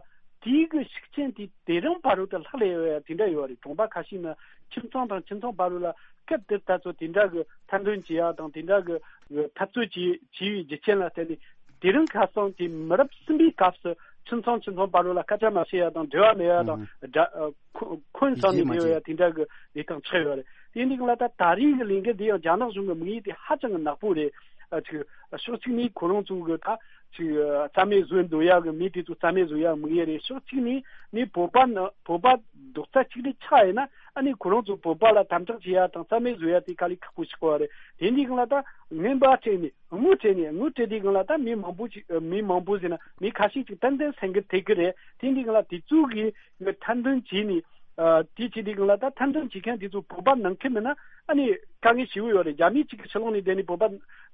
དེའི་གི་ཤུགས་རྐྱེན་དེ་དེ་རིང་བར་དུ་ལྷག་ལས་ཡོད་ཡ་དེ་འདྲ་ཡོད་རེད། གྲོང་པ་ཁ་ཤས་ན་ཁྱིམ་ཚང་དང་ཁྱིམ་ཚང་བར་དུ་ལ་སྐབས་དེར་ད་ཚོ་དེ་འདྲ་གི་ཐེར་འདོན་བྱེད་ཡ་དང་དེ་འདྲ་གི་འཐབ་རྩོད་བྱེད་བྱེད་ཡའི་རྒྱུ་རྐྱེན་ལ་བརྟེན་ནས་དེ་རིང་ཁ་སང་དེ་མི་རབས་གསུམ་པའི་སྐབས་སུ་ ཁྱིམ་ཚང་ཁྱིམ་ཚང་བར་ལ་སྐད་ཆ་མ་བཤད་ཡ་དང་འབྲེལ་བ་མེད་ཡ་དང་། ཨང་། དགྲ་ཨ་ཁོ་འཁོན་ཟ་ནས་ཡིད་ཆེས་མ་བསྡད་ཡོད་ཡ་དེ་འདྲ་གི་ལས་སྟངས་ཆགས་ཡོད་རེད། དེ་འདི་གང་ལ་ད་ད་རེས་ཀྱི་ལས་འགུལ་འདི་ཡང་རྒྱ་ནག་གཞུང་གི་དམིགས་ཡུལ་དེ་ཧ་ཅང་གི་ནག་པོ་རེད། ཨ་ཅིག་ཕྱོགས་གཅིག་ནས་ཁོ་རང་ཚོ་གི་ད་ཅིག་རྩ་མེད་བཟོ་འདོད་ཡ་གི་མི་དེ་ཚོ་རྩ་མེད་བཟོ་ཡ་དམིགས་ཡུལ་རེད། ཕྱོགས་གཅིག་ནས་ནི་བོད་པ་ནི་བོད་པ་རྡོག་རྩ་གཅིག་སྒྲིལ་ཆགས་ཡིན་ན། ཨ་ནི་ཁོ་རང་ཚོ་བོད་པ་ལ་དམ་དྲག་བྱེད་ཡ་དང་རྩ་མེད་བཟོ་ཡ་དེ་དཀའ་ལས་ཁག་པོ་ཞིག་གོ་བ་རེད། དེ་འདི་གང་ལ་ད་ངན་པ་སྤྲད་ནས་དངུལ་སྤྲད་ནས་དངུལ་སྤྲད་དེ་གང་ལ་ད་མི་མང་པོ་ཅིག་མི་མང་པོ་ཟེར་ན་མི་ཁ་ཤས་ཅིག་ཏན་ཏན་སེང་གེ་ཐེག་གི་རེད། དེ་འདི་གང་ལ་དེ་ཚོ་གི་ཐེར་འདོན་བྱས་ནས་ཨ་དེ་བྱས་དེ་གང་ལ་ད་ཐེར་འདོན་བྱེད་མཁན་དེ་ཚོ་བོད་པ་ནང་ཁུལ་མིན་ན་ཨ་ནི་དཀའ་ངལ་ཞེ་པོ་ཡོད་རེད། རྒྱ་མིའི་ཅིག་གི་ཕྱི་ལོགས་ནས་བསྡད་ནས་བོད་པ་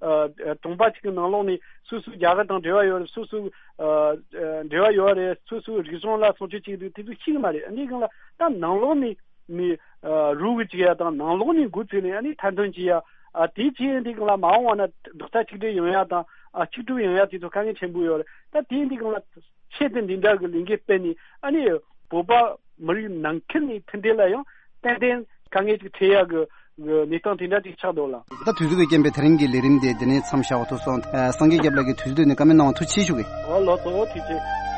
ཨ་གྲོང་པ་ཅིག་གི་ནང་ལོགས་ནས་སོ་སོའི་རྒྱ་གར་དང་འབྲེལ་བ་ཡོད་རེད། སོ་སོའི་ཨ་འབྲེལ་བ་ཡོད་རེད། སོ་སོའི་རིག་གཞུང་ལ་སྲུང་སྐྱོབ་བྱེད་ཀྱི་འདུག་དེ་ཚོ་ཤེས་ཀྱི་མ་རེད། འདི་གང་ལ་ད་ནང་ལོགས་ནས་ནི་ཨ་རུ་གི་བྱེད་ཡ་དང་ནང་ལོགས་ནས་འགོ་ཚུགས་ནས་ཨ་ནི་ཐེར་འདོན་བྱེད་ཡ། ཨ་དེ་བྱས་འདི་གང་ལ་མ་འོངས་བ་ན་རྡོག་རྩ་གཅིག་སྒྲིལ་ཡོང་ཡ་དང་ཨ་གཅིག་སྒྲིལ་ཡོང་ཡ་དེ་ཚོ་དཀའ་ངལ་ཆེན་པོ་ཡོད་རེད། ད་དེ་འདི་གང་ལ་ཆེད་དུ་འདི་འདྲ་གི་ལས་འགུལ་སྤེལ་ནས་ཨ་ནི་བོད་པ་མི་རིགས་ནང་ཁུལ་ནས་མཐུན་སྒྲིལ་ལ་ཡང་ཏན་ཏན་དཀའ་ངལ་ཅིག་འཕྲད་ཡ་གི་གི་གནས་སྟངས་དེ་འདྲ་ཅིག་ཆགས་འདུག་ལ། ད་དུས་ཚོད་ཀྱི་རྐྱེན་པས་དེ་རིང་གི་ལས་རིམ་དེ་འདི་ནས་མཚམས་བཞག་པ་ཐུག་སོང་། ཨ་སངས་རྒྱས་སྐྱབས་ལགས་ཀྱིས་དུས་ཚོད་བཏོན་ནས་བཀའ་མོལ་གནང་བ་ཐུགས་རྗེ་ཆེ་ཞུ་གི། ཨོ་ལགས་སོ། ཐུགས་རྗེ་ཆེ།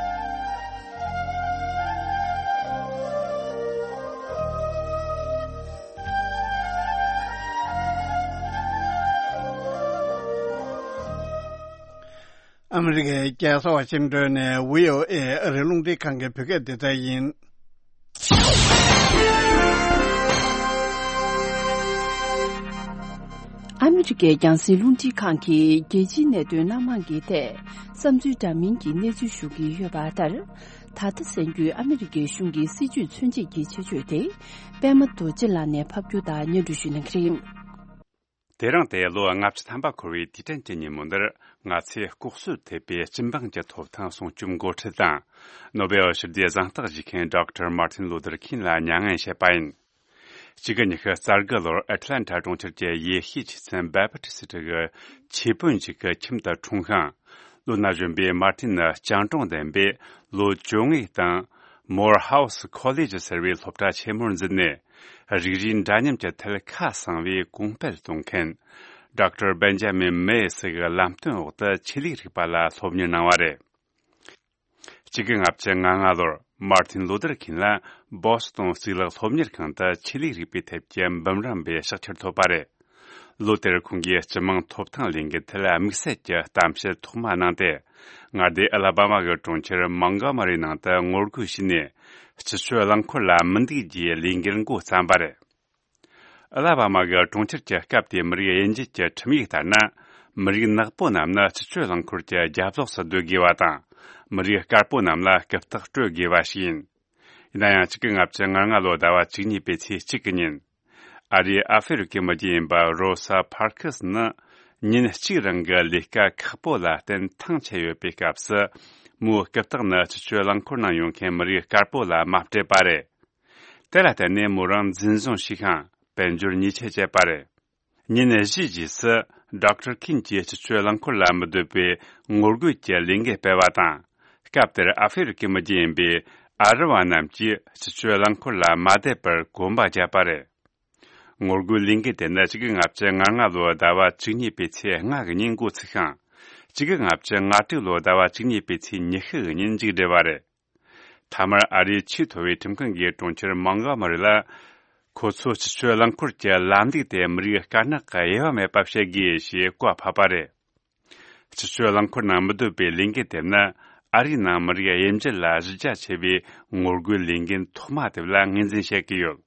ཨ་མི་རི་ཀའི་རྒྱལ་ས་ཝ་ཤིང་ཏོན་ནས་བྷི་ཨོ་ཨེ་ཨ་རིའི་རླུང་འཕྲིན་ཁང་གི་བོད་སྐད་སྡེ་ཚན་ཡིན། ཨ་མི་རི་ཀའི་རྒྱང་སྲིང་རླུང་འཕྲིན་ཁང་གིས་རྒྱལ་སྤྱིའི་གནད་དོན་སྣ་མང་གི་ཐད་བསམ་ཚུལ་འདྲ་མིན་གྱི་གནས་ཚུལ་ཞུ་གི་ཡོད་པ་ལྟར། ད་ལྟ་གསན་རྒྱུའི་ཨ་མི་རི་ཀའི་གཞུང་གི་སྲིད་ཇུས་མཚོན་བྱེད་ཀྱི་ཆེད་བརྗོད་དེ་པད་མ་རྡོ་རྗེ་ལགས་ནས་ཕབ་སྒྱུར་དང་སྙན་སྒྲོན་ཞུ་གནང་གི་རེད། དེ་རིང་སྟེ་ལོ་ལྔ་བཅུ་ཐམ་པ་འཁོར་བའི་དུས་དྲན་གྱི་ཉིན་མོ་འདིར། ང་ཚོས་ལྐོག་གསོད་ཐེབས་པའི་སྤྱི་འབངས་ཀྱི་ཐོབ་ཐང་སྲུང་སྐྱོབ་འགོ་ཁྲིད་དང་། ནོ་བེལ་ཞི་བདེའི་གཟེངས་རྟགས་བཞེས་མཁན་ཌོག་ཊར་མར་ཏིན་ལུ་ཐར་ཁིན་ལ་མྱ་ངན་བྱས་པ་ཡིན། གཅིག་དགུ་ཉི་ཤུ་རྩ་དགུ་ལོར་ཨེ་ཊ་ལན་ཊ་གྲོང་ཁྱེར་གྱི་ཡེ་ཤུའི་ཆོས་ཚན་བེ་པ་ཊི་སི་ཊི་གི་ཆོས་དཔོན་ཞིག་གི་ཁྱིམ་དུ་འཁྲུངས་ཤིང་། ལོ་ན་གཞོན་པའི་མར་ཏིན་ནི་སྤྱང་གྲུང་ལྡན་པས། ལོ་བཅོ་ལྔའི་སྟེང་མོར་ཧའུ་སི་ཁོ་ལེ་ཇི་ཟེར་བའི་སློབ་གྲྭ་ཆེན་མོར་འཛུལ་ནས། རིགས་རུས་འདྲ་མཉམ་གྱི་ཐད་ཁ་གསང་བའི་གོང་སྤེལ་གཏོང་མཁན་ཌོག་ཊར་བེན་ཇ་མིན་མེ་སི་གི་ལམ་སྟོན་འོག་ཏུ་ཆོས་ལུགས་རིག་པ་ལ་སློབ་གཉེར་གནང་བ་རེད། གཅིག་དགུ་ལྔ་བཅུ་ང་ལྔ་ལོར་མར་ཏིན་ལུ་ཐར་ཁིན་ལ་བོ་སི་ཏོན་གཙུག་ལག་སློབ་གཉེར་ཁང་དུ་ཆོས་ལུགས་རིག་པའི་ཐད་ཀྱི་འབུམ་རམས་པའི་ཕྱག་ཁྱེར་ཐོབ་པ་རེད། ལོ་དེར་ཁོང་གིས་སྤྱི་དམངས་ཐོབ་ཐང་ལས་འགུལ་ཐད་དམིགས་བསལ་གྱི་གཏམ་བཤད་ཐོག་མ་གནང་སྟེ། མངའ་སྡེ་ཨ་ལ་བྷ་མ་གི་གྲོང་ཁྱེར་མོན་གོ་མ་རི་ནང་དུ་ངོ་རྒོལ་བྱས་ནས། སྤྱི་སྤྱོད་རླངས་འཁོར་ལ་མི་འདུག་ཅེས་ལས་འགུལ་འགོ་བརྩམས་པ་རེད། ཨ་ལ་བྷ་མ་གི་གྲོང་ཁྱེར་གྱི་སྐབས་དེའི་མི་རིགས་དབྱེ་འབྱེད་ཀྱི་ཁྲིམས་ཡིག་ལྟར་ན། མི་རིགས་ནག་པོ་རྣམས་ནི་སྤྱི་སྤྱོད་རླངས་འཁོར་གྱི་རྒྱབ་ལོགས་སུ་སྡོད་དགོས་པ་དང་། མི་རིགས་དཀར་པོ་རྣམས་ལ་རྐུབ་སྟེགས་སྤྲོད་དགོས་པ་ཞིག་ཡིན། ཡིན་ན་ཡང་། གཅིག་དགུ་ལྔ་བཅུ་ང་ལྔ་ལོའི་ཟླ་བ་བཅུ་གཉིས་པའི་ཚེས་གཅིག་གི་ཉིན། ཨ་རིའི་ཨ་ཧྥེ་རི་ཁའི་མི་རྒྱུད་ཡིན་པ་རོ་ས་ཕར་ཁི་སི་ནི། ཉིན་གཅིག་རིང་གི་ལས་ཀ་ཁག་པོ་ལ་བརྟེན་ཐང་ཆད་ཡོད་པའི་སྐབས་སུ། མོའི་རྐུབ་སྟེགས་ནི་སྤྱི་སྤྱོད་རླངས་འཁོར་ནང་ཡོང་མཁན་མི་རིགས་དཀར་པོ་ལ་མ་སྤྲད་པ་རེད། དེ་ལ་བརྟེན་ནས་མོ་རང་འཛིན་བཟུང་བྱས་ཤིང་། དཔལ་འབྱོར་ཉེས་ཆད་བཅད་པ་རེད། ཉིན་བཞིའི་རྗེས་སུ། ཌོག་ཊར་ཁིན་གྱིས་སྤྱི་སྤྱོད་རླངས་འཁོར་ལ་མི་སྡོད་པའི་ངོ་རྒོལ་གྱི་ལས་འགུལ་སྤེལ་བ་དང་། སྐབས་དེར་ཨ་ཧྥེ་རི་ཁའི་མི་རྒྱུད་ཡིན་པའི་ཨ་རི་བ་རྣམས་ཀྱིས་སྤྱི་སྤྱོད་རླངས་འཁོར་ལ་མ་བསྡད་པར་གོམ་པ་བརྒྱབ་པ་རེད། ངོ་རྒོལ་ལས་འགུལ་དེ་ནི་གཅིག་དགུ་ལྔ་བཅུ་ང་ལྔ་ལོའི་ཟླ་བ་བཅུ་གཉིས་པའི་ཚེས་ལྔ་གི་ཉིན་འགོ་ཚུགས་ཤིང་། གཅིག་དགུ་ལྔ་བཅུ་ང་དྲུག་ལོའི་ཟླ་བ་བཅུ་གཉིས་པའི་ཚེས་ཉི་ཤུ་གི་ཉིན་མཇུག་བསྒྲིལ་བ་རེད། མཐའ་མར་ཨ་རིའི་ཆེས་མཐོ་བའི་ཁྲིམས་ཁང་གིས་གྲོང་ཁྱེར་མོན་གོ་མ་རི་ལ། ཁོ་ཚོས་སྤྱི་སྤྱོད་རླངས་འཁོར་གྱི་ལམ་ལུགས་དེ་མི་རིགས་དཀར་ནག་གི་དབྱེ་བ་མེད་པ་བྱེད་དགོས་ཞེས་བཀའ་ཕབ་པ་རེད། སྤྱི་སྤྱོད་རླངས་འཁོར་ནང་མི་སྡོད་པའི་ལས་འགུལ་དེ་ནི་ཨ་རིའི་ནང་མི་རིགས་དབྱེ་འབྱེད་ལ་གཞི་རྒྱ་ཆེ་བའི་ངོ་རྒོལ་ལས་འགུལ་ཐོག་མ་དེ་ལ་ངོས་འཛིན་བྱེད་ཀྱི་ཡོད།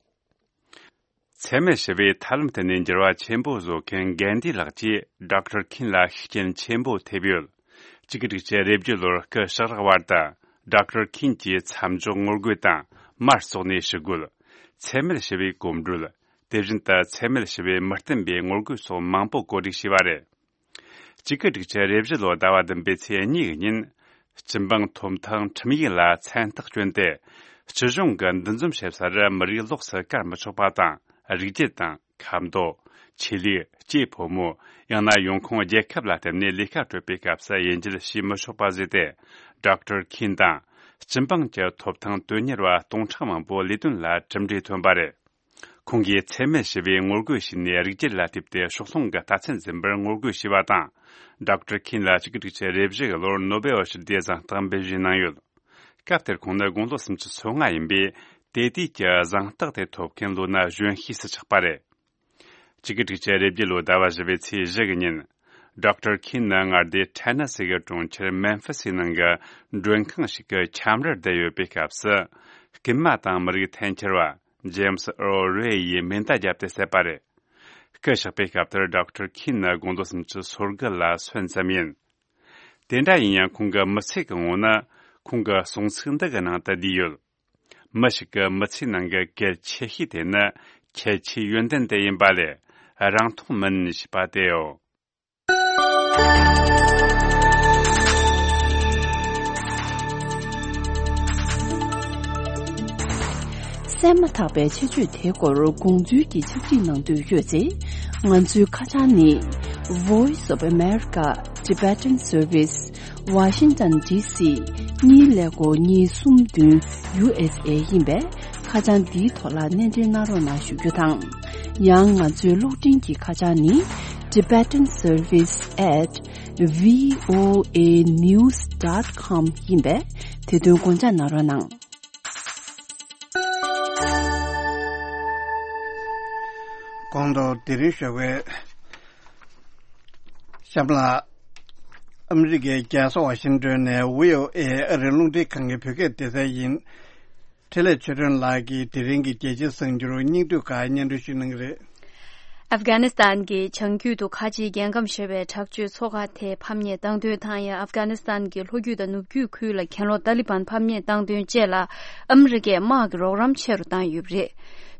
འཚེ་མེད་ཞི་བའི་ཐབས་ལམ་སྟེང་ནས་འགྱུར་བ་ཆེན་པོ་བཟོ་མཁན་གྷན་དྷི་ལགས་ཀྱིས་ཌོག་ཊར་ཁིན་ལ་ཤུགས་རྐྱེན་ཆེན་པོ་ཐེབས་ཡོད། གཅིག་དགུ་དྲུག་ཅུ་རེ་བརྒྱད་ལོར་སྐུ་ཞབས་བར་དུ། ཌོག་ཊར་ཁིན་གྱིས་མཚམས་འཇོག་ངོ་རྒོལ་དང་། དམར་བཙོག་ནས་ཞི་རྒོལ། འཚེ་མེད་ཞི་བའི་གོམ་བགྲོད། དེ་བཞིན་དུ་འཚེ་མེད་ཞི་བའི་མི་བསྟུན་པའི་ངོ་རྒོལ་སོགས་མང་པོ་གོ་སྒྲིག་བྱས་པ་རེད། གཅིག་དགུ་དྲུག་ཅུ་རེ་བཞི་ལོའི་ཟླ་བ་བདུན་པའི་ཚེས་གཉིས་ཀྱི་ཉིན། སྤྱི་འབངས་ཐོབ་ཐང་ཁྲིམས་ཡིག་ལ་མཚན་རྟགས་བསྐྱོན་ཏེ། སྤྱི་གཞུང་གིས་འདུ་འཛོམས་བྱེད་སར་མི་རིགས་ལོགས་སུ་བཀར་མི་ཆོག་པ་དང་། རིགས་རྒྱུད་དང་། ཁ་མདོ། ཆོས་ལུགས། སྐྱེས་ཕོ་མོ། ཡང་ན་ཡོང་ཁུངས་རྒྱལ་ཁབ་ལ་བརྟེན་ནས་ལས་ཀ་སྤྲོད་པའི་སྐབས་སུ་དབྱེ་འབྱེད་བྱེད་མི་ཆོག་པ་བཟོས་ཏེ། ཌོག་ཊར་ཁིན་དང་། སྤྱི་འབངས་ཀྱི་ཐོབ་ཐང་དོན་གཉེར་བ་སྟོང་ཕྲག་མང་པོ་ལས་དོན་ལ་གྲུབ་འབྲས་ཐོན་པ་རེད། ཁོང་གིས་འཚེ་མེད་ཞི་བའི་ངོ་རྒོལ་བྱས་ནས་རིགས་རྒྱུད་ལ་ལྟོས་ཏེ་ཕྱོགས་ལྷུང་གི་རྟགས་མཚན་འཛིན་པར་ངོ་རྒོལ་བྱས་པ་དང་། ཌོག་ཊར་ཁིན་ལ་གཅིག་དགུ་དྲུག་ཅུ་རེ་བཞི་གི་ལོར་ནོ་བེལ་ཞི་བདེའི་གཟེངས་རྟགས་འབུལ་བཞེས་གནང་ཡོད། སྐབས་དེར་ཁོང་ནི་དགུང་ལོ་སུམ་ཅུ་སོ་ལྔ་ཡིན་པས། དེ་དུས་ཀྱི་གཟེངས་རྟགས་དེ་ཐོབ་མཁན་ལོ་ན་གཞོན་ཤོས་སུ་ཆགས་པ་རེད། གཅིག་དགུ་དྲུག་ཅུ་རེ་བརྒྱད་ལོའི་ཟླ་བ་བཞི་བའི་ཚེས་བཞི་གི་ཉིན། ཌོག་ཊར་ཁིན་ནི་མངའ་སྡེ་ཐེ་ན་སི་གི་གྲོང་ཁྱེར་མེམ་ཕི་སི་ནང་གི་མགྲོན་ཁང་ཞིག་གི་ཁྱམས་རར་བསྡད་ཡོད་པའི་སྐབས་སུ། རྐུན་མ་དང་མི་རིགས་འཐེན་འཁྱེར་བ་ཇེམ་སི་ཨར་རེ་ཡིས་མེ་མདའ་བརྒྱབ་སྟེ་བསད་པ་རེད། རྐུ་གཞག་པའི་སྐབས་དེར་ཌོག་ཊར་ཁིན་ནི་དགུང་ལོ་སུམ་ཅུ་སོ་དགུ་ལ་སོན་ཙམ་ཡིན། དེ་འདྲ་ཡིན་ཡང་ཁོང་གི་མི་ཚེ་གི་ངོ་ན་ཁོང་གི་གསུང་ཚིག་འདི་གི་ནང་དུ་བསྡུས་ཡོད། མི་ཞིག་གི་མི་ཚེའི་ནང་གི་གལ་ཆེ་ཤོས་དེ་ནི་ཁྱད་ཆོས་ཡོན་ཏན་དེ་ཡིན་པ་ལས་རང་མཐོང་མིན་ཞེས་པ་དེའོ། གསན་མ་ཐག་པའི་ཆེད་བརྗོད་དེའི་སྐོར་དགོངས་ཚུལ་གྱི་ཕྱག་བྲིས་གནང་འདོད་ཡོད་ཚེ། ང་ཚོའི་ཁ་བྱང་ནི། Voice of America Tibetan Service Washington D C གཉིས་ཀླད་ཀོར་གཉིས་གསུམ་བདུན་U S A ཡིན་པས། ཁ་བྱང་འདིའི་ཐོག་ལ་སྣེ་འདྲེན་གནང་རོགས་གནང་ཞུ་རྒྱུ་དང་། ཡང་ང་ཚོའི་གློག་འཕྲིན་གྱི་ཁ་བྱང་ནི། Tibetan Service at V O A news dot com ཡིན་པས། དེ་དོན་དགོངས་འཇགས་གནང་རོགས་གནང་། གོང་དུ་དེ་རིང་ཞོགས་པའི་གཤམ་ལ། ཨ་མི་རི་ཀའི་རྒྱལ་ས་ཝ་ཤིང་ཏོན་ནས་V O A ཨ་རིའི་རླུང་འཕྲིན་ཁང་གི་བོད་སྐད་སྡེ་ཚན་ཡིན། འཕྲིན་ལས་ཆོས་སྒྲོན་ལགས་ཀྱིས་དེ་རིང་གི་རྒྱལ་སྤྱིའི་གསར་འགྱུར་སྙིང་བསྡུས་ཁག་སྙན་སྒྲོན་ཞུ་གནང་གི་རེད། ཨབ་གྷ་ནི་སི་ཐན་གྱི་བྱང་རྒྱུད་དུ་ཁ་ཆེའི་རྒྱལ་ཁམས་ཞེས་པའི་དྲག་སྤྱོད་ཚོགས་ཁག་དེ་ཕམ་ཉེས་བཏང་དོན་དང་། ཡང་ཨབ་གྷ་ནི་སི་ཐན་གྱི་ལྷོ་རྒྱུད་དང་ནུབ་རྒྱུད་ཁུལ་ལ་གྱེན་ལོག་ཏཱ་ལི་བན་ཕམ་ཉེས་བཏང་དོན་བཅས་ལ་ཨ་མི་རི་ཀས་དམག་གི་རོགས་རམ་ཆེ་རུ་བཏང་ཡོད་པ་རེད།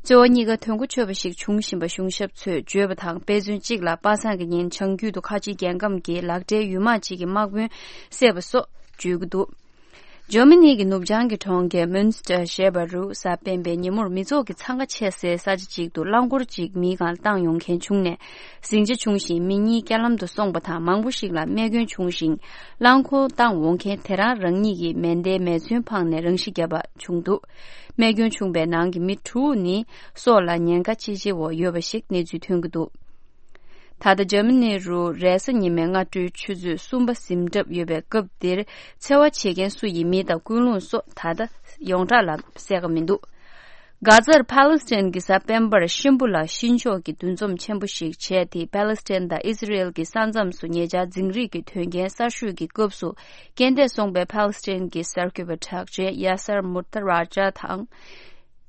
གཙོ་བོ་གཉིས་ཀ་དོན་གོ་ཆོད་པ་ཞིག་འབྱུང་བཞིན་པ་གཞུང་ཞབས་ཚོས་བརྗོད་པ་དང་། དཔེ་མཚོན་གཅིག་ལ་པ་སངས་ཀྱི་ཉིན་བྱང་རྒྱུད་དུ་ཁ་ཆེའི་རྒྱལ་ཁམས་ཀྱི་ལག་སྦྲེལ་ཡུལ་དམག་ཅིག་གི་དམག་དཔོན་བསད་པ་སོགས་བརྗོད་ཀྱི་འདུག་འཇར་མ་ནི་གི་ནུབ་བྱང་གི་གྲོང་ཁྱེར་མུན་སི་ཏར་ཞེས་པ་རུ་གཟའ་སྤེན་པའི་ཉིན་མོར་མི་ཚོགས་ཀྱི་འཚང་ཁ་ཆེ་སའི་ས་ཆ་ཅིག་ཏུ་རླངས་འཁོར་ཅིག་མིའི་སྒང་བཏང་ཡོང་མཁན་བྱུང་ནས་ཟིང་ཆ་བྱུང་ཞིང་མི་གཉིས་རྐྱེན་ལམ་དུ་སོང་བ་དང་། མང་པོ་ཞིག་ལ་རྨས་སྐྱོན་བྱུང་ཞིང་། རླངས་འཁོར་བཏང་འོང་མཁན་དེ་རང་རང་ཉིད་ཀྱིས་མེ་མདའི་མེ་མཚོན་འཕངས་ནས་རང་ཤི་བརྒྱབ་པ་བྱུང་འདུག་རྨས་སྐྱོན་བྱུང་བའི་ནང་གི་མི་དྲུག་ནི་སྲོག་ལ་ཉེན་ཁ་ཆེ་ཆེ་འོག་ཡོད་པ་ཞིག་གནས་ཚུལ་ཐོན་གྱི་འདུག་ད་ལྟ་འཇར་མ་ནི་རུ་རེས་གཟའ་ཉི་མའི་སྔ་དྲོའི་ཆུ་ཚོད་གསུམ་པ་ཟིན་གྲབས་ཡོད་པའི་སྐབས་འདིར། འཚེ་བ་བྱེད་མཁན་སུ་ཡིན་མིན་དང་ཀུན་སློང་སོགས་ད་ལྟ་ཡོངས་གྲགས་ལ་གསལ་ཁ་མི་འདུག་གྷ་ཛར་ཕཱ་ལེ་སི་ཐན་གྱི་གཟའ་སྤེན་པར་གཤིན་པོ་ལ་གཤིན་ཆོག་གི་འདུ་འཛོམས་ཆེན་པོ་ཞིག་བྱས་ཏེ། ཕཱ་ལེ་སི་ཐན་དང་ཨི་ཟི་རེལ་གྱི་ས་མཚམས་སུ་ཉེ་ཆར་འཛིང་རེས་ཀྱི་དོན་རྐྱེན་གསར་ཤོས་ཀྱི་སྐབས་སུ། རྐྱེན་འདས་སོང་པའི་ཕཱ་ལེ་སི་ཐན་གྱི་གསར་འགོད་པ་གྲགས་ཅན་ཡ་སར་མུར་ཏ་ར་ཇཱ་དང་།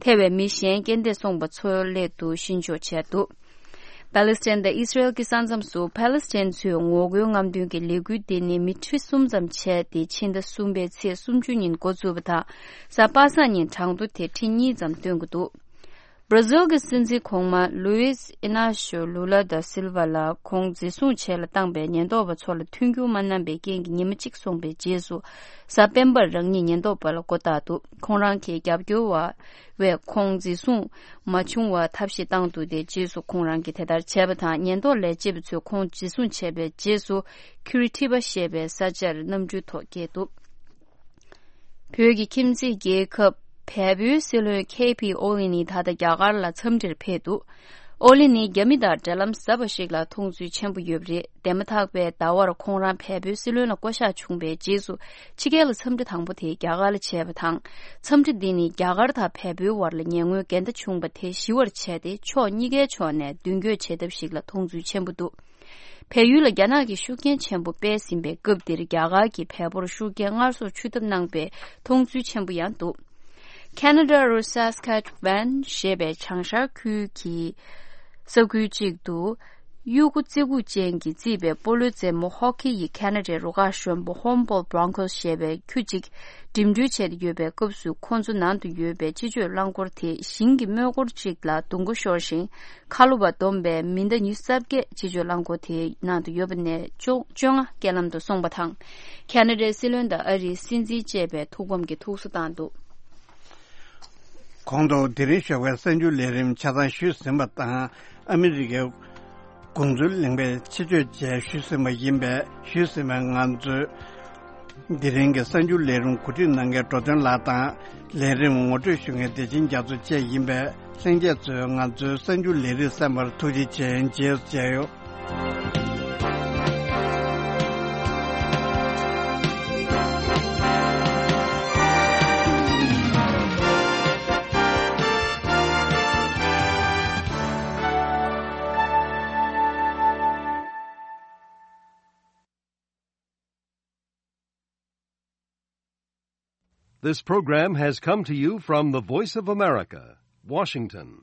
ཐེ་བའི་མི་གཞན་རྐྱེན་འདས་སོང་པ་ཚོ་སླད་དུ་གཤིན་ཆོག་བྱས་འདུག་ཕཱ་ལེ་སི་ཐན་དང་ཨི་སི་རེལ་གྱི་ས་མཚམས་སུ་ཕཱ་ལེ་སི་ཐན་ཚོས་ངོ་རྒོལ་རྔམ་སྟོན་གྱི་ལས་འགུལ་འདི་ནི་མི་ཁྲི་གསུམ་ཙམ་བྱས་ཏེ། ཕྱི་ཟླ་གསུམ་པའི་ཚེས་སུམ་ཅུ་ཉིན་འགོ་བཙུགས་པ་དང་། གཟའ་པ་སངས་ཉིན་གྲངས་ཐོ་དེ་ཁྲི་གཉིས་ཙམ་བཏོན་གྱི་འདུག་བར་ཛིལ་གྱི་སྲིད་འཛིན་གོང་མ་ལུ་ཨིས་ཨི་ན་ཤོ་ལུ་ལ་ད་སིལ་ཝ་ལ་ཁོང་འཛིན་བཟུང་བྱས་ལ་བཏང་པའི་ཉེན་རྟོག་པ་ཚོ་ལ་མཐུན་འགྱུར་མ་གནང་པའི་རྐྱེན་གྱིས་ཉི་མ་གཅིག་སོང་པའི་རྗེས་སུ། གཟའ་སྤེན་པར་རང་ཉིད་ཉེན་རྟོག་པ་ལ་མགོ་བཏགས་འདུག་ཁོང་རང་གི་རྒྱབ་སྐྱོར་བ། བས་ཁོང་འཛིན་བཟུང་མ་བྱུང་བར་ཐབས་ཤེས་བཏང་འདུག་དེ་རྗེས་སུ་ཁོང་རང་གིས་དེ་ལྟར་བྱས་པ་དང་། ཉེན་རྟོག་ལས་བྱེད་པ་ཚོས་ཁོང་འཛིན་བཟུང་བྱས་པའི་རྗེས་སུ། ཁུ་རི་ཐི་བ་ཞེས་པའི་ས་ཆར་གནམ་གྲུའི་ཐོག་བསྐྱལ་འདུག་བོད་ཀྱི་ཁྱིམ་མཚེས་རྒྱལ་ཁབ་བལ་པོའི་སྲིད་བློན་ཁེ་པི་ཨོ་ལི་ནི་ད་ལྟ་རྒྱ་གར་ལ་འཚམས་འདྲིར་ཕེབས་འདུག་ཨོ་ལི་ནི་རྒྱ་མི་དང་འབྲེལ་ལམ་ཟབ་པ་ཞིག་ལ་མཐོང་ཚུལ་ཆེན་པོ་ཡོད་པ་རེད། འདས་མ་ཐག་པའི་ཟླ་བར་ཁོང་རང་བལ་པོའི་སྲིད་བློན་ལ་བསྐོ་གཞག་བྱུང་བའི་རྗེས་སུ། ཕྱི་རྒྱལ་ལ་འཚམས་འདྲི་དང་པོ་དེ་རྒྱ་གར་ལ་བྱས་པ་དང་། འཚམས་འདྲི་འདི་ནི་རྒྱ་གར་དང་བལ་པོའི་བར་ལ་ཉེ་སྔོན་འགལ་ཟླ་བྱུང་བ་དེ་ཞི་བར་བྱས་ཏེ། ཕྱོགས་གཉིས་ཀའི་ཕྱོགས་ནས་མདུན་སྐྱོད་བྱེད་ཐབས་ཤིག་ལ་མཐོང་ཚུལ་ཆེན་པོ་འདུག་བལ་ཡུལ་ལ་རྒྱ་ནག་གིས་ཤུགས་རྐྱེན་ཆེན་པོ་སྤེལ་ཟིན་པའི་སྐབས་འདིར། རྒྱ་གར་གྱིས་བལ་པོར་ཤུགས་རྐྱེན་སྔར་སོར་ཆུད་ཐབས་གནང་པའི་མཐོང་ཚུལ་ཆེན་པོ་ཡང་འདུག་ཁེ་ན་ཌ་རུ་སཱ་སི་ཁཱ་ཆི་ཝན་ཞེས་པའི་བྱང་ཤར་ཁུལ་གྱི་ས་ཁུལ་གཅིག་ཏུ། གཡུ་གུ་བརྩེགས་འགུག་ཅན་གྱིས་བརྩིས་པའི་སྤོ་ལོའི་རྩེད་མོ་ཧོ་ཀི་ཡི་ཁེ་ན་ཌའི་རུ་ཁག་གཞོན་པ་ཧོམ་བོལ་བྷྲོང་ཀོ་སི་ཞེས་པའི་ཁྱུ་གཅིག་འགྲིམ་འགྲུལ་བྱས་ཏེ་ཡོད་པའི་སྐབས་སུ། ཁོ་ཚོ་ནང་དུ་ཡོད་པའི་སྤྱི་སྤྱོད་རླངས་འཁོར་དེ་ཞིང་གི་མོས་འཁོར་གཅིག་ལ་རྡུང་གོ་ཤོར་ཞིང་། ཁ་ལོ་བ་བསྡོམས་པའི་མི་ཟླ་ཉི་ཤུ་རྩ་བརྒྱད་སྤྱི་སྤྱོད་རླངས་འཁོར་དེའི་ནང་དུ་ཡོད་པ་ནས་བཅོ་བཅོ་ལྔ་རྐྱེན་ལམ་དུ་སོང་བ་དང་། ཁེ་ན་ཌའི་སྲིད་བློན་དང་ཨ་རིའི་སྲིད་འཛིན་བཅས་པས་ཐུགས་ཕམ་གྱི་ཐུགས་གསོ་བཏང་འདུག་གོང་དུ་དེ་རིང་ཞོགས་པའི་གསར་འགྱུར་ལས་རིམ་ཆ་ཚང་ཞུས་ཟིན་པ་དང་། ཨ་མི་རི་ཀའི་དགོངས་ཚུལ་གླེང་བའི་ཆེད་བརྗོད་བཅས་ཞུས་ཟིན་པ་ཡིན་པས། ཞུས་ཟིན་པའི་ང་ཚོའི་དེ་རིང་གི་གསར་འགྱུར་ལས་རིམ་གོ་སྒྲིག་གནང་མཁན་འགྲོ་དོན་ལགས་དང་། ལས་རིམ་ངོ་སྤྲོད་ཞུ་མཁན་བདེ་ཆེན་རྒྱ་མཚོ་བཅས་ཡིན་པས། ལྷན་རྒྱས་ཚོས་ང་ཚོའི་གསར་འགྱུར་ལས་རིམ་གསན་པར་ཐུགས་རྗེ་ཆེ། རྗེས་སུ་མཇལ་ཡོང་། This program has come to you from the Voice of America, Washington.